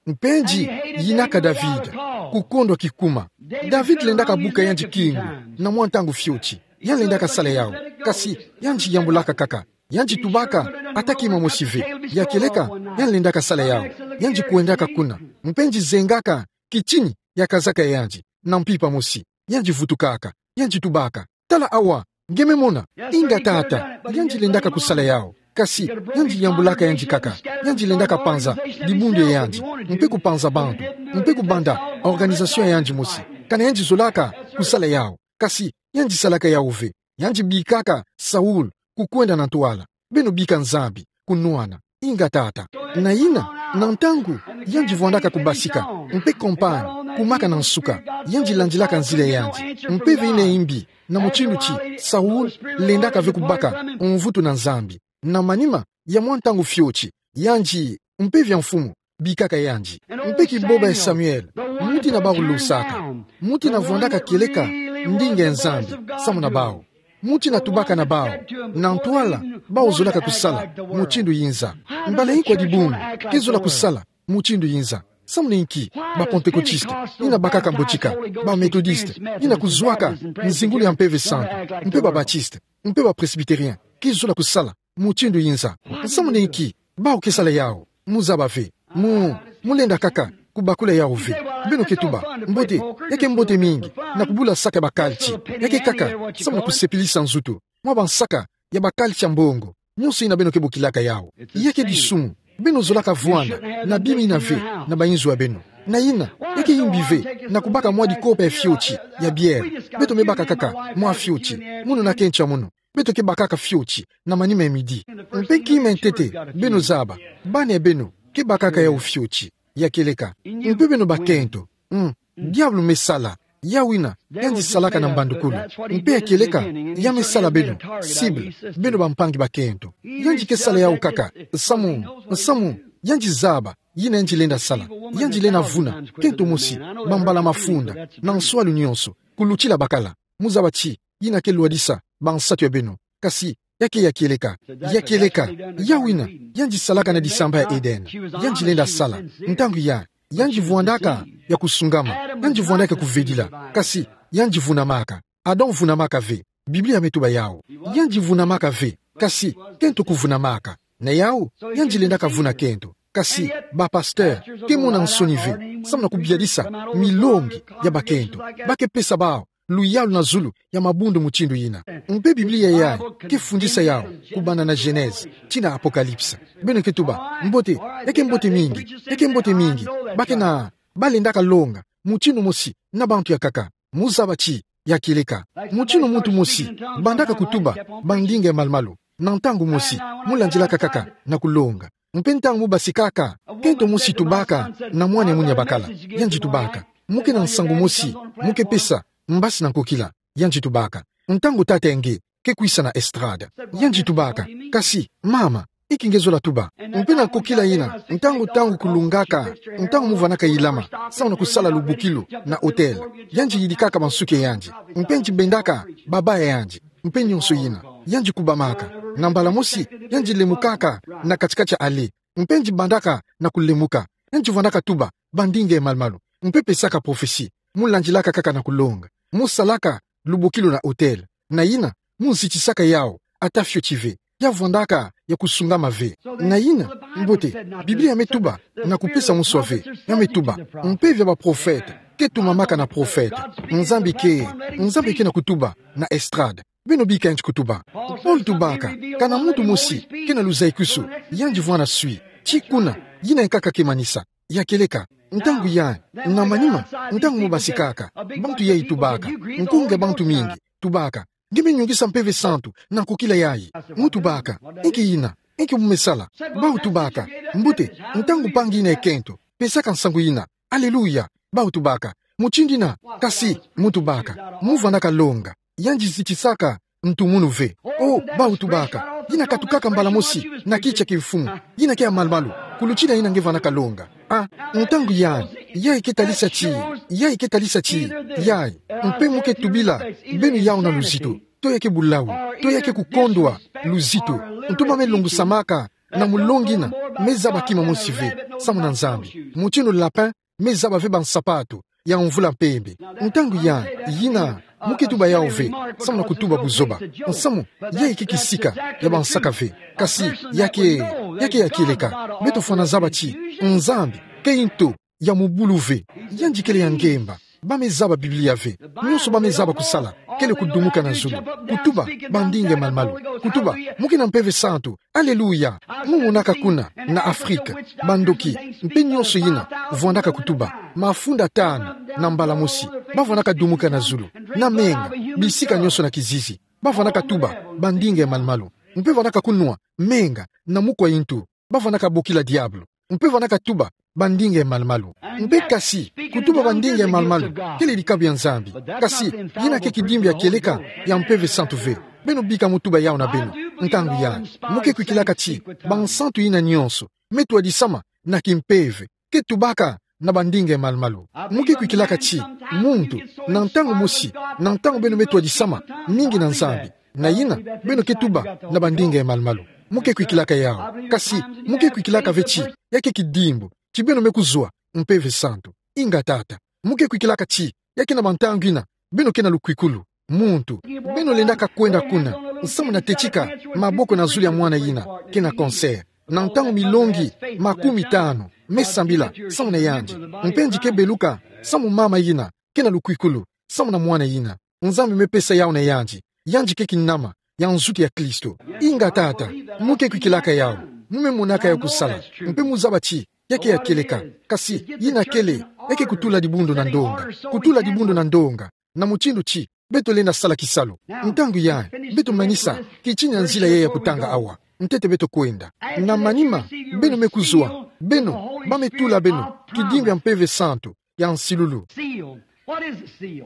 Mpe ngi, yinaka David, kukondwa kikuma. David lendaka buka yandi kingu, na mwa ntangu fioti. Yandi lendaka sala yawu, kasi, yandi yambulaka kaka. Yandi tubaka, ata kima mosi ve. Ya kieleka, yandi lendaka sala yawu. Yandi kwendaka kuna. Mpe ngi zengaka, kitini, ya kazaka ya yandi. Na mpimpa mosi. Yandi vutukaka. Yandi tubaka. Tala awa, nge me mona, ingeta tata, yandi lendaka kusala yawu. Kasi, yandi yambulaka yandi kaka, yandi lendaka panza, dibundu ya yandi, mpe kupanza bantu, mpe kubanda, organisation ya yandi mosi, kana yandi zolaka, kusala yawu. Kasi, yandi salaka yawu ve, yandi bikaka, Saul, kukwenda na ntwala, beno bika Nzambi, kunwana, ingeta tata. Na yina, na ntangu, yandi vwandaka kubasika, mpe campagne, kumaka na nsuka, yandi landilaka nzila ya yandi, mpeve yina ya imbi, na mutindu ti, Saul, lendaka ve kubaka, mvutu na Nzambi. Na manima, ya mwa ntangu fioti, yandi, mpeve ya mfumu, bikaka yandi. Mpe kiboba ya Samuel, muti na bawu losaka, muti na vwandaka kieleka, ndinga ya Nzambi, samu na bawu. Muti na tubaka na bawu, na ntwala, bawu zolaka kusala, mutindu yinza. Mbala yi kwa dibundu, ke zola kusala, mutindu yinza. Samu na inki, ba Pentecôtiste, yina bakaka mbotika, ba Méthodiste, yina kuzwaka, nzingulu ya Mpeve Santu, mpe ba Baptiste, mpe ba Presbytérien, ke zola kusala, mutindu yinza. Samu na inki, bawu ke sala yawu, mu zaba ve, mu, mu lenda kaka, kubakula yawu ve, beno ke tuba, mbote, ya ke mbote mingi, na kubula saka ya ba culture, ya ke kaka, samu na kusepelisa nzutu, mwa ba nsaka, ya ba culture ya mbongo, nyonso yina beno ke bokilaka yawu. Ya ke disumu, beno zolaka vwanda, na bima yina ve, na ba inzo ya beno. Na yina, ya ke imbi ve, na kubaka mwa dikopa ya fioti, ya bière, beto me baka kaka, mwa fioti, mono na kento ya mono, beto ke bakaka fioti, na manima ya midi. Mpe kima ya ntete, beno zaba, bana ya beno, ke bakaka yawu fioti, ya kieleka. Mpe beno bakento, mm, diabulu me sala, yawu yina, yandi salaka na mbandukulu. Mpe ya kieleka, ya me sala beno, cible, beno bampangi bakento. Yandi ke sala yawu kaka, samu, samu, yandi zaba, yina yandi lenda sala, yandi lenda vuna, kento mosi, bambala mafunda, na nswalu nyonso, kulutila bakala, mu zaba ti, yina ke lwadisa, ba nsatu ya beno, kasi, ya ke ya kieleka, ya kieleka, yawu yina, yandi salaka na disamba ya Eden, yandi lenda sala, ntangu ya, yandi vwandaka, ya kusungama, yandi vwandaka kuvedila, kasi, yandi vunamaka, Adam vunamaka ve, Biblia me tuba yawu, yandi vunamaka ve, kasi, kento kuvunamaka, na yawu, yandi lendaka vuna kento, kasi, ba pasteur, ke mona nsoni ve, samu na kubiadisa, milongi, ya bakento, ba ke pesa bawu, luyalu na zulu, ya mabundu mutindu yina. Mpe Biblia yayi, ke fundisa yawu, kubanda na Genèse, tii na Apocalypse. Beno ke tuba, mbote, ya ke mbote mingi, ya ke mbote mingi, ba ke na, ba lendaka longa, mutindu mosi, na bantu ya kaka, mu zaba ti, ya kieleka. Mutindu muntu mosi, bandaka kutuba, ba ndinga ya malu-malu, na ntangu mosi, mu landilaka kaka, na kulonga. Mpe ntangu mu basikaka, kento mosi tubaka, na mwana ya mwini ya bakala, yandi tubaka. Mu ke na nsangu mosi, mu ke pesa, mbasi na nkokila, yandi tubaka. Ntangu tata ya nge, ke kwisa na estrade, yandi tubaka. Kasi, mama, inki nge zola tuba. Mpe na nkokila yina, ntangu, ntangu kulongaka, ntangu mu vanaka yilama, samu na kusala lubukilu, na autel. Yandi yidikaka ba nsuki ya yandi. Mpe yandi bendaka, baba ya yandi. Mpe nyonso yina, yandi kubamaka. Na mbala mosi, yandi lemukaka, na kati-kati ya allée. Mpe yandi bandaka, na kulemuka. Yandi vwandaka tuba, ba ndinga ya malu-malu. Mpe pesaka prophétie. Mu landilaka kaka na kulonga. Mu salaka, lubukilu na autel. Na yina, mu zitisaka yawu, ata fioti ve. Ya vwandaka ya kusungama ve. Na yina, mbote, Biblia ya me tuba, na kupesa muswa ve, ya me tuba, mpeve ya baprofete ke tumamaka na profete. Nzambi ke, Nzambi ke na kutuba na estrade. Beno bika nti kutuba. Paul tubaka, kana muntu mosi ke na luzaikusu, yandi vwanda swi. Ti kuna, yina nkaka ke manisa. Ya kieleka, ntangu ya, na manima, ntangu mu basikaka, bantu ya itubaka, nkunga bantu mingi, tubaka, nge me nyungisa Mpeve Santu na nkokila yayi. Mu tubaka, inki yina, inki mu me sala? Bawu tubaka, mbote, ntangu mpangi yina ekento, pesaka nsangu yina. Aleluya. Bawu tubaka, mutindu yina, kasi, mu tubaka, mu vwandaka longa. Yandi zitisaka ntu munu ve. O, bawu tubaka, yina katukaka mbala mosi na kiti kia kimfumu, yina ke ya malu-malu, kulutina yina nge vwandaka longa. A, ntangu yayi, yayi ke talisa ti, yayi ke talisa ti, yayi, mpe mu ke tubila beno yawu na luzitu, to ya ke bulawu, to ya ke kukondwa luzitu, ntu ba me longusamaka na mulongi yina, me zaba kima mosi ve, samu na Nzambi. Mutindu lapin me zaba ve bansapatu ya mvula mpembe. Ntangu ya, yina, mu ke tuba yawu ve, samu na kutuba buzoba. Nsamu, yayi ke kisika ya bansaka ve. Kasi, ya ke, ya ke ya kieleka. Beto fwana zaba ti, Nzambi ke nto ya mubulu ve. Yandi kele ya ngemba. Ba me zaba Biblia ve. Nyonso ba me zaba kusala kele kudumuka na zulu. Kutuba bandinga ya malu-malu. Kutuba, mu ke na Mpeve Santu. Aleluya! Mu monaka kuna, na Afrika, bandoki, mpe nyonso yina, vwandaka kutuba. Mafunda tanu, na mbala mosi, ba vwandaka dumuka na zulu, na menga, bisika nyonso na kizizi. Ba vwandaka tuba bandinga ya malu-malu. Mpe vwandaka kunwa menga, na mukwa ntu. Ba vwandaka bokila diabulu. Mpe vwandaka tuba bandinga ya malu-malu. Mpe kasi, kutuba bandinga ya malu-malu, kele dikabu ya Nzambi. Kasi, yina ke kidimbu ya kieleka ya Mpeve Santu ve. Beno bika mu tuba yawu na beno. Ntangu ya, mu ke kwikilaka ti, bansantu yina nyonso me twadisama na kimpeve, ke tubaka na bandinga ya malu-malu. Mu ke kwikilaka ti, muntu, na ntangu mosi, na ntangu beno me twadisama mingi na Nzambi, na yina, beno ke tuba na bandinga ya malu-malu. Mu ke kwikilaka yawu. Kasi, mu ke kwikilaka ve ti, ya ke kidimbu ti beno me kuzwa Mpeve Santu. Inga tata. Mu ke kwikilaka ti, ya ke na bantangu yina, beno ke na lukwikulu. Muntu, beno lendaka kwenda kuna, nsamu na tetika maboko na zulu ya mwana yina ke na cancer. Na ntangu milongi makumi tanu, me sambila samu na yandi. Mpe yandi ke beluka samu mama yina ke na lukwikulu samu na mwana yina. Nzambi me pesa yawu na yandi. Yandi ke kinama ya nzutu ya Kristo. Inga tata, mu ke kwikilaka yawu. Mu me monaka yawu kusala. Mpe mu zaba ti, ya ke ya kieleka. Kasi, yina kele, ya ke kutula dibundu na ndonga. Kutula dibundu na ndonga. Na mutindu ti, beto lenda sala kisalu. Ntangu ya, beto manisa, kitina nzila ya ya kutanga awa. Ntete beto kwenda. Na manima, beno me kuzwa, beno, ba me tula beno kidimbu ya Mpeve Santu ya nsilulu. Seal. What is a seal?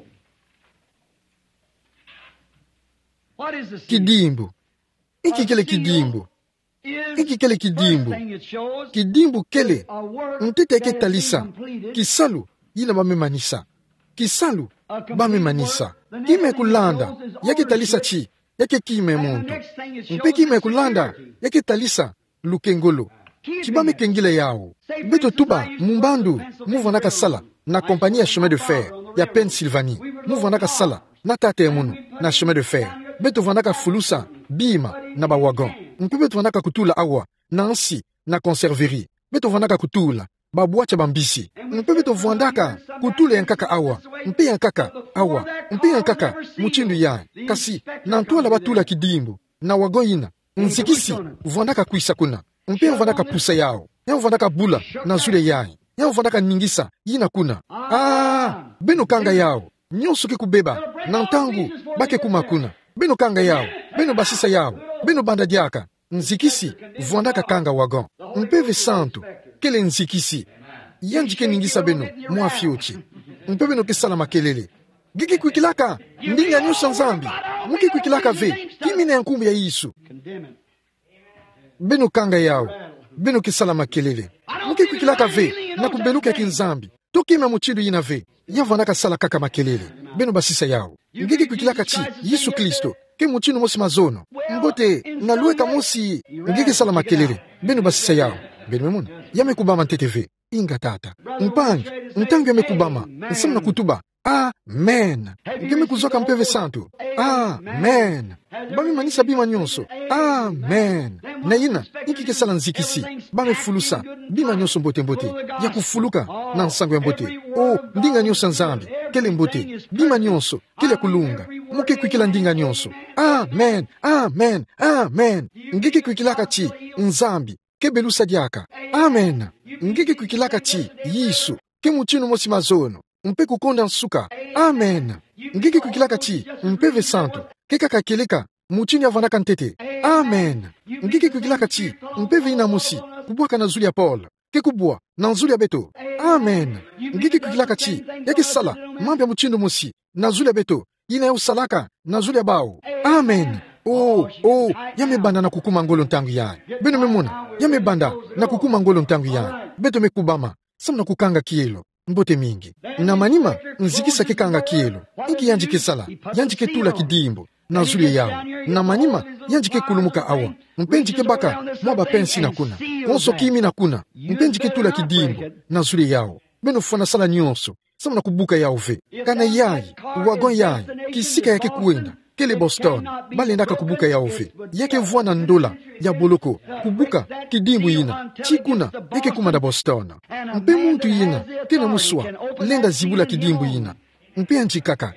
What is a seal? Kidimbu. Inki kele kidimbu? Inki kele kidimbu? Kidimbu kele ntete ya ke talisa kisalu yina ba me manisa. Kisalu ba me manisa. Kima ya kulanda ya ke talisa ti, ya ke kima ya muntu. Mpe kima ya kulanda ya ke talisa lukengolo. Ti ba me kengila yawu. Beto tuba, mu mbandu, mu vwandaka sala na compagnie ya chemin de fer ya Pennsylvanie. Mu vwandaka sala na tata ya munu na chemin de fer. Beto vwandaka fulusa bima na bawagon. Mpe beto vwandaka kutula awa na nsi na conserverie. Beto vwandaka kutula babwati ya bambisi. Mpe beto vwandaka kutula ya nkaka awa, mpe ya nkaka awa, mpe ya nkaka, mutindu ya. Kasi, na ntwala ba tula kidimbu na wagon yina, nzikisi vwandaka kwisa kuna. Mpe ya vwandaka pusa yawu. Ya vwandaka bula na zulu ya yayi. Ya vwandaka ningisa yina kuna. Ah, beno kanga yawu. Nyonso ke kubeba na ntangu ba ke kuma kuna. Beno kanga yawu. Beno basisa yawu. Beno banda diaka. Nzikisi vwandaka kanga wagon. Mpeve Santu kele nzikisi. Yandi ke ningisa beno mwa fioti. Mpe beno ke sala makelele. Nge ke kwikilaka ndinga nyonso ya Nzambi? Mu ke kwikilaka ve? Kima yina ya nkumbu ya Yesu. Beno kanga yawu. Beno ke sala makelele. Mu ke kwikilaka ve na kubeluka ya kiNzambi? To kima mutindu yina ve. Ya vwandaka sala kaka makelele. Beno basisa yawu. Nge ke kwikilaka ti Yesu Kristo ke mutindu mosi mazono? Mbote, na lweka mosi. Nge ke sala makelele. Beno basisa yawu. Beno me mona. Ya me kubama ntete ve. Inga tata. Mpangi, ntangu ya me kubama, nsamu na kutuba, Amen. Nge me kuzwaka Mpeve Santu? Amen. Ba me manisa bima nyonso? Amen. Na yina, inki ke sala nzikisi? Ba me fulusa bima nyonso mbote-mbote, ya kufuluka na nsangu ya mbote. O, ndinga nyonso ya Nzambi kele mbote. Bima nyonso kele ya kulunga. Mo ke kwikila ndinga nyonso. Amen. Amen. Amen. Nge ke kwikilaka ti Nzambi ke belusa diaka? Amen. Nge ke kwikilaka ti Yesu ke mutindu mosi mazono, mpe kukonda nsuka? Amen. Nge ke kwikilaka ti Mpeve Santu ke kaka kieleka mutindu ya vandaka ntete? Amen. Nge ke kwikilaka ti Mpeve yina mosi kubwaka na zulu ya Paul ke kubwa na zulu ya beto? Amen. Nge ke kwikilaka ti ya ke sala mambu ya mutindu mosi na zulu ya beto yina ya usalaka na zulu ya bau? Amen. O, o, ya me banda na kukuma ngolo ntangu yayi. Beno me mona, ya me banda na kukuma ngolo ntangu yayi. Beto me kubama samu na kukanga kielo. Mbote mingi. Na manima, nzikisa ke kanga kielo. Inki yandi ke sala? Yandi ke tula kidimbu na zulu ya yawu. Na manima, yandi ke kulumuka awa, mpe yandi ke baka mwa ba pensi na kuna. Konso kimi na kuna, mpe yandi ke tula kidimbu na zulu ya yawu. Beno fwana sala nyonso samu na kubuka yawu ve. Kana yayi, wagon yayi, kisika ya ke kwenda, kele Boston, ba lendaka kubuka yawu ve. Ya ke vwanda ndola ya boloko kubuka kidimbu yina, ti kuna ya ke kuma na Boston. Mpe muntu yina ke na muswa lenda zibula kidimbu yina. Mpe yandi kaka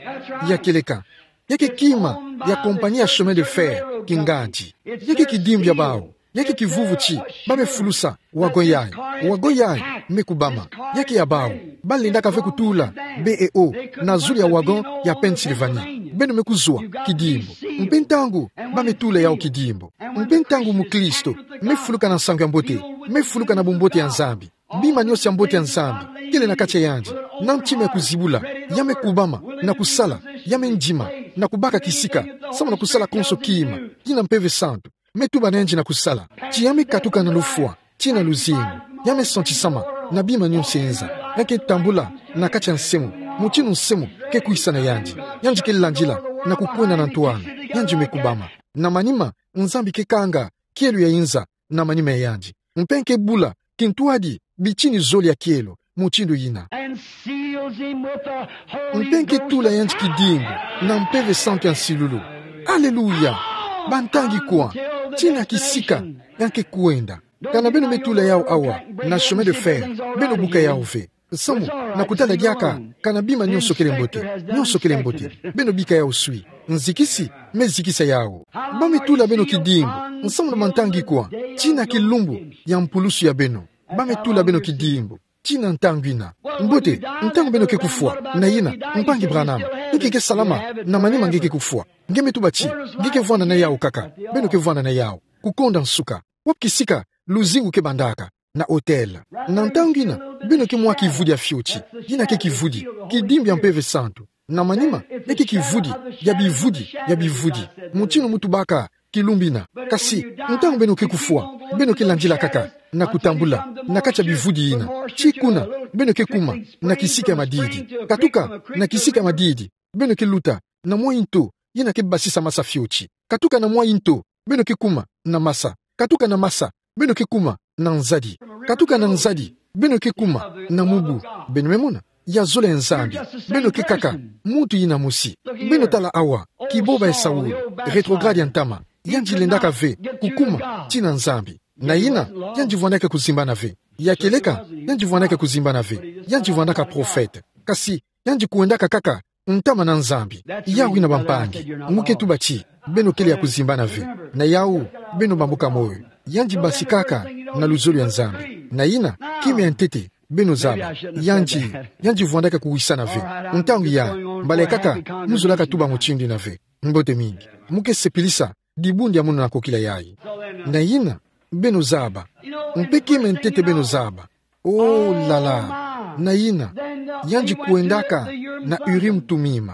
ya kieleka. Ya ke kima ya compagnie ya chemin de fer kingandi. Ya ke kidimbu ya bau. Ya ke kivuvu ti ba me fulusa wagon yayi. Wagon yayi me kubama. Ya ke ya bau. Ba lendaka ve kutula B E O na zulu ya wagon ya Pennsylvanie. Beno me kuzwa kidimbu. Mpe ntangu ba me tula yawu kidimbu, mpe ntangu mukristo me fuluka na nsangu ya mbote, me fuluka na bumbote ya Nzambi, bima nyonso ya mbote ya Nzambi kele na kati ya yandi, na ntima ya kuzibula, ya me kubama na kusala, ya me ndima na kubaka kisika samu na kusala konso kima yina Mpeve Santu me tuba na yandi na kusala. Ti ya me katuka na lufwa ti na luzingu, ya me santisama na bima nyonso enza, ya ke tambula na kati ya nsemo, mutindu nsemo ke kwisa na yandi. Yandi ke landila na kukwenda na ntwala. Yandi me kubama. Na manima, Nzambi ke kanga kielo ya inza na manima ya yandi, mpe ke bula kintwadi bitini zole ya kielo mutindu yina. Mpe ke tula yandi kidimbu na Mpeve Santu ya nsilulu. Aleluya! Bantangi kwa, tina kisika ya ke kwenda. Kana beno me tula yawu awa na chemin de fer, beno buka yawu ve. Samu na kutala diaka kana bima nyonso kele mbote. Nyonso kele mbote. Beno bika yawu swi. Nzikisi me zikisa yawu. Ba me tula beno kidimbu samu na bantangi kwa, tina kilumbu ya mpulusu ya beno. Ba me tula beno kidimbu tina ntangu yina. Mbote, ntangu beno ke kufwa, na yina, mpangi Branham, nge ke salama na manima nge ke kufwa? Nge me tuba ti nge ke vwanda na yawu kaka. Beno ke vwanda na yawu. Kukonda nsuka. Wapi kisika luzingu ke bandaka? Na hotel. Na ntangu yina, beno ke mwa kivudi ya fioti. Yina ke kivudi, kidimbu ya Mpeve Santu. Na manima, ya ke kivudi ya bivudi ya bivudi, mutindu mu tubaka kilumbu yina. Kasi ntangu beno ke kufwa, beno ke landila kaka na kutambula na kati ya bivudi yina. Ti kuna beno ke kuma na kisika ya madidi. Katuka na kisika ya madidi, beno ke luta na mwa nto yina ke basisa masa fioti. Katuka na mwa nto, beno ke kuma na masa. Katuka na masa, beno ke kuma na nzadi. Katuka na nzadi, beno ke kuma na mubu. Beno me mona? Ya zola ya Nzambi. Beno ke kaka muntu yina mosi. Beno tala awa, kiboba ya Saul, rétrograde ya ntama. Yandi lendaka ve kukuma tina Nzambi. Na yina, yandi vwandaka kuzimbana ve. Ya kieleka, yandi vwandaka kuzimbana ve. Yandi vwandaka prophète. Kasi yandi kwendaka kaka ntama na Nzambi. Yawu yina, bampangi, mu ke tuba ti beno kele ya kuzimbana ve. Na yawu, beno bambuka moyo. Yandi basikaka na luzolo ya Nzambi. Na yina, kima ya ntete, beno zaba, yandi, yandi vwandaka kuwisana ve. Ntangu yayi, mbala kaka mu zolaka tuba mutindu yina ve. Mbote mingi. Mu ke sepelisa dibundu ya munu na kokila yayi. Na yina, beno zaba. Mpe kima ya ntete, beno zaba. Oh là là. Na yina, yandi kwendaka na Urim Tumim.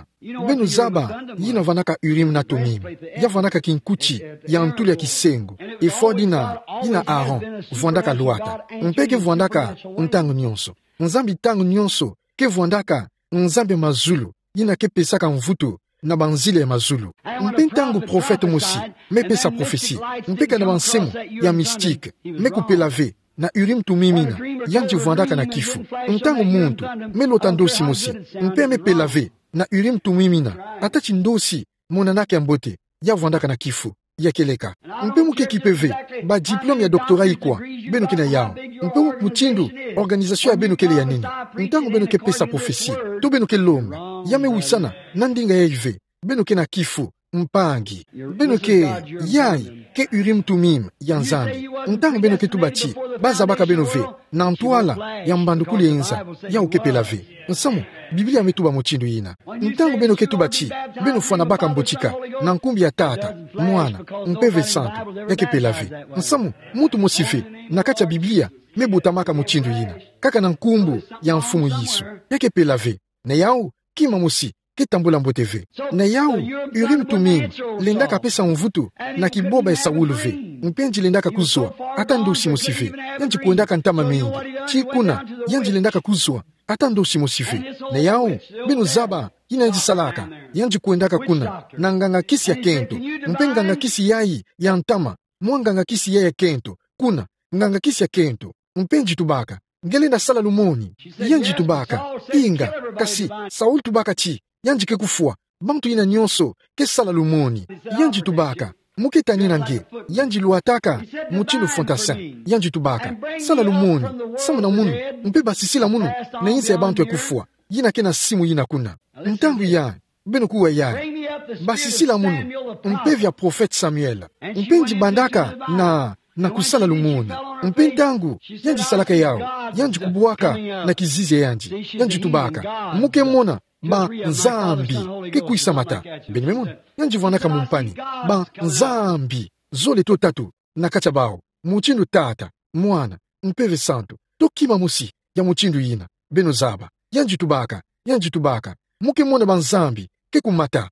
Beno zaba yina vandaka Urim na Tumim. Ya vandaka kinkuti ya ntulu ya kisengo. Efod yina, yina Aaron vwandaka lwata. Mpe ke vwandaka ntangu nyonso. Nzambi ntangu nyonso ke vwandaka Nzambi ya mazulu, yina ke pesaka mvutu na banzila ya mazulu. Mpe ntangu prophète mosi me pesa prophétie, mpe kana bansemo ya mystique me kupela ve, na Urim Tumim ina, yandi vwandaka na kifu. Ntangu muntu me lota ndosi mosi, mpe me pela ve na Urim Tumim ina, ata ti ndosi monanaka mbote, ya vwandaka na kifu, ya kieleka. Mpe mu ke kipe ve ba diplôme ya doctorat ikwa beno ke na yau, mpe mutindu organisation ya beno kele ya nini. Ntangu beno ke pesa prophétie, to beno ke lomba, ya me wisana na ndinga yayi ve, beno ke na kifu, mpangi. Beno ke, yayi ke Urim Tumim ya Nzambi. Ntangu beno ke tuba ti bazabaka beno ve na ntwala ya mbandukulu ya inza, yau ke pela ve. Nsamu, Biblia me tuba mutindu yina. Ntangu beno ke tuba ti beno fwana baka mbotika na nkumbu ya Tata, Mwana, Mpeve Santu, ya ke pela ve. Nsamu, muntu mosi ve na kati ya Biblia me botamaka mutindu yina, kaka na nkumbu ya Mfumu Yesu, ya ke pela ve. Na yau, kima mosi ke tambula mbote ve. Na yau, Urim Tumim lendaka pesa mvutu na kiboba ya Saul ve, mpe yandi lendaka kuzwa ata ndosi mosi ve. Yandi kwendaka ntama mingi, ti kuna yandi lendaka kuzwa ata ndosi mosi ve. Na yau, beno zaba yina yandi salaka. Yandi kwendaka kuna na nganga-kisi ya kento, mpe nganga-kisi yayi ya ntama, mwa nganga-kisi yayi ya kento, kuna nganga-kisi ya kento. Mpe yandi tubaka: Nge lenda sala lumoni? Yandi tubaka: Inga, kasi Saul tubaka ti yandi ke kufwa, bantu yina nyonso ke sala lumoni. Yandi tubaka: Mu ke tanina nge? Yandi lwataka mutindu fantassin. Yandi tubaka: Sala lumoni, samu na munu, mpe basisila munu na insi ya bantu ya kufwa, yina ke na simu yina kuna. Ntangu yayi, beno kuwa yayi: Basisila munu, mpeve ya prophète Samuel. Mpe yandi bandaka na, na kusala lumoni. Mpe ntangu yandi salaka yau, yandi kubwaka na kizizi ya yandi, yandi tubaka: Mu ke mona banzambi ke kwisa mata. Beno me mona, yandi vwandaka mumpani banzambi zole to tatu na kati ya bau, mutindu Tata, Mwana, Mpeve Santu, to kima mosi ya mutindu yina. Beno zaba, yandi tubaka, yandi tubaka: Mu ke mona banzambi ke kumata.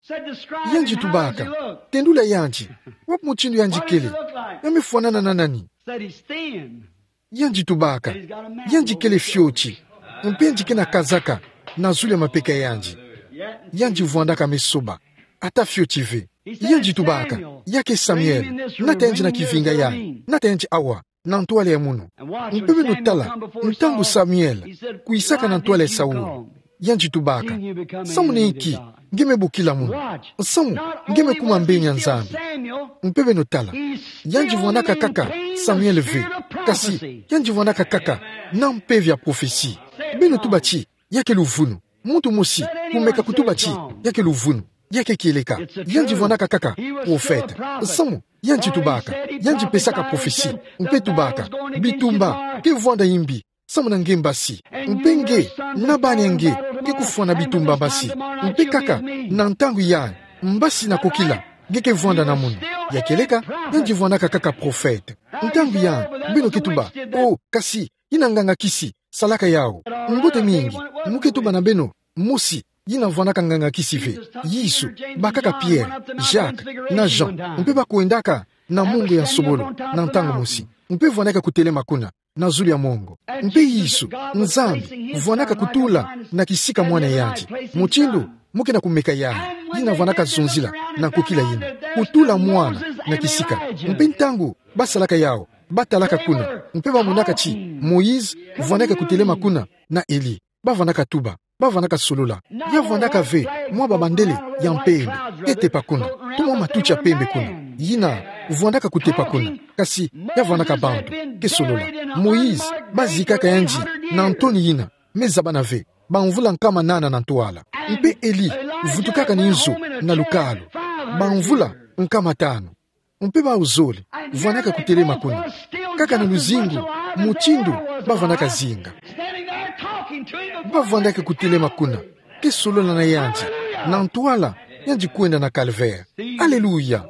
Yandi tubaka: Tendula yandi, wapi mutindu yandi kele? Ya me fwanana na nani? Yandi tubaka: Yandi kele fioti, mpe yandi ke na kazaka na zulu ya mapeka ya yandi. Yandi vwandaka me soba, ata fioti ve. Yandi tubaka: Ya ke Samuel, nata yandi na kivinga yayi, nata yandi awa na ntwala ya munu. Mpe beno tala, ntangu Samuel kwisaka na ntwala ya Saul, yandi tubaka: Samu na inki nge me bokila munu? Samu nge me kuma mbeni ya Nzambi. Mpe beno tala, yandi vwandaka kaka Samuel ve, kasi yandi vwandaka kaka na mpeve ya prophetie. Beno tuba ti ya ke luvunu. Muntu mosi kumeka kutuba ti ya ke luvunu. Ya ke kieleka. Yandi vwandaka kaka prophète. Samu yandi tubaka, yandi pesaka prophetie, mpe tubaka: Bitumba ke vwanda imbi samu na nge mbasi, mpe nge na bana ya nge ke kufwana bitumba mbasi. Mpe kaka na ntangu yayi, mbasi na kokila nge ke vwanda na munu. Ya kieleka, yandi vwandaka kaka prophète. Ntangu yayi, beno ke tuba: Oh, kasi yina nganga-kisi salaka yau. Mbote mingi. Mu ke tuba na beno: Mosi yina vwandaka nganga-kisi ve. Yesu, bakaka Pierre, Jacques na Jean, mpe ba kwendaka na mungu ya nsobolo na ntangu mosi, mpe vwandaka kutelema kuna na zulu ya mongo. Mpe Yesu, Nzambi, vwandaka kutula na kisika mwana ya yandi. Mutindu mu ke na kumeka yayi, yina vwandaka zonzila na nkokila yina, kutula mwana na kisika. Mpe ntangu ba salaka yau, ba talaka kuna, mpe ba monaka ti Moïse vwandaka kutelema kuna na Elie. Ba vwandaka tuba, ba vwandaka solola: Ya vwandaka ve mwa ba bandele ya mpembe ke tepa kuna, to mwa matuti ya pembe kuna. Yina vwandaka kutepa kuna, kasi ya vwandaka bantu ke solola. Moïse, ba zikaka yandi na ntoni yina, me zabana ve, bamvula nkama nana na ntwala. Mpe Elie vutukaka na inzo na lukalu, bamvula nkama tanu. Mpe bau zole vwandaka kutelema kuna, kaka na luzingu, mutindu ba vwandaka zinga. Ba vwandaka kutelema kuna, ke solola na yandi, na ntwala yandi kwenda na Calvaire. Aleluya!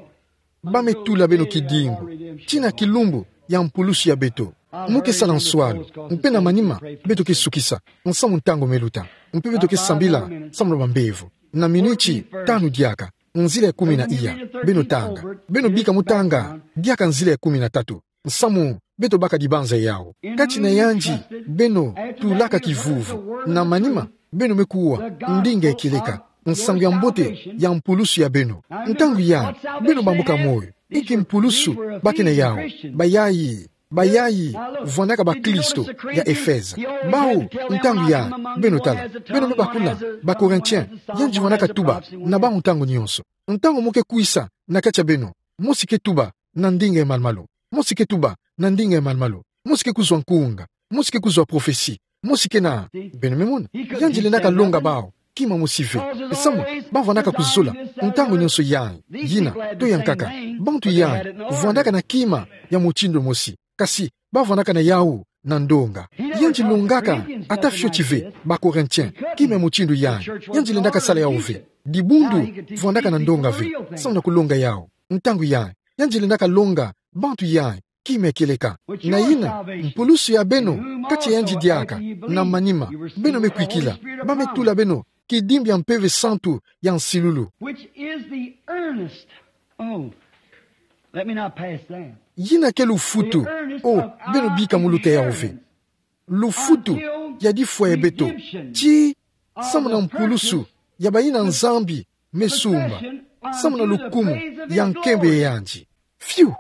Ba me tula beno kidimbu, tii na kilumbu ya mpulusu ya beto. Mu ke sala nswalu, mpe na manima beto ke sukisa, nsamu ntangu me luta. Mpe beto ke sambila samu na bambevo. Na minuti tanu diaka, nzila ya kumi na iya, beno tanga. Beno bika mu tanga diaka nzila ya kumi na tatu, nsamu beto baka dibanza yau. Kati na yandi beno tulaka kivuvu. Na manima beno me kuwa ndinga ya kieleka, nsangu ya mbote ya mpulusu ya beno. Ntangu yayi, beno bambuka moyo. Inki mpulusu ba ke na yau? Bayayi Bayayi vwandaka bakristo ya Efeze. Bawu, ntangu yayi, beno tala, beno me bakuna, ba Corinthiens, yandi vwandaka tuba na bawu ntangu nyonso. Ntangu mo ke kwisa na kati ya beno, mosi ke tuba na ndinga ya malumalu, mosi ke tuba na ndinga ya malumalu, mosi ke kuzwa nkunga, mosi ke kuzwa prophetie, mosi ke na, beno me mona, yandi lendaka longa bawu kima mosi ve. Samu, ba vwandaka kuzola ntangu nyonso yayi, yina, to yankaka, bantu yayi vwandaka na kima ya mutindu mosi, kasi ba vwandaka na yawu na ndonga. Yandi longaka ata fioti ve ba Corinthiens kima ya mutindu yayi. Yandi lendaka sala yawu ve. Dibundu vwandaka na ndonga ve samu na kulonga yawu. Ntangu yayi, yandi lendaka longa bantu yayi kima ya kieleka. Na yina, mpulusu ya beno kati ya yandi diaka, na manima, beno me kwikila, ba me tula beno kidimbi ya Mpeve Santu ya nsilulu. Which is the earnest. Oh, let me not pass that. Yina ke lufutu. Oh, beno bika muluta yawu ve. Lufutu ya difwa ya beto, tii samu na mpulusu ya bayina Nzambi me sumba, samu na lukumu ya nkembe ya yandi. Fiu!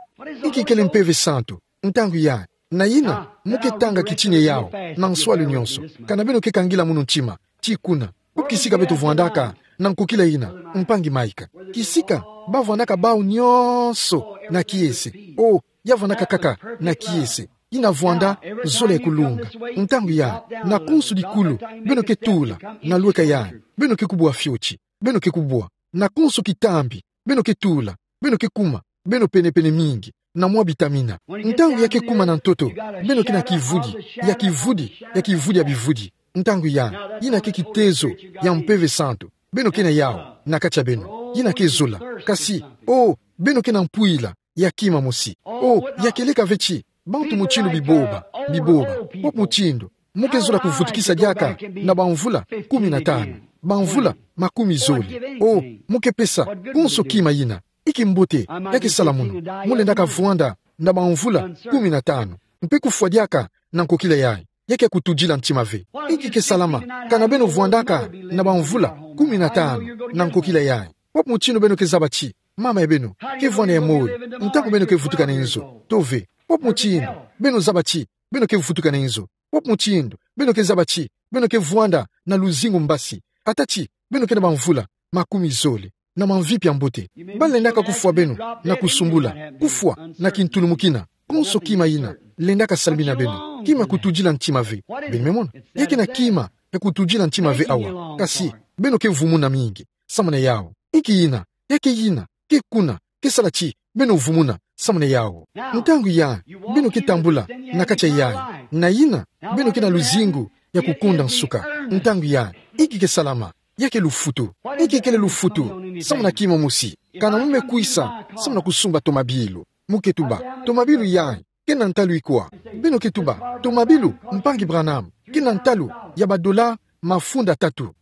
Inki kele Mpeve Santu? Ntangu yayi, na yina, mo ke tanga kitina yawu na nswalu nyonso. Kana beno ke kangila munu ntima, tii kuna. Ko kisika beto vwandaka na nkokila yina, mpangi Mike. Kisika ba vwandaka bawu nyonso na kiese. Oh, ya vwandaka kaka na kiese. Yina vwanda zola ya kulunga. Ntangu yayi, na konso dikulu beno ke tula na lweka yayi, beno ke kubwa fioti, beno ke kubwa. Na konso kitambi beno ke tula, beno ke kuma, beno penepene mingi na mwa bitamina. Ntangu ya ke kuma na ntoto, beno ke na kivudi, ya kivudi, ya kivudi ya bivudi. Ntangu yayi, yina ke kitezo ya Mpeve Santu beno ke na yawu na kati ya beno. Yina ke zola. Kasi, oh, beno ke na mpwila ya kima mosi. Oh, ya kieleka ve tii, bantu mutindu biboba, biboba, pop mutindu, mo ke zola kuvutukisa diaka na bamvula kumi na tanu, bamvula makumi zole. Oh, mo ke pesa konso kima yina. Inki mbote ya ke sala munu? Mo lendaka vwanda na bamvula kumi na tanu, mpe kufwa diaka na nkokila yayi. Ya ke kutudila ntima ve. Inki ke salama kana beno vwandaka na bamvula kumi na tanu na nkokila yayi? Pop mutindu beno ke zaba tii, mama ya beno ke vwanda ya moyo ntangu beno ke vutuka na inzo? To ve. Pop mutindu beno zaba tii beno ke vutuka na inzo? Pop mutindu beno ke zaba tii beno ke vwanda na luzingu mbasi, ata tii beno ke na bamvula makumi zole, na mamvipi ya mbote? Ba lendaka kufwa beno na kusumbula, kufwa na kintulumukina. Konso kima yina lendaka salmina beno. Kima ya kutudila ntima ve. Beno me mona, ya ke na kima ya kutudila ntima ve awa. Kasi, beno ke vumuna mingi samu na yawu. Inki yina? Ya ke yina ke kuna, ke sala tii beno vumuna samu na yawu. Ntangu yayi, beno ke tambula na kati ya yayi. Na yina, beno ke na luzingu ya kukonda nsuka. Ntangu yayi, inki ke salama? Ya ke lufutu. Inki kele lufutu? Samu na kima mosi. Kana mo me kwisa samu na kusumba tomabilu, mo ke tuba, tomabilu yayi ke na ntalu ikwa? Beno ke tuba, tomabilu, mpangi Branham, ke na ntalu ya badola mafunda tatu.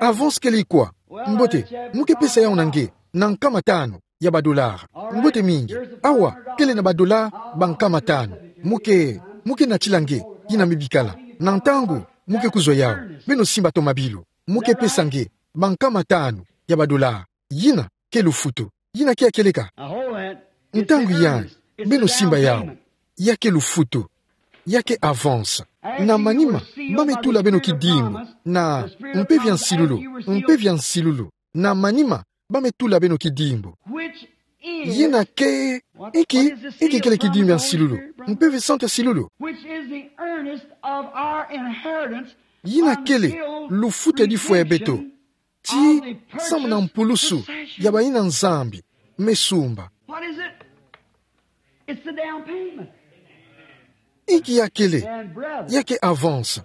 Avance kele ikwa? Mbote, mo ke pesa yawu na nge, na nkama tanu ya badola. Mbote mingi. Awa, kele na badola bankama tanu. Mo ke, mo ke natila nge, yina me bikala. Na ntangu mo ke kuzwa yawu, beno simba tomabilu, mo ke pesa nge bankama tanu ya badola. Yina ke lufutu. Yina ke ya kieleka. Ntangu yayi, beno simba yawu. Ya ke lufutu. Ya ke avance. Na manima, ba me tula beno kidimbu na Mpeve ya nsilulu, Mpeve ya nsilulu. Na manima, ba me tula beno kidimbu. Yina ke, inki, inki kele kidimbu ya nsilulu? Mpeve Santu ya nsilulu. Which is the earnest of our inheritance. Yina kele lufutu ya difwa ya beto, tii samu na mpulusu ya bayina Nzambi me sumba. What is it? It's the down payment. Inki ya kele? Ya ke avance.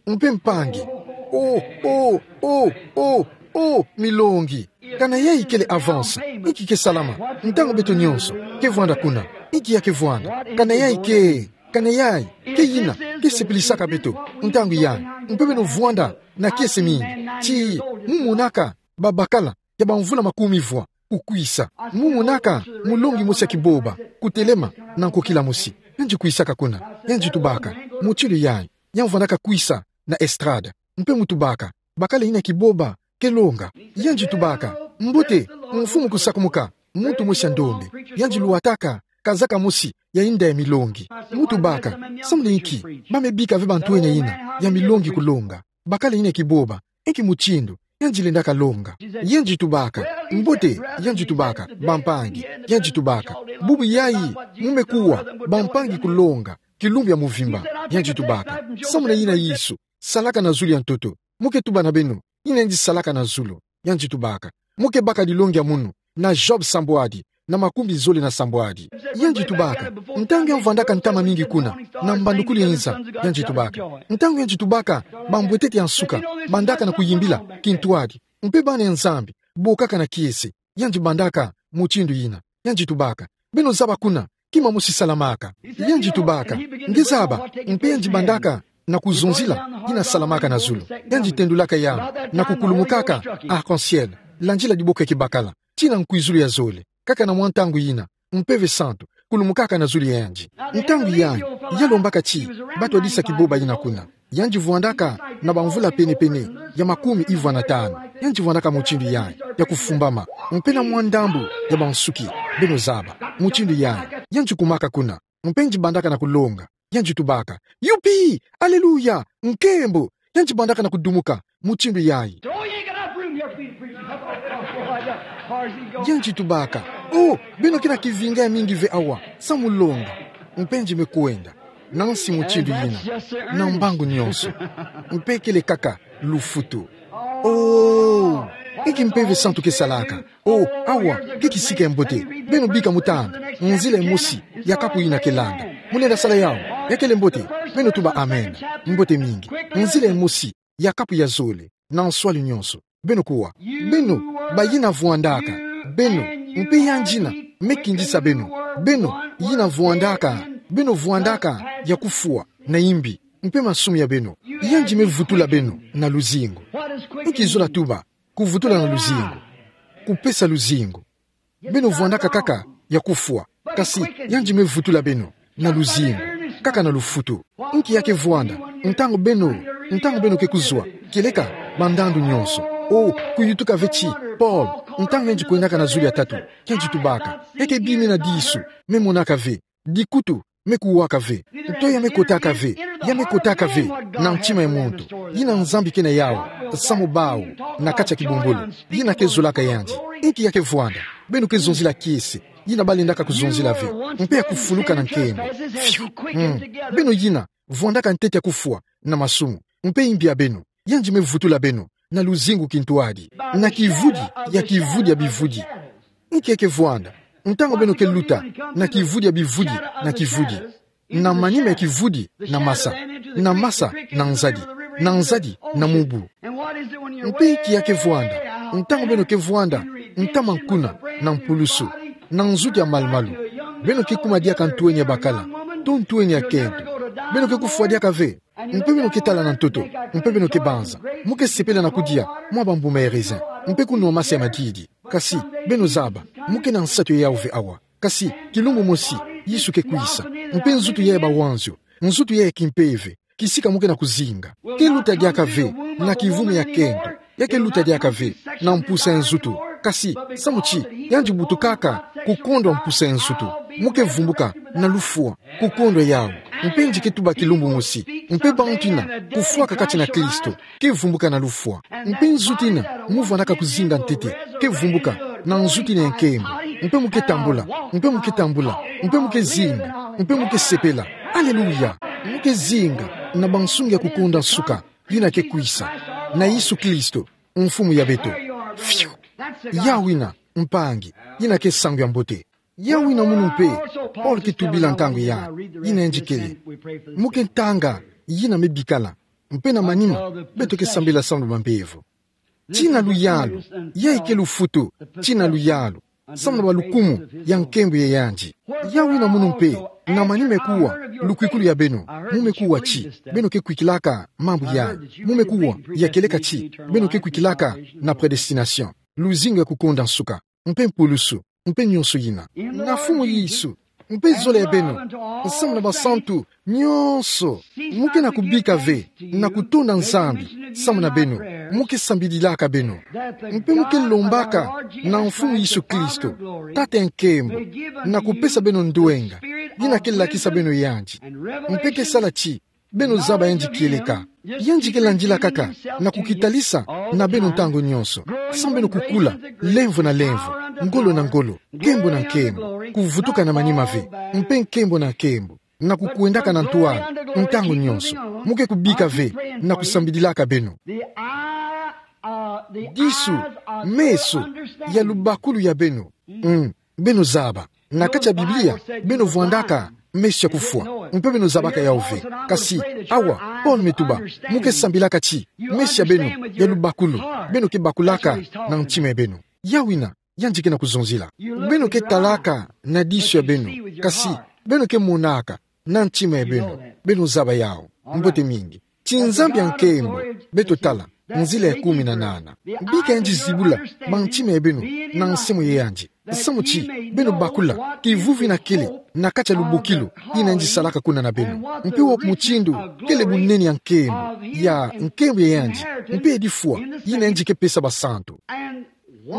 Mpe mpangi. Oh, oh, oh, oh, oh, milongi. Kana yayi kele avance, inki ke salama? Ntangu beto nyonso ke vwanda kuna, inki ya ke vwanda? Kana yayi ke, kana yayi ke yina ke sepilisaka beto ntangu yayi? Mpe beno vwanda na kiese mingi, tii mo monaka babakala ya bamvula makumi vwa kukwisa. Mo monaka mulongi mosi ya kiboba kutelema na nkokila mosi. Yandi kwisaka kuna. Yandi tubaka, mutindu yayi, ya vwandaka kwisa na estrade. Mpe mo tubaka, bakala yina kiboba ke longa. Yandi tubaka, mbote, mfumu kusakumuka, muntu mosi ya ndombe. Yandi lwataka kazaka mosi ya yinda ya milongi. Mu tubaka: Samu na inki ba me bika ve bantwenia yina ya milongi kulonga? Bakala yina kibomba, inki mutindu yandi lendaka longa? Yandi tubaka: Mbote. Yandi tubaka: Bampangi. Yandi tubaka: Bubu yayi, mu me kuwa bampangi kulonga kilumbu ya muvimba. Yandi tubaka: Samu na yina Yesu salaka na zulu ya ntoto. Mu ke tuba na beno yina yandi salaka na zulu. Yandi tubaka: Mu ke baka dilongi ya munu na Job sambwadi na makumi zole na sambwadi. Yandi tubaka: Ntangu ya mvwandaka ntama mingi kuna na mbandukulu ya inza. Yandi tubaka: Ntangu yandi tubaka bambwetete ya nsuka bandaka na kuyimbila kintwadi, mpe bana ya Nzambi bokaka na kiese. Yandi bandaka mutindu yina. Yandi tubaka: Beno zaba kuna kima mosi salamaka. Yandi tubaka: Nge zaba. Mpe yandi bandaka na kuzonzila yina salamaka na zulu. Yandi tendulaka yandi na kukulumukaka arc-en-ciel, landila diboko ya kibakala, tii na nkwizulu ya zole. Kaka na mwa ntangu yina, Mpeve Santu kulumukaka na zulu ya yandi. Ntangu yayi, ya lombaka ti ba twadisa kibomba yina kuna. Yandi vwandaka na bamvula pene-pene ya makumi ivwa na tanu. Yandi vwandaka mutindu yayi, ya kufumbama, mpe na mwa ndambu ya bansuki, beno zaba, mutindu yayi. Yandi kumaka kuna, mpe yandi bandaka na kulonga. Yandi tubaka: Youpi! Alléluia! Nkembo! Yandi bandaka na kudumuka mutindu yayi. Yandi tubaka: Oh, beno ke na kivinga ya mingi ve awa, samu longa. Mpe yandi me kwenda na nsi mutindu yina, na mbangu nyonso. Mpe kele kaka lufutu. Oh, inki Mpeve Santu ke salaka? Oh, awa ke kisika ya mbote. Beno bika mu tanda nzila ya mosi ya kapu yina ke landa. Mu lenda sala yawu? Ya kele mbote. Beno tuba amen. Mbote mingi. Nzila ya mosi ya kapu ya zole, na nswalu nyonso. Beno kuwa. Beno bayina vwandaka. Beno, mpe yandi yina me kindisa beno. Beno yina vwandaka. Beno vwandaka ya kufwa na imbi, mpe masumu ya beno. Yandi me vutula beno na luzingu. Inki zola tuba kuvutula na luzingu? Kupesa luzingu. Beno vwandaka kaka ya kufwa, kasi yandi me vutula beno na luzingu, kaka na lufutu. Inki ya ke vwanda ntangu beno, ntangu beno ke kuzwa kieleka bandandu nyonso? Oh, kuyutuka ve ti Paul, ntangu yandi kwendaka na zulu ya tatu, yandi tubaka: Ya ke bi mina disu me monaka ve, dikutu me kuwaka ve, nto ya me kotaka ve, ya me kotaka ve na ntima ya muntu. Yina Nzambi ke na yawu samu bawu na kati ya kibumbulu, yina ke zolaka yandi. Inki ya ke vwanda? Beno ke zonzila kiese yina ba lendaka kuzonzila ve, mpe ya kufuluka na nkembo. Fiu. Mm. Beno yina vwandaka ntete ya kufwa na masumu, mpe imbi ya beno. Yandi me vutula beno na luzingu kintwadi, na kivudi ya kivudi ya bivudi. Inki ya ke vwanda ntangu beno ke luta na kivudi ya bivudi na kivudi, na manima ya kivudi na masa, na masa na nzadi, na nzadi na mubu? Mpe inki ya ke vwanda ntangu beno ke vwanda ntama nkuna na mpulusu, na nzutu ya malu-malu? Beno ke kuma diaka ntweni ya bakala, to ntweni ya kento. Beno ke kufwa diaka ve, mpe beno ke tala na ntoto, mpe beno ke banza. Mu ke sepela na kudia mwa bambuma ya raisin, mpe kunwa masa ya madidi. Kasi, beno zaba, mu ke na nsatu ya yawu ve awa. Kasi kilumbu mosi, Yesu ke kwisa, mpe nzutu yayi ya bawanzio, nzutu yayi ya kimpeve, kisika mu ke na kuzinga, ke luta diaka ve na kivumu ya kento. Ya ke luta diaka ve na mpusa ya nzutu. Kasi samu ti yandi butukaka kukondwa mpusa ya nzutu, mu ke vumbuka na lufwa kukondwa yawu. Mpe yandi ke tuba kilumbu mosi, mpe bantu yina kufwaka kati na Kristo ke vumbuka na lufwa. Mpe nzutu yina mu vwandaka kuzinga ntete ke vumbuka na nzutu yina ya nkembo. Mpe mu ke tambula, mpe mu ke tambula, mpe mu ke zinga, mpe mu ke sepela. Aleluya! Mu ke zinga na bansungi ya kukonda nsuka, yina ke kwisa, na Yesu Kristo, Mfumu ya beto. Fiu! Yawu yina, mpangi, yina ke nsangu ya mbote. Yawu yina munu mpe Paul ke tubila ntangu yayi, yina yandi kele: Mu ke ntanga yina me bikala, mpe na manima beto ke sambila samu na bambevo. Tii na luyalu, yayi ke lufutu, tii na luyalu, samu na balukumu ya nkembo ya yandi. Yawu yina munu mpe, na manima me kuwa lukwikulu ya beno, mu me kuwa ti beno ke kwikilaka mambu yayi, mu me kuwa ya kieleka ti beno ke kwikilaka na prédestination, luzingu ya kukonda nsuka, mpe mpulusu, mpe nyonso yina. Na Mfumu Yesu, mpe zole ya beno, samu na basantu nyonso, mu ke na kubika ve na kutonda Nzambi samu na beno. Mu ke sambililaka beno. Mpe mu ke lombaka na Mfumu Yesu Kristo, Tata ya nkembo, na kupesa beno ndwenga, yina ke lakisa beno yandi. Mpe ke sala ti beno zaba yandi kieleka. Yandi ke landila kaka na kukitalisa na beno ntangu nyonso. Samu beno kukula, lemvo na lemvo, ngolo na ngolo, nkembo na nkembo, kuvutuka na manima ve, mpe nkembo na nkembo, na kukwendaka na ntwala ntangu nyonso. Mu ke kubika ve na kusambililaka beno. Disu, meso ya lubakulu ya beno. Mm, beno zaba. Na kati ya Biblia, beno vwandaka meso ya kufwa. Mpe beno zabaka yawu ve. Kasi, awa, Paul me tuba, mu ke sambilaka ti meso ya beno ya lubakulu, beno ke bakulaka na ntima ya beno. Yawu yina yandi ke na kuzonzila. Beno ke talaka na disu ya beno, kasi beno ke monaka na ntima ya beno. Beno zaba yawu. Mbote mingi. Ti Nzambi ya nkembo, beto tala nzila ya kumi na nana. Bika yandi zibula bantima ya beno na nsembo ya yandi, samu ti beno bakula kivuvi yina kele na kati ya lubokilo yina yandi salaka kuna na beno. Mpe wapi mutindu kele bunene ya nkembo, ya nkembo ya yandi, mpe ya difwa yina yandi ke pesa basantu.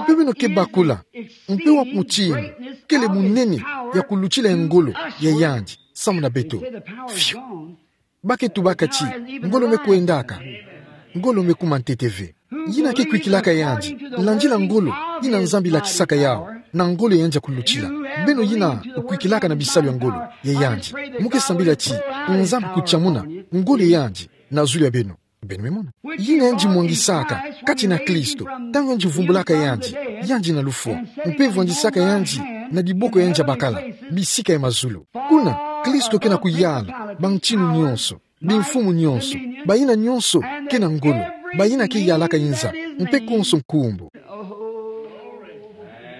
Mpe beno ke bakula mpe wapi mutindu kele bunene ya kulutila ya ngolo ya yandi samu na beto. Fiu. Ba ke tubaka ti ngolo me kwendaka, ngolo me kuma ntete ve. Yina ke kwikilaka yandi, landila ngolo yina Nzambi lakisaka yawu, na ngolo ya yandi ya kulutila. Beno yina kwikilaka na bisalu ya ngolo ya yandi, mu ke sambila ti Nzambi kutiamuna ngolo ya yandi na zulu ya beno. Beno me mona. Yina yandi mwangisaka kati na Kristo, ntangu yandi vumbulaka yandi, yandi na lufwa, mpe vwandisaka yandi na diboko ya yandi ya bakala, bisika ya mazulu. Kuna, Kristo ke na kuyala bantinu nyonso, bimfumu nyonso, bayina nyonso ke na ngolo, bayina ke yalaka inza, mpe konso nkumbu.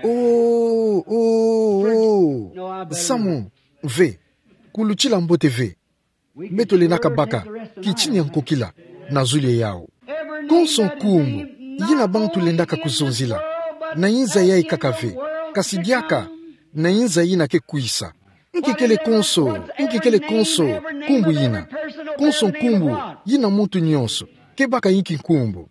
Oh, oh, oh. Samu ve, kulutila mbote ve. Beto lendaka baka kitini ya nkokila na zulu ya yawu. Konso nkumbu yina bantu lendaka kuzonzila, na inza yayi kaka ve, kasi diaka na inza yina ke kwisa. Nki kele konso, nki kele konso nkumbu yina? Konso nkumbu yina muntu nyonso ke baka inki nkumbu.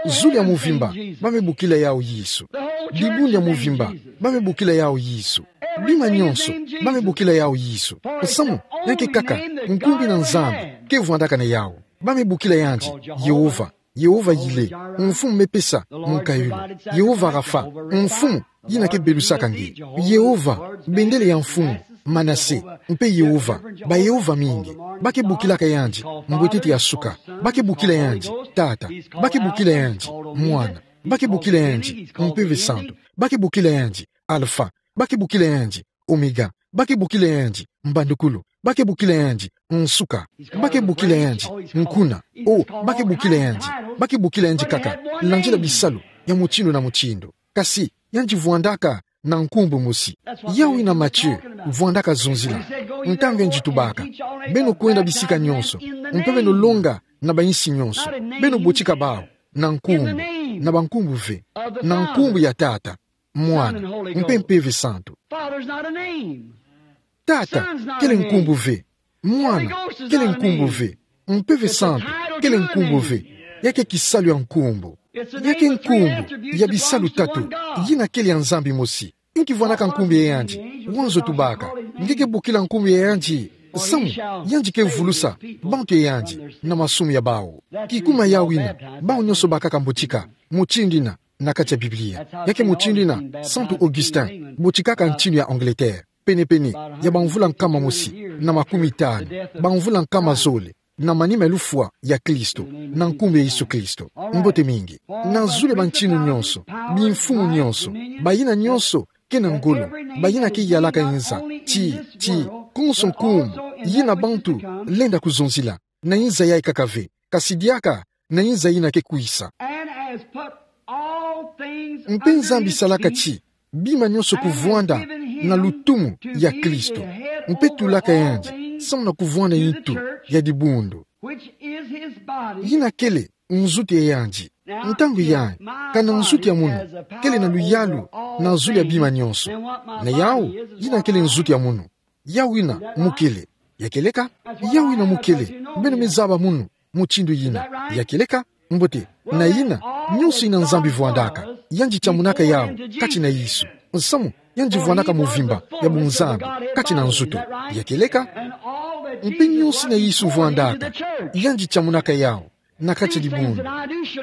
Zulu ya muvimba, ba me bokila yawu Yesu. Dibundu ya muvimba, ba me bokila yawu Yesu. Bima nyonso, ba me bokila yawu Yesu. Samu, ya ke kaka nkumbu yina Nzambi ke vwandaka na yawu. Ba me bokila yandi Yehova, Yehova Yire, Mfumu me pesa munkayulu. Yehova Rafa, Mfumu yina ke belusaka nge. Yehova, bendele ya mfumu Manase, mpe Yehova, ba Yehova mingi. Ba ke bokilaka yandi mbwetete ya suka. Ba ke bokila yandi Tata. Ba ke bokila yandi Mwana. Ba ke bokila yandi Mpeve Santu. Ba ke bokila yandi Alfa. Ba ke bokila yandi Omega. Ba ke bokila yandi Mbandukulu. Ba ke bokila yandi Nsuka. Ba ke bokila yandi Nkuna. O, ba ke bokila yandi, ba ke bokila yandi kaka landila bisalu ya mutindu na mutindu. Kasi yandi vwandaka na nkumbu mosi. Yawu yina Matthieu vwandaka zonzila ntangu yandi tubaka: Beno kwenda bisika nyonso, mpe beno longa na bayinsi nyonso. Beno botika bawu na nkumbu, na bankumbu ve, na nkumbu ya Tata, Mwana, mpe Mpeve Santu. Tata kele nkumbu ve. Mwana kele nkumbu ve. Mpeve Santu kele nkumbu ve. Ya ke kisalu ya nkumbu. Ya ke nkumbu ya bisalu tatu yina kele ya Nzambi mosi. Nki vwandaka nkumbu ya yandi? Wanzo tubaka: Nge ke bokila nkumbu ya yandi, samu yandi ke vulusa bantu ya yandi na masumu ya bawu. Kikuma yawu yina, bawu nyonso bakaka mbotika mutindu yina na kati ya Biblia. Ya ke mutindu yina Santu Augustin botikaka ntinu ya Angleterre, penepene ya bamvula nkama mosi na makumi tanu, bamvula nkama zole na manima ya lufwa ya Kristo, na nkumbu ya Yesu Kristo. Mbote mingi. Na zulu ya bantinu nyonso, bimfumu nyonso, bayina nyonso ke na ngolo, bayina ke yalaka inza, ti, ti, konso nkumbu yina bantu lenda kuzonzila, na inza yayi kaka ve, kasi diaka na inza yina ke kwisa. Mpe Nzambi salaka ti bima nyonso kuvwanda na lutumu ya Kristo, mpe tulaka yandi samu na kuvwanda ntu ya dibundu, yina kele nzutu ya yandi. Ntangu yayi, kana nzutu ya munu kele na luyalu na zulu ya bima nyonso? Na yawu yina kele nzutu ya munu. Yawu yina mu kele. Ya kieleka? Yawu yina mu kele. Beno me zaba munu mutindu yina. Ya kieleka? Mbote, na yina, nyonso yina Nzambi vwandaka, yandi tia monaka yawu kati na Yesu. Nsamu, yandi vwandaka movimba ya bunzambi kati na nzutu. Ya kieleka? Mpe nyonso yina Yesu vwandaka, yandi tia monaka yawu na kati dibundu.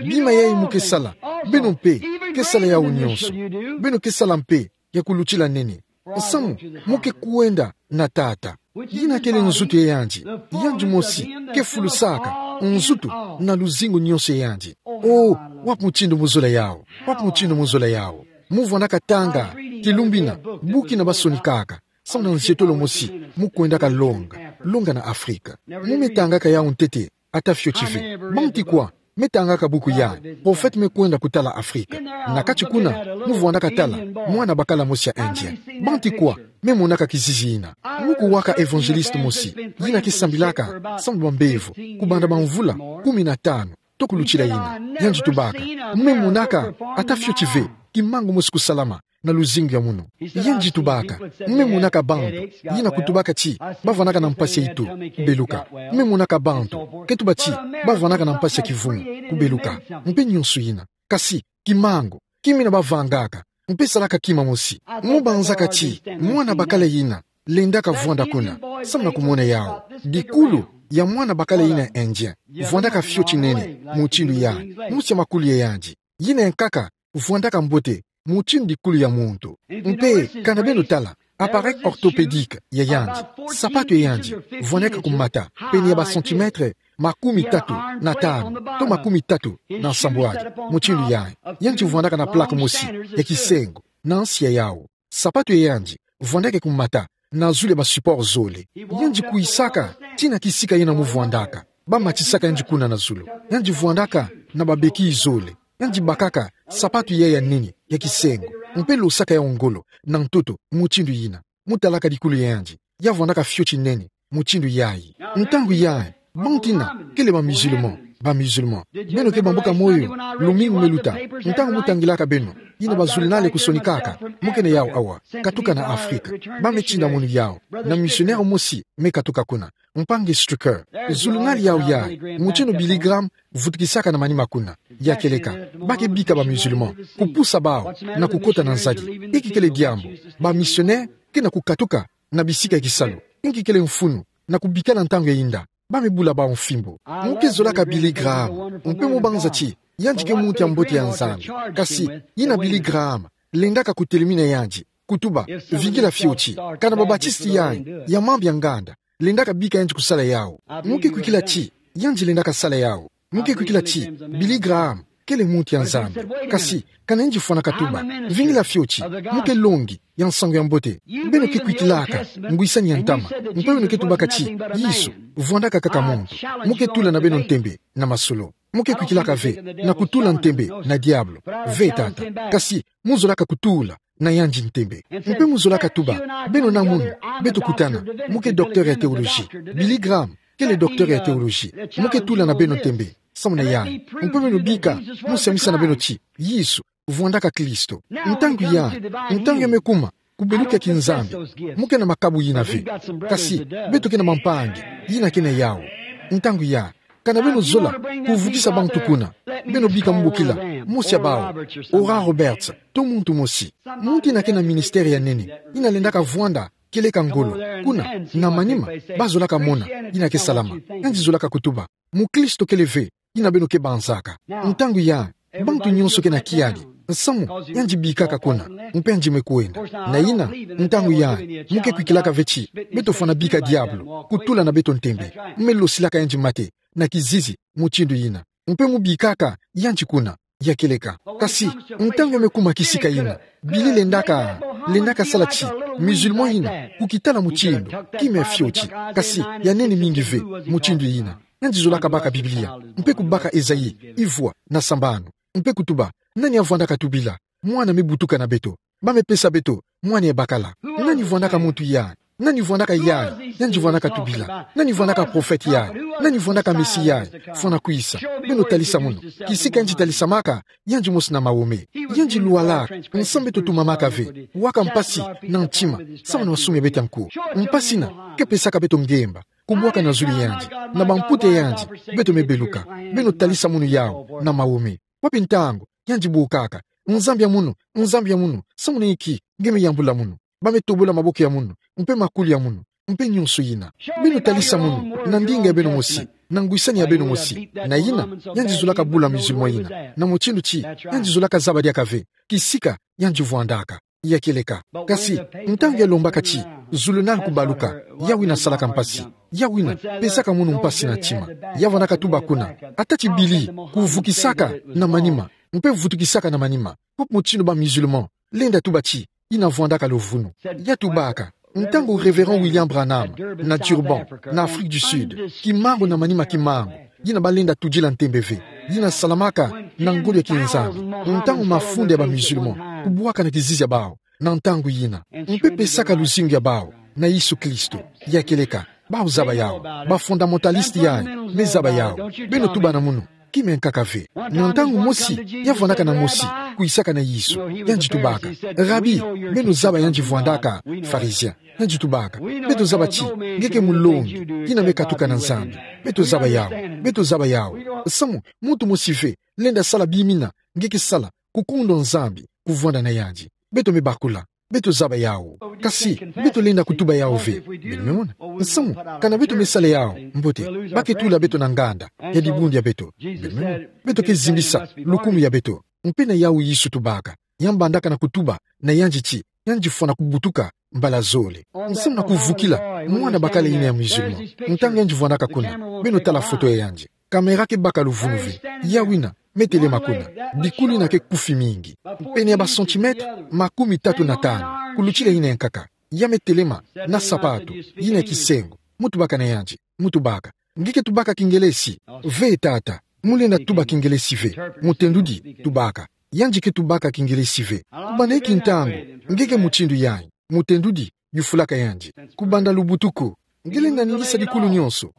Bima yayi mu ke sala, beno mpe ke sala yawu nyonso. Beno ke sala mpe ya kulutila nene. Nsamu, mu ke kwenda na Tata, yina kele nzutu ya yandi. Yandi mosi ke fulusaka nzutu na luzingu nyonso ya yandi. Oh, wapi mutindu mu zola yawu? Wapi mutindu mu zola yawu? Mu vwandaka tanga kilumbu yina, buku yina ba sonikaka, samu na nzietolo mosi mu kwendaka longa, longa na Afrika. Mu me tangaka yawu ntete, ata fioti ve. Banti kwa me tangaka buku yayi, Prophète me kwenda kutala Afrika? Na kati kuna, mu vwandaka tala mwana bakala mosi ya Indien. Banti kwa me monaka kizizi yina? Mu kuwaka évangéliste mosi, yina ke sambilaka samu na bambevo, kubanda bamvula kumi na tanu to kulutila yina. Yandi tubaka: Mu me monaka ata fioti ve kimangu mosi kusalama na luzingu ya munu. Yandi tubaka: Mu me monaka bantu, yina kutubaka ti ba vwandaka na mpasi ya itu, kubeluka. Mu me monaka bantu, ke tuba ti ba vwandaka na mpasi ya kivungu, kubeluka, mpe nyonso yina. Kasi kimangu, kima yina ba vangaka, mpe salaka kima mosi. Mu banzaka ti mwana bakala yina lendaka vwanda kuna, samu na kumona yawu. Dikulu ya mwana bakala yina Indien vwandaka fioti nene mutindu yayi, mosi ya makulu ya yandi, yina ya nkaka vwandaka mbote mutindu dikulu ya muntu. Mpe kana beno tala appareil orthopédique ya yandi, sapatu ya yandi vwandaka kumata pene ya ba centimètres makumi tatu na tanu to makumi tatu na nsambwadi, mutindu yayi. Yandi vwandaka na plaque mosi ya kisengo na nsi ya yawu. Sapatu ya yandi vwandaka kumata na zulu ya ba support zole. Yandi kwisaka tii na kisika yina mu vwandaka. Ba matisaka yandi kuna na zulu. Yandi vwandaka na ba béquilles zole. Yandi bakaka sapatu yayi ya nene, ya kisengo, mpe losaka yawu ngolo na ntoto mutindu yina. Mu talaka dikulu ya yandi, ya vwandaka fioti nene mutindu yayi. Ntangu yayi, bantu yina kele ba musulmans, ba musulmans, beno ke bambuka moyo lumingu me luta. Ntangu mu tangilaka beno yina ba journal kusonikaka, mu ke na yawu awa, katuka na Afrika. Ba me tinda munu yawu na missionnaire mosi me katuka kuna, mpangi Stricker. Journal yawu yayi, mutindu Billy Graham vutukisaka na manima kuna. Ya kieleka, ba ke bika ba musulmans, kupusa bawu na kukota na nzadi. Inki kele diambu? Ba missionnaire ke na kukatuka na bisika ya kisalu. Inki kele mfunu? Na kubikana ntangu ya inda. Ba me bula bawu mfimbo. Mu ke zolaka Billy Graham, mpe mu banza ti yandi ke muntu ya mbote ya Nzambi. Kasi yina Billy Graham lendaka kutelemina yandi, kutuba: Vingila fioti. Kana ba Baptiste yayi ya mambu ya nganda lendaka bika yandi kusala yawu, mu ke kwikila ti yandi lendaka sala yawu. Mu ke kwikila ti Billy Graham kele muntu ya Nzambi. Kasi kana yandi fwana katuba: Vingila fioti, mu ke longi ya nsangu ya mbote. Beno ke kwikilaka ngwisani ya ntama, mpe beno ke tubaka ti Yesu vwandaka kaka muntu. Mu ke tula na beno ntembe na masolo. Mu ke kwikilaka ve na kutula ntembe na diabolo. Ve tata. Kasi mu zolaka kutula na yandi ntembe. Mpe mu zolaka tuba: Beno na munu, beto kutana. Mu ke docteur ya théologie. Billy Graham kele docteur ya théologie. Mu ke tula na beno ntembe samu na yandi. Mpe beno bika, mu siamisa na beno ti Yesu vwandaka Kristo. Ntangu yayi, ntangu ya me kuma kubeluka ya kinzambi, mu ke na makabu yina ve. Kasi beto ke na bampangi yina ke na yawu. Ntangu yayi, kana beno zola kuvukisa bantu kuna, beno bika mu bokila mosi ya bawu, Oral Roberts, to muntu mosi. Muntu yina ke na ministère ya nene, yina lendaka vwanda kieleka ngolo kuna, na manima ba zolaka mona yina ke salama. Yandi zolaka kutuba: Mukristo kele ve yina beno ke banzaka. Ntangu yayi, bantu nyonso ke na kiadi, nsamu yandi bikaka kuna, mpe yandi me kwenda. Na yina, ntangu yayi, mu ke kwikilaka ve ti beto fwana bika diabolo kutula na beto ntembe. Mu me losilaka yandi mate na kizizi mutindu yina, mpe mu bikaka yandi kuna. Ya kieleka. Kasi ntangu ya me kuma kisika yina, Billy lendaka, lendaka sala ti musulman yina kukitala mutindu kima ya fioti, kasi ya nene mingi ve mutindu yina. Yandi zolaka baka Biblia, mpe kubaka Esaïe ivwa na sambanu, mpe kutuba: Nani avwandaka tubila? Mwana me butuka na beto. Ba me pesa beto mwana ya bakala. Nani vwandaka muntu yayi? Nani vwandaka yayi? Yandi vwandaka tubila. Nani vwandaka prophète yayi? Nani vwandaka Messie yayi fwana kwisa? Beno talisa munu kisika yandi talisamaka, yandi mosi na Mahomet. Yandi lwalaka, nsamu beto tumamaka ve, waka mpasi na ntima, samu na masumu ya beto ya nko. Mpasi yina ke pesaka beto ngemba. kubwaka na zulu yandi, na bamputa yandi, beto me beluka. Beno talisa munu yawu na mawome. Wapi ntangu yandi bukaka: Nzambi ya munu, Nzambi ya munu, samu na inki nge me yambula munu? Ba me tobola maboko ya munu, mpe makulu ya munu, mpe nyonso yina. Beno talisa munu na ndinga ya beno mosi, na ngwisani ya beno mosi. Na yina, yandi zolaka bula musulman yina na mutindu ti yandi zolaka zaba diaka ve kisika yandi vwandaka. Ya kieleka. Kasi ntangu ya lombaka ti zulu nani kubaluka, yawu yina salaka mpasi. Yawu yina pesaka munu mpasi na ntima. Ya vwandaka tuba kuna: Ata ti bili kuvukisaka na manima, mpe vutukisaka na manima, ko mutindu ba musulman lenda tuba ti yina vwandaka luvunu. Ya tubaka: Ntangu Révérend William Branham, na Durban, na Afrique du Sud, kimangu na manima kimangu, yina ba lenda tudila ntembe ve, yina salamaka na ngolo ya kinzambi, ntangu mafunda ya ba musulman kubwaka na kizizi ya bawu na ntangu yina, mpe pesaka luzingu ya bawu na Yesu Kristo. Ya kieleka, bawu zaba yawu. Ba fondamentaliste yayi me zaba yawu. Beno tubana munu: Kima ya nkaka ve? Na ntangu mosi, ya vwandaka na mosi, kwisaka na Yesu, yandi tubaka: Rabi, beno zaba yandi vwandaka Pharisien. Yandi tubaka: Beto zaba ti nge ke mulongi, yina me katuka na Nzambi. Beto zaba yawu. Beto zaba yawu. Samu muntu mosi ve lenda sala bimina nge ke sala, kukondwa Nzambi, kuvwanda na yandi. Beto me bakula. Beto zaba yawu. Kasi beto lenda kutuba yawu ve. Beno me mona? Samu kana beto me sala yawu, mbote, ba ke tula beto na nganda ya dibundu ya beto. Beno me mona? Beto ke zimbisa lukumu ya beto. Mpe na yawu Yesu tubaka. Ya mbandaka na kutuba na yandi ti yandi fwana kubutuka mbala zole, samu na kuvukila mwana bakala yina ya musulman. Ntangu yandi vwandaka kuna, beno tala foto ya yandi. Caméra ke baka luvunu ve. Yawu yina me telema kuna. Bikulu yina ke kufi mingi, pene ya ba centimètres makumi tatu na tanu, kulutila yina ya nkaka. Ya me telema na sapatu yina ya kisengo. Mu tubaka na yandi, mu tubaka: Nge ke tubaka Kingelesi? Ve tata, mu lenda tuba Kingelesi ve. Mutendudi tubaka: Yandi ke tubaka Kingelesi ve. Kubanda inki ntangu nge ke mutindu yayi? Mutendudi yufulaka yandi: Kubanda lubutuku. Nge lenda ningisa dikulu nyonso?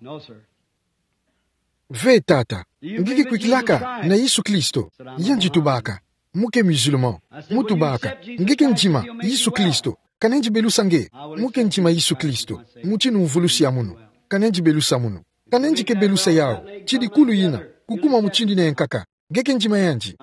Ve tata. Nge ke kwikilaka na Yesu Kristo? Yandi tubaka: Mu ke musulman. Mu tubaka: Nge ke ndima Yesu Kristo? Kana ndi belusa nge: Mu ke ndima Yesu Kristo, mutindu mvulusi ya munu? Kana ndi belusa munu? Kana ndi ke belusa yawu ti dikulu yina kukuma mutindu yina ya nkaka, nge ke ndima yandi?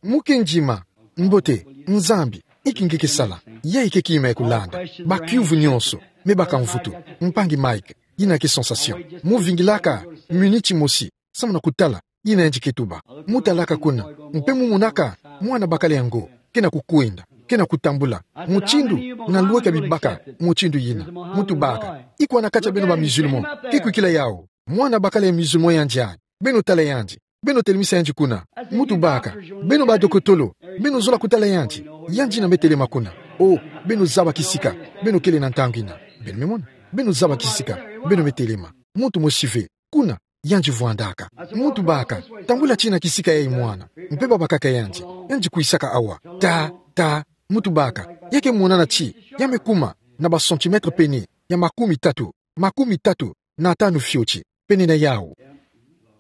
Mu ke ndima. Mbote. Nzambi, inki nge ke sala? Yayi ke kima ya kulanda. Bakiuvu nyonso me baka mvutu. Mpangi Mike, yina ke sensation. Mu vingilaka miniti mosi samu na kutala yina yandi ke tuba. Mu talaka kuna, mpe mu monaka mwana bakala yango ke na kukwenda, ke na kutambula, mutindu na lweka bibaka mutindu yina. Mu tubaka: Iko na kati ya beno ba musulman ke kwikila yawu? Mwana bakala ya musulman yandi ayi. Beno tala yandi. Beno telemisa yandi kuna. Mu tubaka: Beno badokotolo, beno zola kutala yandi? Yandi yina me telema kuna. Oh, beno zaba kisika beno kele na ntangu yina. Beno me mona? Beno zaba kisika beno me telema. Muntu mosi ve kuna yandi vwandaka. Mu tubaka: Tambula tii na kisika yayi mwana. Mpe babakaka yandi. Yandi kwisaka awa. Ta, ta. Mu tubaka: Ya ke monana ti ya me kuma na ba centimètres pene ya makumi tatu, makumi tatu na tanu fioti, pene na yawu.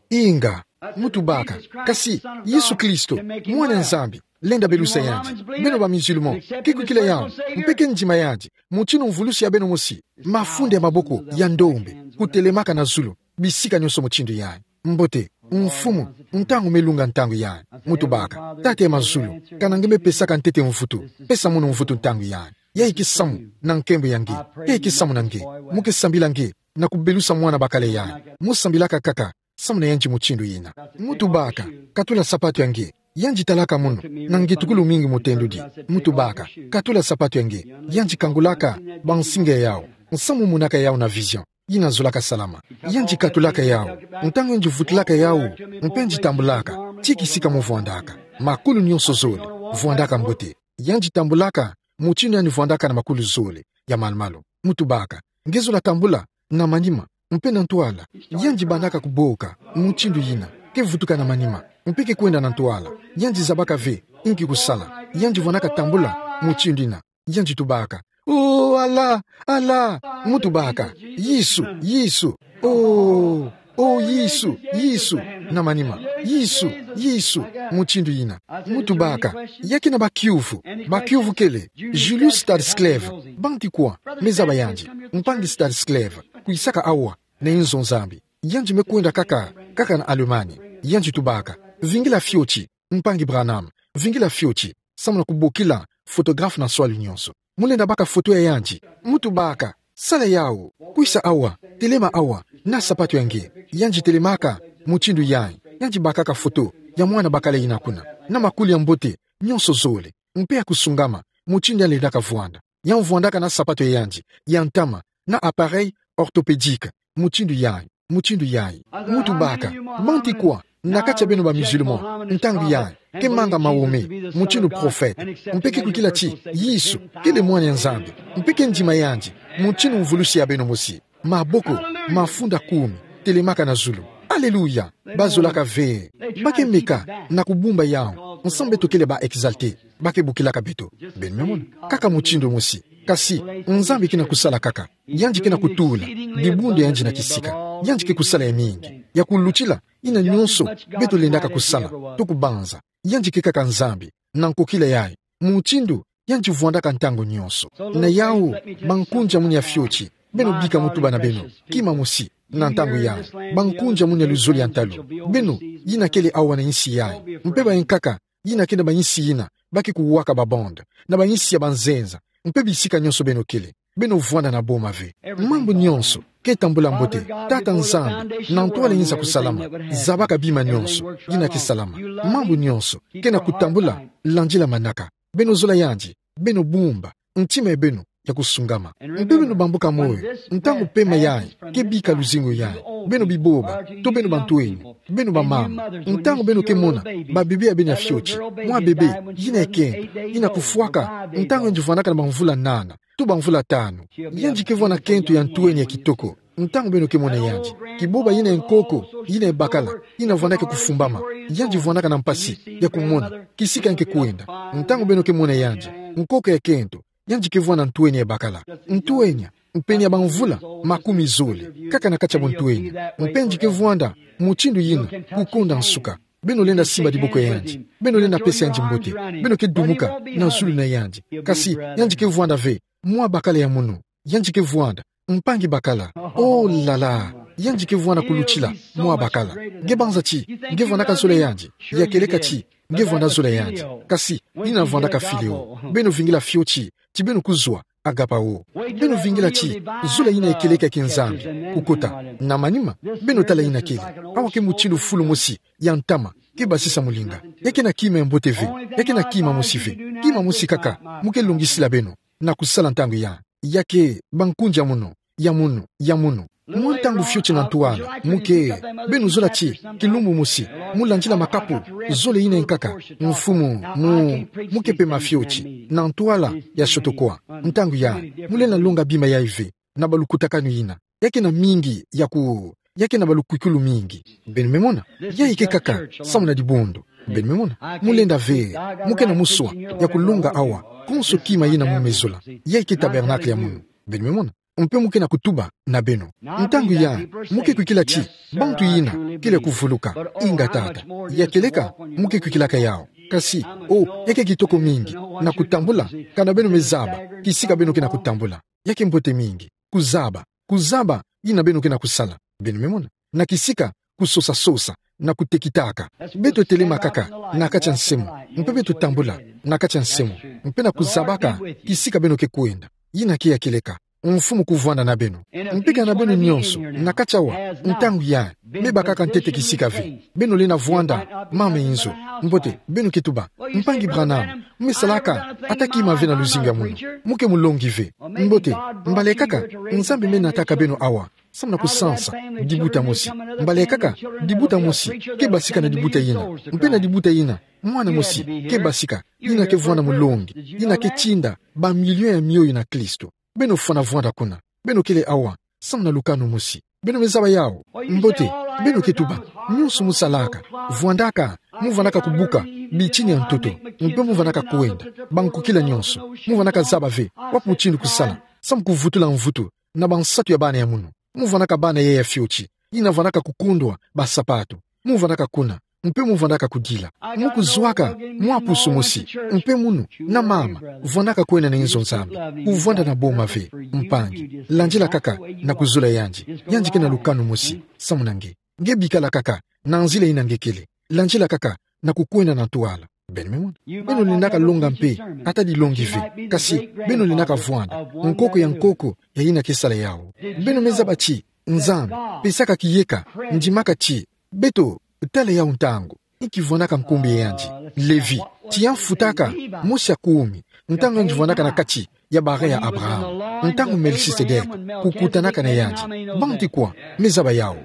Inga. Mu tubaka: Kasi Yesu Kristo, mwana ya Nzambi, lenda belusa yandi. Beno ba musulman ke kwikila yawu, mpe ke ndima yandi, mutindu mvulusi ya beno mosi? Mafunda ya maboko ya ndombe kutelemaka na zulu bisika nyonso mutindu yayi. Mbote. Mfumu, ntangu me lunga ntangu yayi. Mu tubaka: Tata ya mazulu, kana nge me pesaka ntete mvutu, pesa munu mvutu ntangu yayi. Yayi ke samu na nkembo ya nge. Yayi ke samu na nge. Mu ke sambila nge na kubelusa mwana bakala yayi. Mu sambilaka kaka samu na yandi mutindu yina. Mu tubaka: Katula sapatu ya nge. Yandi talaka munu na ngetukulu mingi, mutendudi. Mu tubaka: Katula sapatu ya nge. Yandi kangulaka bansinga ya yawu, samu mu monaka yawu na vision. Yina zolaka salama. Yandi katulaka yawu. Ntangu yandi vutulaka yawu, mpe yandi tambulaka tii kisika mu vwandaka, makulu nyonso zole vwandaka mbote. Yandi tambulaka mutindu yandi vwandaka na makulu zole ya malu-malu. Mu tubaka: Nge zola tambula na manima mpe na ntwala? Yandi bandaka kuboka mutindu yina, ke vutuka na manima mpe ke kwenda na ntwala. Yandi zabaka ve inki kusala. Yandi vwandaka tambula mutindu yina. Yandi tubaka: Oh, Allah, Allah. Mu tubaka: Yesu, Yesu. Oh, oh, Yesu, Yesu. Na manima: Yesu, Yesu. Mutindu yina. Mu tubaka: Ya ke na bakiuvu? Bakiuvu kele? Julius Staniscleve. Banki kwa me zaba yandi? Mpangi Staniscleve. kwisaka awa na inzo Nzambi. Yandi me kwenda kaka, kaka na Allemagne. Yandi tubaka: Vingila fioti, mpangi Branham, vingila fioti, samu na kubokila photographe na nswali nyonso. Mu lenda baka foto ya yandi. Mu tubaka: Sala yawu, kwisa awa, telema awa, na sapato ya nge. Yandi telemaka mutindu yayi, yandi bakaka foto ya mwana bakala yina kuna, na makuli ya mbote, nyonso zole, mpe ya kusungama, mutindu yandi lendaka vwanda. Yandi vwandaka na sapato ya yandi ya ntama, na appareil orthopédique, mutindu yayi, mutindu yayi. Mu tubaka: Bantu kwa na kati ya beno ba musulman, ntangu yayi, ke manga Mahomet mutindu prophète, mpe ke kwikila ti Yesu kele mwana ya Nzambi, mpe ke ndima yandi, mutindu mvulusi ya beno mosi, maboko mafunda kumi, telemaka na zulu? Alléluia! Bazolaka ve. Ba ke meka na kubumba yawu, nsambu beto kele ba exalté. Ba ke bokilaka beto. Beno me mona? Kaka mutindu mosi. Kasi Nzambi ke na kusala kaka. Yandi ke na kutula dibundu ya yandi na kisika. Yandi ke kusala ya mingi. Ya kulutila yina nyonso beto lendaka kusala to kubanza. Yandi ke kaka Nzambi, na nkokila yayi, mutindu yandi vwandaka ntangu nyonso. Na yawu, bankunzi ya munu ya fioti, beno bika mu tuba na beno, kima mosi, na ntangu yayi, bankunzi ya munu ya luzolo ya ntalu, beno yina kele awa na insi yayi, mpe bankaka yina ke na ba insi yina, ba ke kuwaka ba bande, na ba insi ya banzenza, mpe bisika nyonso beno kele, beno vwanda na boma ve. Mambu nyonso ke tambula mbote. Tata Nzambi, na ntwala inza kusalama, zabaka bima nyonso yina ke salama. Mambu nyonso ke na kutambula, landila manaka. Beno zola yandi, beno bumba ntima ya beno ya kusungama, mpe beno bambuka moyo. Ntangu pema yayi ke bika luzingu yayi, beno biboba, to beno bantwenya, beno bamama, ntangu beno ke mona babebe ya beno ya fioti, mwa bebe yina ya kento, yina kufwaka, ntangu yandi vwandaka na bamvula nana to bamvula tanu, yandi ke vwanda kento ya ntwenya ya kitoko. Ntangu beno ke mona yandi, kiboba yina ya nkoko, yina ya bakala, yina vwandaka kufumbama, yandi vwandaka na mpasi ya kumona kisika yandi ke kwenda. Ntangu beno ke mona yandi, nkoko ya kento, yandi ke vwanda ntwenya ya bakala. Ntwenya, mpeni ya bamvula makumi zole, kaka na kati ya buntwenya. Mpe yandi ke vwanda mutindu yina kukonda nsuka. Beno lenda simba diboko ya yandi, beno lenda pesa yandi mbote, beno ke dumuka na zulu na yandi. Kasi yandi ke vwanda ve mwa bakala ya munu. Yandi ke vwanda, mpangi bakala. Oh là là, yandi ke vwanda kulutila mwa bakala. Nge banza ti nge vwandaka zola yandi? Ya kieleka ti nge vwanda zola yandi. Kasi yina vwandaka fileo. Beno vingila fioti ti beno kuzwa agapao. Beno vingila ti zola yina ya kieleka ya kinzambi kukota. Na manima, beno tala yina kele. Awa ke mutindu fulu mosi ya ntama ke basisa molinga. Ya ke na kima ya mbote ve. Ya ke na kima mosi ve. Kima mosi kaka mu ke longisila beno na kusala ntangu yayi. Ya ke bankunzi ya munu, ya munu, ya munu. Mwa ntangu fioti na ntwala, mu ke, beno zola ti kilumbu mosi mu landila makapu zole yina ya nkaka. Mfumu, mu, mu ke pema fioti na ntwala ya shoto kwa. Ntangu yayi, mu lenda longa bima yayi ve na balukutakanu yina. Ya ke na mingi ya ku, ya ke na balukwikulu mingi. Beno me mona? Yayi ke kaka samu na dibundu. Beno me mona? Mu lenda ve, mu ke na muswa ya kulonga awa konso kima yina mu me zola. Yayi ke tabernacle ya munu. Beno me mona? Mpe mu ke na kutuba na beno. Ntangu yayi, mu ke kwikila ti bantu yina kele kuvuluka. Inga tata. Ya kieleka, mu ke kwikilaka yawu. Kasi, oh, ya ke kitoko mingi na kutambula, kana beno me zaba kisika beno ke na kutambula. Ya ke mbote mingi kuzaba, kuzaba yina beno ke na kusala. Beno me mona? Na kisika kusosa-sosa na kutekitaka. Beto telema kaka na kati ya nsemo, mpe beto tambula na kati ya nsemo, mpe na kuzabaka kisika beno ke kwenda. Yina ke ya kieleka. Mfumu kuvwanda na beno. Mpe kana beno nyonso na kati awa, ntangu yayi, me bakaka ntete kisika ve, beno lenda vwanda mama inzo. Mbote, beno ke tuba: Mpangi Branham, mu me salaka ata kima ve na luzingu ya munu. Mu ke mulongi ve. Mbote, mbala kaka Nzambi me nataka beno awa samu na kusansa dibuta mosi. Mbala kaka dibuta mosi ke basika na dibuta yina, mpe na dibuta yina mwana mosi ke basika, yina ke vwanda mulongi, yina ke tinda bamilio ya mioyo na Kristo. Beno fwana vwanda kuna. Beno kele awa samu na lukanu mosi. Beno me zaba yawu? Mbote, beno ke tuba: Nyonso mu salaka, vwandaka, mu vandaka kubuka bitini ya ntoto, mpe mu vandaka kwenda bankukila nyonso. Mu vandaka zaba ve wapi mutindu kusala samu kuvutula mvutu na bansatu ya bana ya munu. Mu vandaka bana yayi ya fioti yina vandaka kukundwa basapato. Mu vandaka kuna, mpe mu vwandaka kudila. Mu kuzwaka mwa pusu mosi, mpe munu, na mama, vwandaka kwenda na inzo Nzambi, kuvwanda na boma ve, mpangi, landila kaka na kuzula yandi, yandi kena lukanu mosi, samu na nge. Nge bikala kaka na nzila ina nge kele, landila kaka na kukwenda na ntwala. Beno me mona. Beno lendaka longa mpe, ata dilongi ve, kasi beno lendaka vwanda nkoko ya nkoko ya ina ke sala yawu. Beno me zaba ti Nzambi pesaka kiyeka, ndimaka ti beto tala yawu ntangu inki vwandaka nkumbu ya yandi, Levi, ti ya mfutaka mosi ya kumi, ntangu yandi vwandaka na kati ya barin ya Abraham, ntangu Melchisedek kukutanaka na yandi. Bantu kwa me zaba yawu?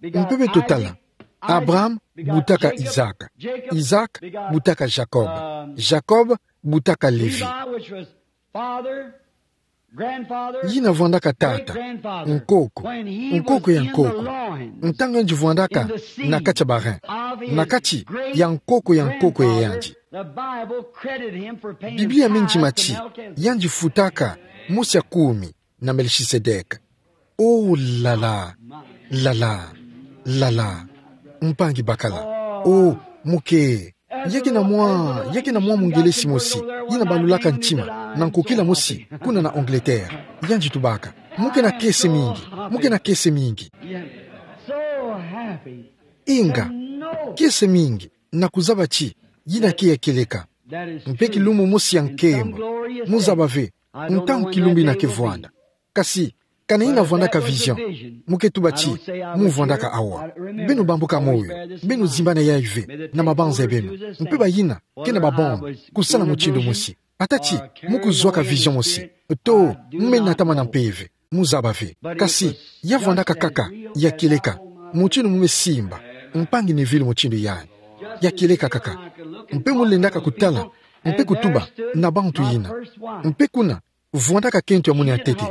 Mpe beto tala, Abraham butaka Isaac, Isaac butaka Jacob, Jacob butaka Levi. Yina vwandaka tata, nkoko, nkoko ya nkoko, ntangu yandi vwandaka na kati ya barin, na kati ya nkoko ya nkoko ya yandi. Biblia me ndima ti yandi futaka mosi ya kumi na Melchisedek. Oh, lala, lala, lala. Mpangi bakala. Oh, muke. Ya kena mwa, ya kena mwa Mungelesi mosi, yina balulaka ntima na nkokila mosi kuna na Angleterre. Yandi tubaka: Mu kena kese mingi, mu kena kese mingi. Inga, kese mingi na kuzaba ti yina ke ya kieleka. Mpe kilumbu mosi ya nkembo, mu zaba ve ntangu kilumbu ina ke vwanda. Kasi, kana yina vwandaka vision, mu ke tuba ti mu vwandaka awa. Beno bambuka moyo, beno zimbana yayi ve na mabanza ya beno. Mpe bayina kena ba bombe, kusala mutindu mosi. Ata ti mu kuzwaka vision mosi, to mu me natamana mpeve, mu zaba ve. Kasi ya vwandaka kaka ya kieleka, mutindu mu me simba, mpangi Neville, mutindu yayi. Ya kieleka kaka. Mpe mu lendaka kutala, mpe kutuba na bantu yina. Mpe kuna vwandaka kento ya munu ya ntete.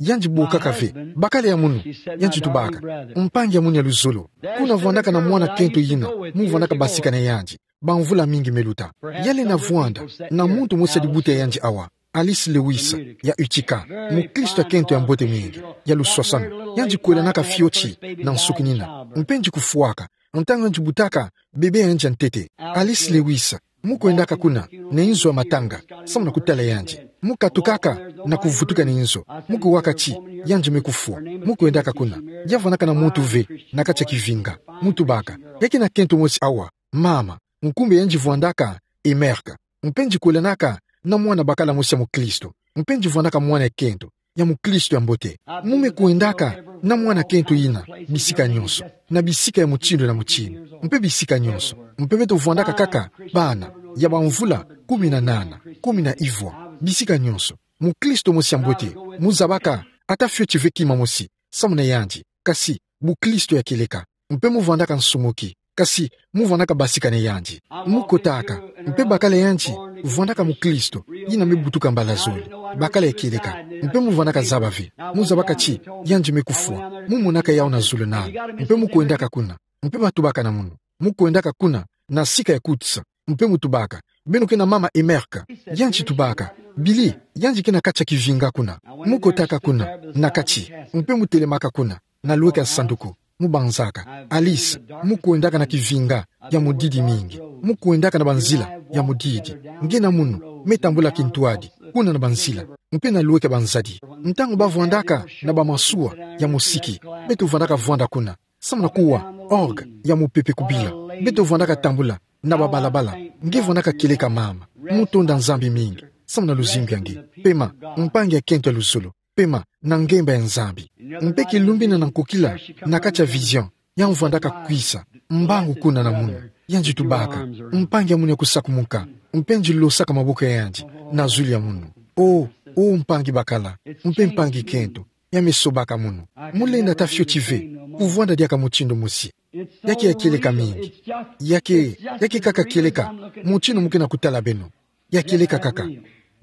Yandi bokaka ve bakala ya munu. Yandi tubaka: Mpangi ya munu ya luzolo, kuna vwandaka na mwana kento yina mu vwandaka basika na yandi bamvula mingi me luta. Ya lenda vwanda na muntu mosi ya libuta ya yandi awa, Alice Lewis, ya Utica, mukristo ya kento ya mbote mingi, ya luswaswanu. Yandi kwelanaka fioti na nsuki nina. Mpe yandi kufwaka ntangu yandi butaka bebe ya yandi ya ntete. Alice Lewis, mu kwendaka kuna na inzo ya matanga, samu na kutala yandi. Mu katukaka na kuvutuka na inzo, mu kuwaka ti yandi me kufwa. Mu kwendaka kuna, ya vwandaka na muntu ve na kati ya kivinga. Mu tubaka: Ya kena kento mosi awa, mama, nkumbu ya yandi vwandaka Emerka. Mpe yandi kwelanaka na mwana bakala mosi ya mukristo. Mpe yandi vwandaka mwana ya kento ya mukristo ya mbote. Mu me kwendaka na mwana kento yina bisika nyonso, na bisika ya mutindu na mutindu, mpe bisika nyonso. Mpe beto vwandaka kaka bana ya bamvula kumi na nana, kumi na ivwa, bisika nyonso. Mukristo mosi ya mbote, mu zabaka ata fioti ve kima mosi samu na yandi. Kasi bukristo ya kieleka. Mpe mu vwandaka nsumuki, kasi mu vwandaka basika na yandi. Mu kotaka, mpe bakala yandi vwandaka mukristo yina me butuka mbala zole, bakala ya kieleka. Mpe mu vwandaka zaba ve, mu zabaka ti yandi me kufwa. Mu monaka yawu na journal, mpe mu kwendaka kuna. Mpe ba tubaka na munu: Mu kwendaka kuna na sika ya Coutts. Mpe mu tubaka: Beno kena mama Emerka? Yandi tubaka: Billy, yandi kena kati ya kivinga kuna. Mu kotaka kuna na kati, mpe mu telemaka kuna na lweka ya sanduku, mu banzaka: Alice, mu kwendaka na kivinga ya mudidi mingi. Mu kwendaka na banzila ya mudidi. Nge na munu me tambula kintwadi kuna na banzila, mpe na lweka ya banzadi. Ntangu ba vwandaka na bamasuwa ya mosiki, beto vwandaka vwanda kuna samu na kuwa orgue ya mupepe kubila. Beto vwandaka tambula na babalabala. Nge vwandaka kieleka, mama. Mu tonda Nzambi mingi samu na luzingu ya nge. Pema, mpangi ya kento ya luzolo. Pema na ngemba ya Nzambi. Mpe kilumbu ina na nkokila, na kati ya vision, ya vwandaka kwisa mbangu kuna na munu. Yandi tubaka: Mpangi ya munu ya kusakumuka. Mpe yandi losaka maboko ya yandi na zulu ya munu. Oh, oh, mpangi bakala, mpe mpangi kento, ya me sobaka munu. Mu lenda ata fioti ve kuvwanda diaka mutindu mosi. Ya ke ya kieleka mingi. Ya ke, ya ke kaka kieleka mutindu mu kena kutala beno. Ya kieleka kaka.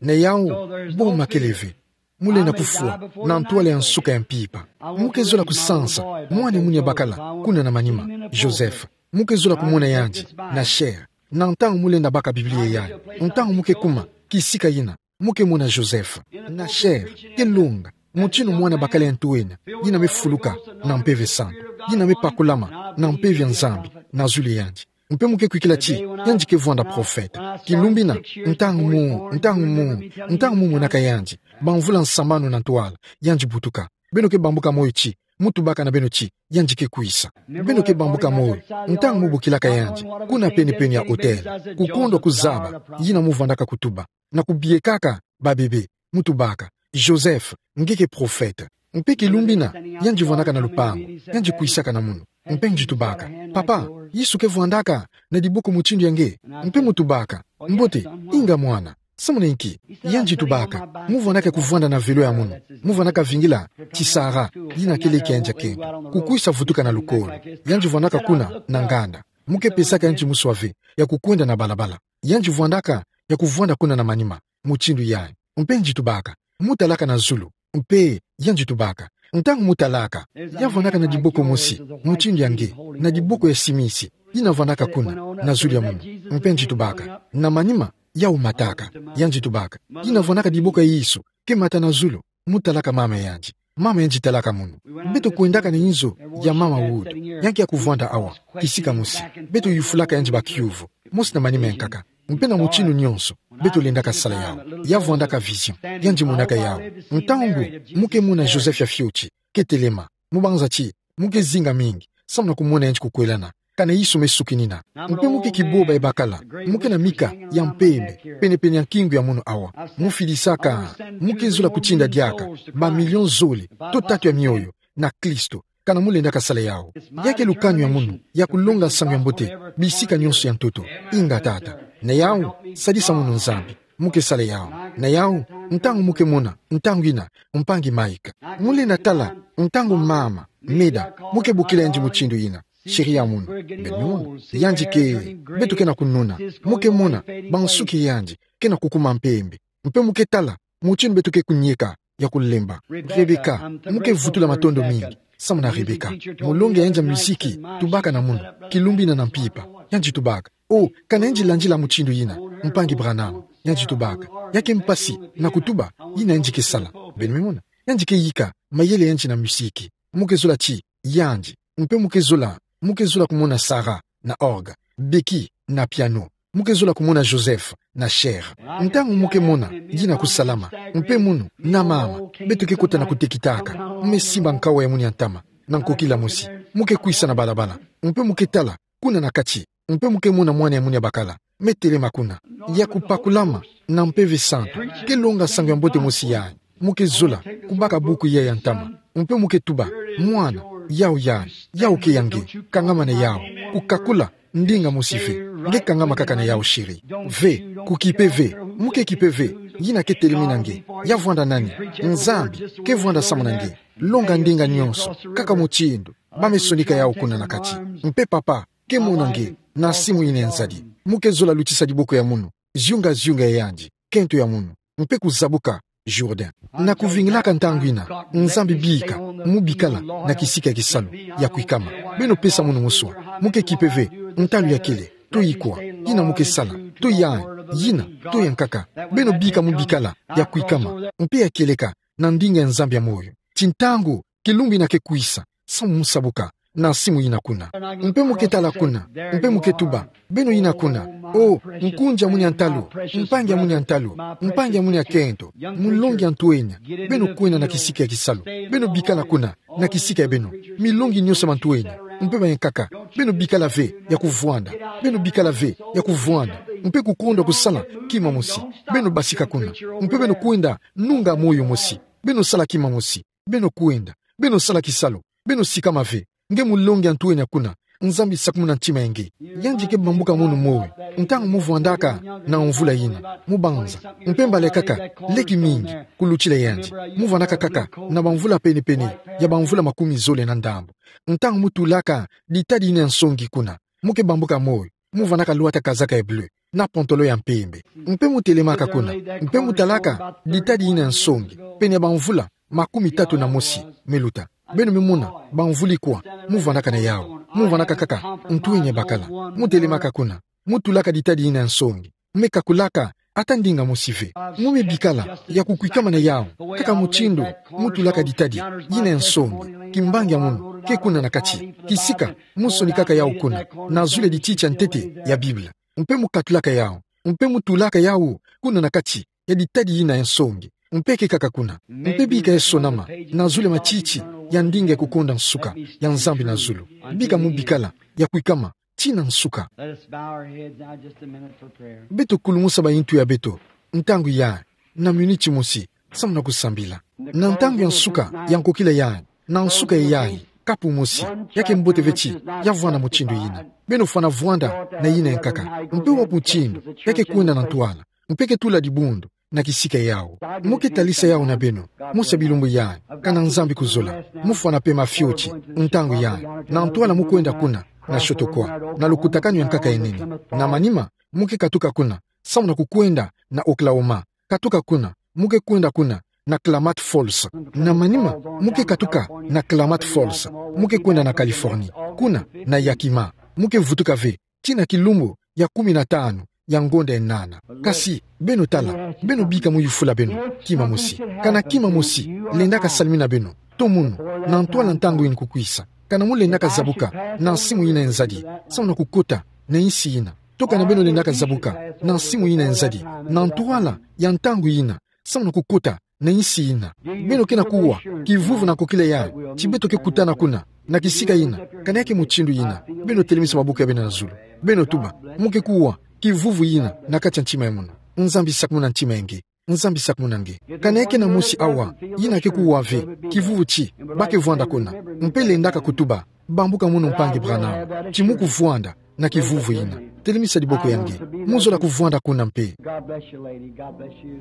Na yawu, boma kele ve. Mu lenda kufwa na ntwala ya nsuka ya mpimpa. Mu ke zola kusansa mwana ya munu ya bakala kuna na manima, Joseph. Mu ke zola kumona yandi na chair, na ntangu mu lenda baka Biblia yayi, ntangu mu ke kuma kisika yina, mu ke mona Joseph na chair, ke longa mutindu mwana bakala ya ntwenya yina me fuluka na Mpeve Santu, yina me pakulama na mpeve ya Nzambi na zulu ya yandi. Mpe mu ke kwikila ti yandi ke vwanda profeta. Kilumbu ina, ntangu mu, ntangu mu, ntangu mu monaka yandi, bamvula nsambanu na ntwala, yandi butuka. Beno ke bambuka moyo ti, mu tubaka na beno ti, yandi ke kwisa. Beno ke bambuka moyo, ntangu mu bokilaka yandi kuna penepene ya hôtel, kukondwa kuzaba yina mu vwandaka kutuba, na kubiekaka babebe, mu tubaka: Joseph, nge ke profeta. Mpe kilumbu ina, yandi vwandaka na lupangu, yandi kwisaka na munu. Mpe yandi tubaka: Papa, Yesu ke vwandaka na diboko mutindu ya nge? Mpe mu tubaka: Mbote, inga mwana, samuna inki? Yandi tubaka: Mu vwandaka kuvwanda na velo ya munu, mu vwandaka vingila tisara yina kele kia yandi ya kento, kukwisa vutuka na lukolo. Yandi vwandaka kuna na nganda. Mu ke pesaka yandi muswa ve ya kukwenda na balabala. Yandi vwandaka ya kuvwanda kuna na manima, mutindu yayi. Mpe yandi tubaka: Mu talaka na zulu? Mpe yandi tubaka: Ntangu mu talaka, ya vwandaka na diboko mosi, mutindu ya nge, na diboko ya simisi, yina vwandaka kuna na zulu ya munu. Mpe yandi tubaka: Na manima, yau mataka. Yandi tubaka: Yina vwandaka diboko ya Yesu ke mata na zulu, mu talaka mama ya yandi. Mama ya yandi talaka munu. Beto kwendaka na inzo ya mama Wood, ya ke ya kuvwanda awa, kisika mosi. Beto yufulaka yandi bakiuvu, mosi na manima ya nkaka. Mpe na mutindu nyonso, beto lendaka sala yau. Ya vwandaka vision, yandi monaka yau. Ntangu mu ke mona Joseph ya fioti ke telema, mu banza ti mu ke zinga mingi samu na kumona yandi kukwelana, kana Yesu me sukinina. Mpe mu ke kiboba ya bakala, mu ke na mika ya mpembe penepene ya nkingu ya munu awa. Mu fidisaka, mu ke zola kutinda diaka ba million zole to tatu ya mioyo na Kristo, kana mu lendaka sala yau. Ya ke lukanu ya munu ya kulonga nsangu ya mbote bisika nyonso ya ntoto. Inga tata. Na yau, sadisa munu Nzambi. Mu ke sala yau. Na yau, ntangu mu ke mona, ntangu ina, mpangi Mike, mu lenda tala ntangu mama Meda, mu ke bokila yandi mutindu ina, chérie ya munu. Beno mona, yandi ke, beto ke na kununa, mu ke mona bansuki ya yandi ke na kukuma mpembe. Mpe mu ke tala mutindu beto ke kunieka ya kulemba. Rebecca, mu ke vutula matondo mingi samu na Rebecca, mulongi ya yandi ya miziki, tubaka na munu kilumbu ina na mpimpa. Yandi tubaka: O, kana yandi landila mutindu ina, mpangi Branham. Yandi tubaka: Ya ke mpasi na kutuba yina yandi ke sala. Beno me mona, yandi ke yika mayele ya yandi na miziki. Mu ke zola ti yandi. Mpe mu ke zola, mu ke zola kumona Sarah na orgue, Becky na piano. Mu ke zola kumona Joseph na chair. Ntangu mu ke mona yina kusalama, mpe munu na mama, beto ke kota na kutekitaka, me simba nkawa ya munu ya ntama na nkokila mosi. Mu ke kwisa na balabala, mpe mu ke tala kuna na kati, mpe mu ke mona mwana ya munu ya bakala me telema kuna, ya kupakulama na Mpeve Santu, ke longa nsangu ya mbote mosi yayi. Mu ke zola kubaka buku yayi ya ntama, mpe mu ke tuba: Mwana, yau yayi, yau ke ya nge. Kangama na yau. Kukakula ndinga mosi ve. Nge kangama kaka na yau, chérie. Ve, kukipe ve. Mu ke kipe ve yina ke telemi na nge. Ya vwanda nani? Nzambi ke vwanda samu na nge. Longa ndinga nyonso kaka mutindu ba me sonika yau kuna na kati. Mpe Papa ke mona nge na simu ina ya nzadi. Mu ke zola lutisa diboko ya munu, ziunga-ziunga ya yandi, kento ya munu, mpe kuzabuka Jourdain. Na kuvingilaka ntangu ina, Nzambi bika mu bikala na kisika ya kisalu ya kwikama. Beno pesa munu muswa. Mu ke kipe ve ntalu ya kele, to ikwa, yina mu ke sala, to yayi, yina, to ya nkaka. Beno bika mu bikala ya kwikama mpe ya kieleka na ndinga ya Nzambi ya moyo. Ti ntangu kilumbu ina ke kwisa, samu mu sabuka na simu ina kuna. Mpe mu ke tala kuna, mpe mu ke tuba: Beno ina kuna. O, nkunzi ya munu ya ntalu, mpangi ya munu ya ntalu, mpangi ya munu ya kento, mulongi ya ntwenya. Beno kwenda na kisika ya kisalu. Beno bikala kuna na kisika ya beno, milongi nyonso ya mantwenya, mpe ba ya nkaka. Beno bikala ve ya kuvwanda. Beno bikala ve ya kuvwanda, mpe kukondwa kusala kima mosi. Beno basika kuna, mpe beno kwenda nunga moyo mosi. Beno sala kima mosi. Beno kwenda, beno sala kisalu, beno sikama ve. Nge mulongi ya ntwenya kuna, Nzambi sakumuna ntima ya nge. Yandi ke bambuka munu moyo ntangu mu vwandaka na mvula ina, mu banza, mpe mbala kaka leki mingi kulutila yandi, mu vwandaka kaka na bamvula pene-pene ya bamvula makumi zole na ndambu. Ntangu mu tulaka ditadi ina ya nsongi kuna, mu ke bambuka moyo, mu vwandaka lwata kazaka ya bleu na pantalon ya mpembe. Mpe mu telemaka kuna, mpe mu talaka ditadi ina ya nsongi, pene ya bamvula makumi tatu na mosi me luta. Beno me mona bamvula ikwa mu vwandaka na yau. Mu vwandaka kaka ntwenya ya bakala. Mu telemaka kuna, mu tulaka ditadi ina ya nsongi, me kakulaka ata ndinga mosi ve. Mu me bikala ya kukwikama na yau, kaka mutindu mu tulaka ditadi ina ya nsongi, kimbangi ya munu, ke kuna na kati, kisika, mu sonikaka yau kuna, na zulu ya dititi ya ntete ya Bible. Mpe mu katulaka yau, mpe mu tulaka yau kuna na kati ya ditadi yina ya nsongi, mpe kekaka kuna, mpe bika ya sonama na zulu ya matiti ya ndinga ya kukonda nsuka ya Nzambi na zulu. Bika mu bikala ya kwikama tii na nsuka. Let us bow our heads now just a minute for prayer. Beto kulumusa bayintu ya beto ntangu yayi, na miniti mosi, samu na kusambila. Na ntangu ya nsuka ya nkokila yayi, na nsuka ya yayi, kapu mosi, ya ke mbote ve ti ya vwanda mutindu yina. Beno fwana vwanda na yina ya nkaka, mpe wapi mutindu ya ke kwenda na ntwala, mpe ke tula dibundu na kisika yau. Mu ke talisa yau na beno, mosi ya bilumbu yayi, kana Nzambi kuzola, mu fwana pema fioti ntangu yayi, na ntwala mu kwenda kuna, na shoto kwa, na lukutakanu ya nkaka ya nene. Na manima, mu ke katuka kuna, samu na kukwenda na Oklahoma, katuka kuna, mu ke kwenda kuna na Klamath Falls. Na manima, mu ke katuka na Klamath Falls, mu ke kwenda na Californie, kuna na Yakima, mu ke vutuka ve tii na kilumbu ya kumi na tanu ya ngonda ya nana. Kasi, beno tala, beno bika mu yufula beno kima mosi. Kana kima mosi lendaka salimina beno, to munu, na ntwala ntangu yina kukwisa, kana mu lendaka zabuka na nsimu yina ya nzadi, samu na kukota na insi yina, to kana beno lendaka zabuka na nsimu yina ya nzadi, na ntwala ya ntangu yina, samu na kukota na insi yina. Beno kena kuwa kivuvu na nkokila yayi, ti beto ke kutana kuna na kisika yina, kana ya ke mutindu yina, beno telemisa maboko ya beno na zulu. Beno tuba, mu ke kuwa kivuvu yina na kati ya ntima ya munu. Nzambi sakumuna ntima ya nge. Nzambi sakumuna nge. Kana ya kena mosi awa yina ke kuwa ve kivuvu ti ba ke vwanda kuna, mpe lendaka kutuba, bambuka munu mpangi Branham, ti mu kuvwanda na kivuvu yina. Telemisa diboko ya nge. Mu zola kuvwanda kuna mpe. God bless you, lady. God bless you.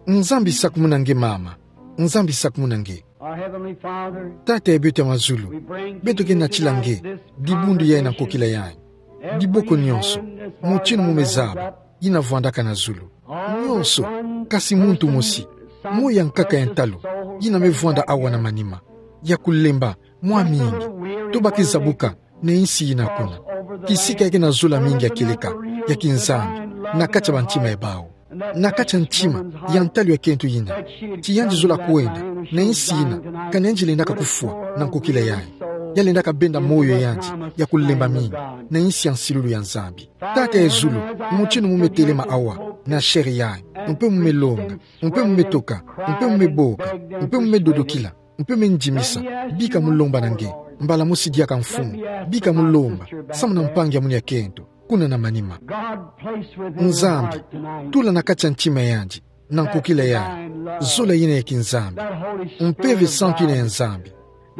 Nzambi sakumuna nge mama. Nzambi sakumuna nge. Our Heavenly Father, Tata ya beto ya mazulu, we bring to beto you ke natila tonight nge this dibundu yayi na conversation. Nkokila yayi. Diboko nyonso, mutindu mu me zaba, yina vwandaka na zulu. Nyonso, kasi muntu mosi, moyo ya nkaka ya ntalu, yina me vwanda awa na manima ya kulemba mwa mingi, to ba ke zabuka na insi yina kuna, kisika ya ke na zola mingi ya kieleka, ya kinzambi, na kati ya bantima ya bawu, na kati ya ntima ya ntalu ya kento yina, ti yandi zola kwenda na insi yina, kana yandi lendaka kufwa na nkokila yayi. Ya lendaka benda moyo ya yandi ya kulemba mingi na insi ya nsilulu ya Nzambi. Tata ya zulu, mutindu mu me telema awa na chair yayi, mpe mu me longa, mpe mu me toka, mpe mu me boka, mpe mu me dodokila, mpe mu me ndimisa, bika mu lomba na nge, mbala mosi diaka mfumu, bika mu lomba samu na mpangi ya munu ya kento kuna na manima. God, place within her Nzambi, heart tonight tula na kati ya ntima ya yandi, na nkokila yayi, zola yina ya kinzambi, Mpeve Santu yina ya Nzambi,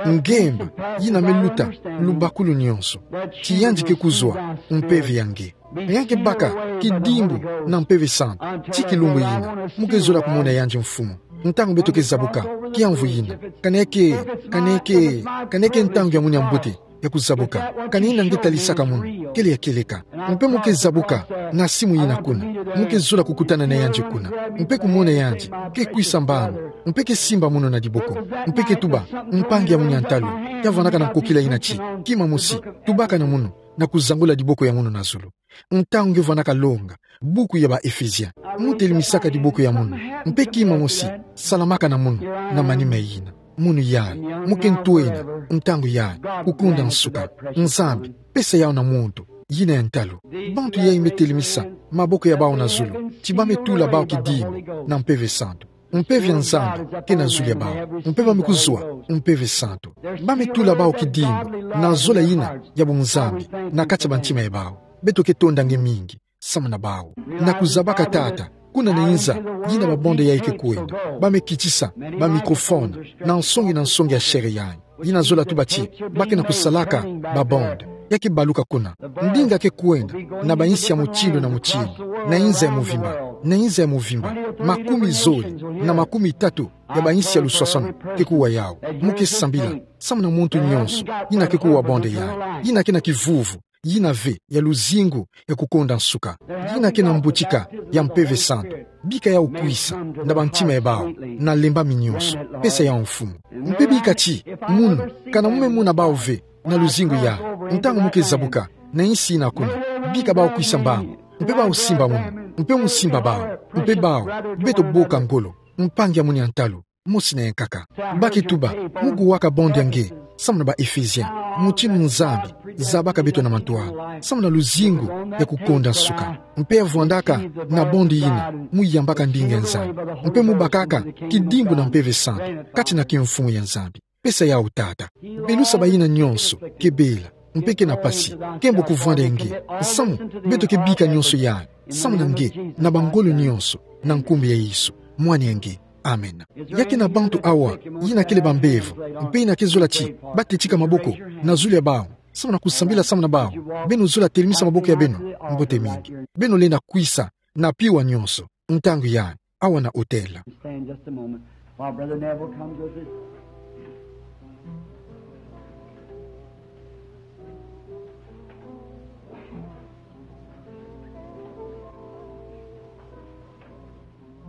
ngemba yina me luta lubakulu nyonso, ti yandi ke kuzwa mpeve ya nge. Ya nge baka kidimbu na Mpeve Santu ti kilumbu yina, mu ke zola kumona yandi mfumu. Ntangu beto ke zabuka kiamvu yina, kana ya ke, kana ya ke, kana ya ke ntangu ya munu ya mbote ya kuzabuka, kana yina nge talisaka munu kele ya kieleka. Mpe mu ke zabuka na nsimu yina kuna, mu ke zola kukutana na yandi kuna, mpe kumona yandi ke kwisa mbangu, mpe ke simba munu na diboko, mpe ke tuba, mpangi ya munu ya ntalu, ya vwandaka na nkokila yina ti, kima mosi, tubaka na munu, na kuzangula diboko ya munu na zulu. Ntangu nge vwandaka longa buku ya ba Efesiens, mu telimisaka diboko ya munu, mpe kima mosi, salamaka na munu, na manima yina. Munu yayi, mu ke ntwenya, ntangu yayi, kukunda nsuka. Nzambi, pesa yawu na muntu yina ya ntalu. Bantu yayi me telimisa maboko ya bawu na zulu, ti ba me tula bawu kidimbu na Mpeve Santu. Mpeve ya Nzambi ke na zulu ya bawu, mpe ba me kuzwa Mpeve Santu. Ba me tula bawu kidimbu na zola yina ya bunzambi na kati ya bantima ya bawu. Beto ke tonda nge mingi samu na bawu. Na kuzabaka Tata, kuna na inza yina ba bande yayi ke kwenda, ba me kitisa ba microphone na nsongi na nsongi ya chair yayi. Yina zola tuba ti ba ke na kusalaka ba bande. Ya ke baluka kuna. Ndinga ke kwenda na ba insi ya mutindu na mutindu, na inza ya muvimba, na inza ya muvimba. Makumi zole na makumi tatu ya ba insi ya luswaswanu ke kuwa yawu. Mu ke sambila samu na muntu nyonso yina ke kuwa bande yayi, yina ke na kivuvu yina ve ya luzingu ya kukonda nsuka, yina ke na mbutika ya Mpeve Santu. Bika yawu kwisa na bantima ya bawu na lembami nyonso. Pesa yawu, Mfumu. Mpe bika ti munu, kana mu me mona bawu ve na luzingu yayi, ntangu mu ke zabuka na insi yina kuna, bika bawu kwisa mbangu, mpe bawu simba munu, mpe mu simba bawu, mpe bawu, beto boka ngolo, mpangi ya munu ya ntalu. mosi na yankaka. Bakituba, mu kuwaka bondi ya nge, samu na ba Ephésiens, motinu Nzambi zabaka beto na mantwala, samu na luzingu ya kukonda nsuka. Mpe avwandaka na bondi ina, mu yambaka ndinga ya Nzambi. Mpe mu bakaka kidimbu na Mpeve Santu, kati na kimfumu ya Nzambi. Pesa yawu Tata. Belusa bayina nyonso ke bela, mpe ke na pasi, kembo kuvwanda ya nge, samu beto ke bika nyonso yayi, samu na nge, na bangolo nyonso, na nkumbu ya Yesu, mwana ya nge. Amen. Ya ke na bantu awa yina kele bambevo, mpe yina ke zola ti ba tetika maboko na zulu ya bawu, samu na kusambila samu na bawu, beno zola telemisa maboko ya beno. Mbote mingi. Beno lenda kwisa na piwa nyonso, ntangu yayi, awa na hôtel. Stand just a moment while Brother Neville comes with us.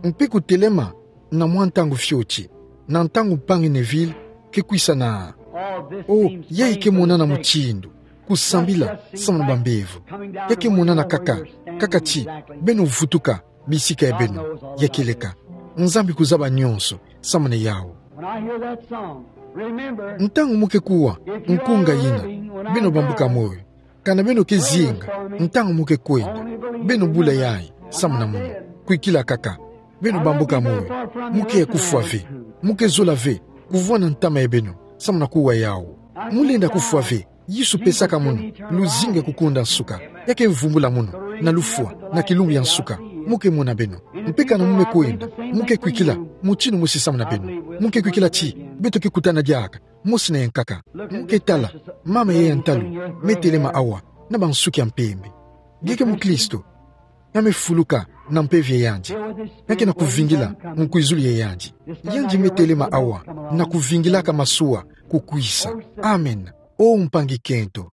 Mpe kutelema na mwa ntangu fioti, na ntangu mpangi Neville ke kwisa na. O, yayi ke monana mutindu kusambila samu na bambevo. Ya ke monana kaka, kaka ti beno vutuka bisika ya beno, ya kieleka. Nzambi kuzaba nyonso samu na yawu. When I hear that song, remember, ntangu mu ke kuwa nkunga yina, beno bambuka moyo. Kana beno ke zinga, ntangu mu ke kwenda, beno bula yayi samu na munu. Kwikila kaka, beno bambuka moyo. Mu ke kufwa ve, mu ke zola ve kuvwanda ntama ya beno samu na kuwa yawu. Mu lenda kufwa ve. Yesu pesaka munu luzingu ya kukonda nsuka. Ya ke vumbula munu na lufwa na kilumbu ya nsuka. Mu ke mona beno. Mpe kana mu me kwenda, mu ke kwikila motinu mosi samu na beno. Mu ke kwikila ti beto ke kutana diaka, mosi na yankaka. Mu ke tala mama ya ya ntalu, me telema awa na bansuki ya mpembe. Nge ke mukristo? Ya me fuluka na mpeve ya yandi. Ya ke na kuvingila nkwizulu ya yandi. Yandi me telema awa na kuvingilaka masuwa kukwisa. Amen. O mpangi kento,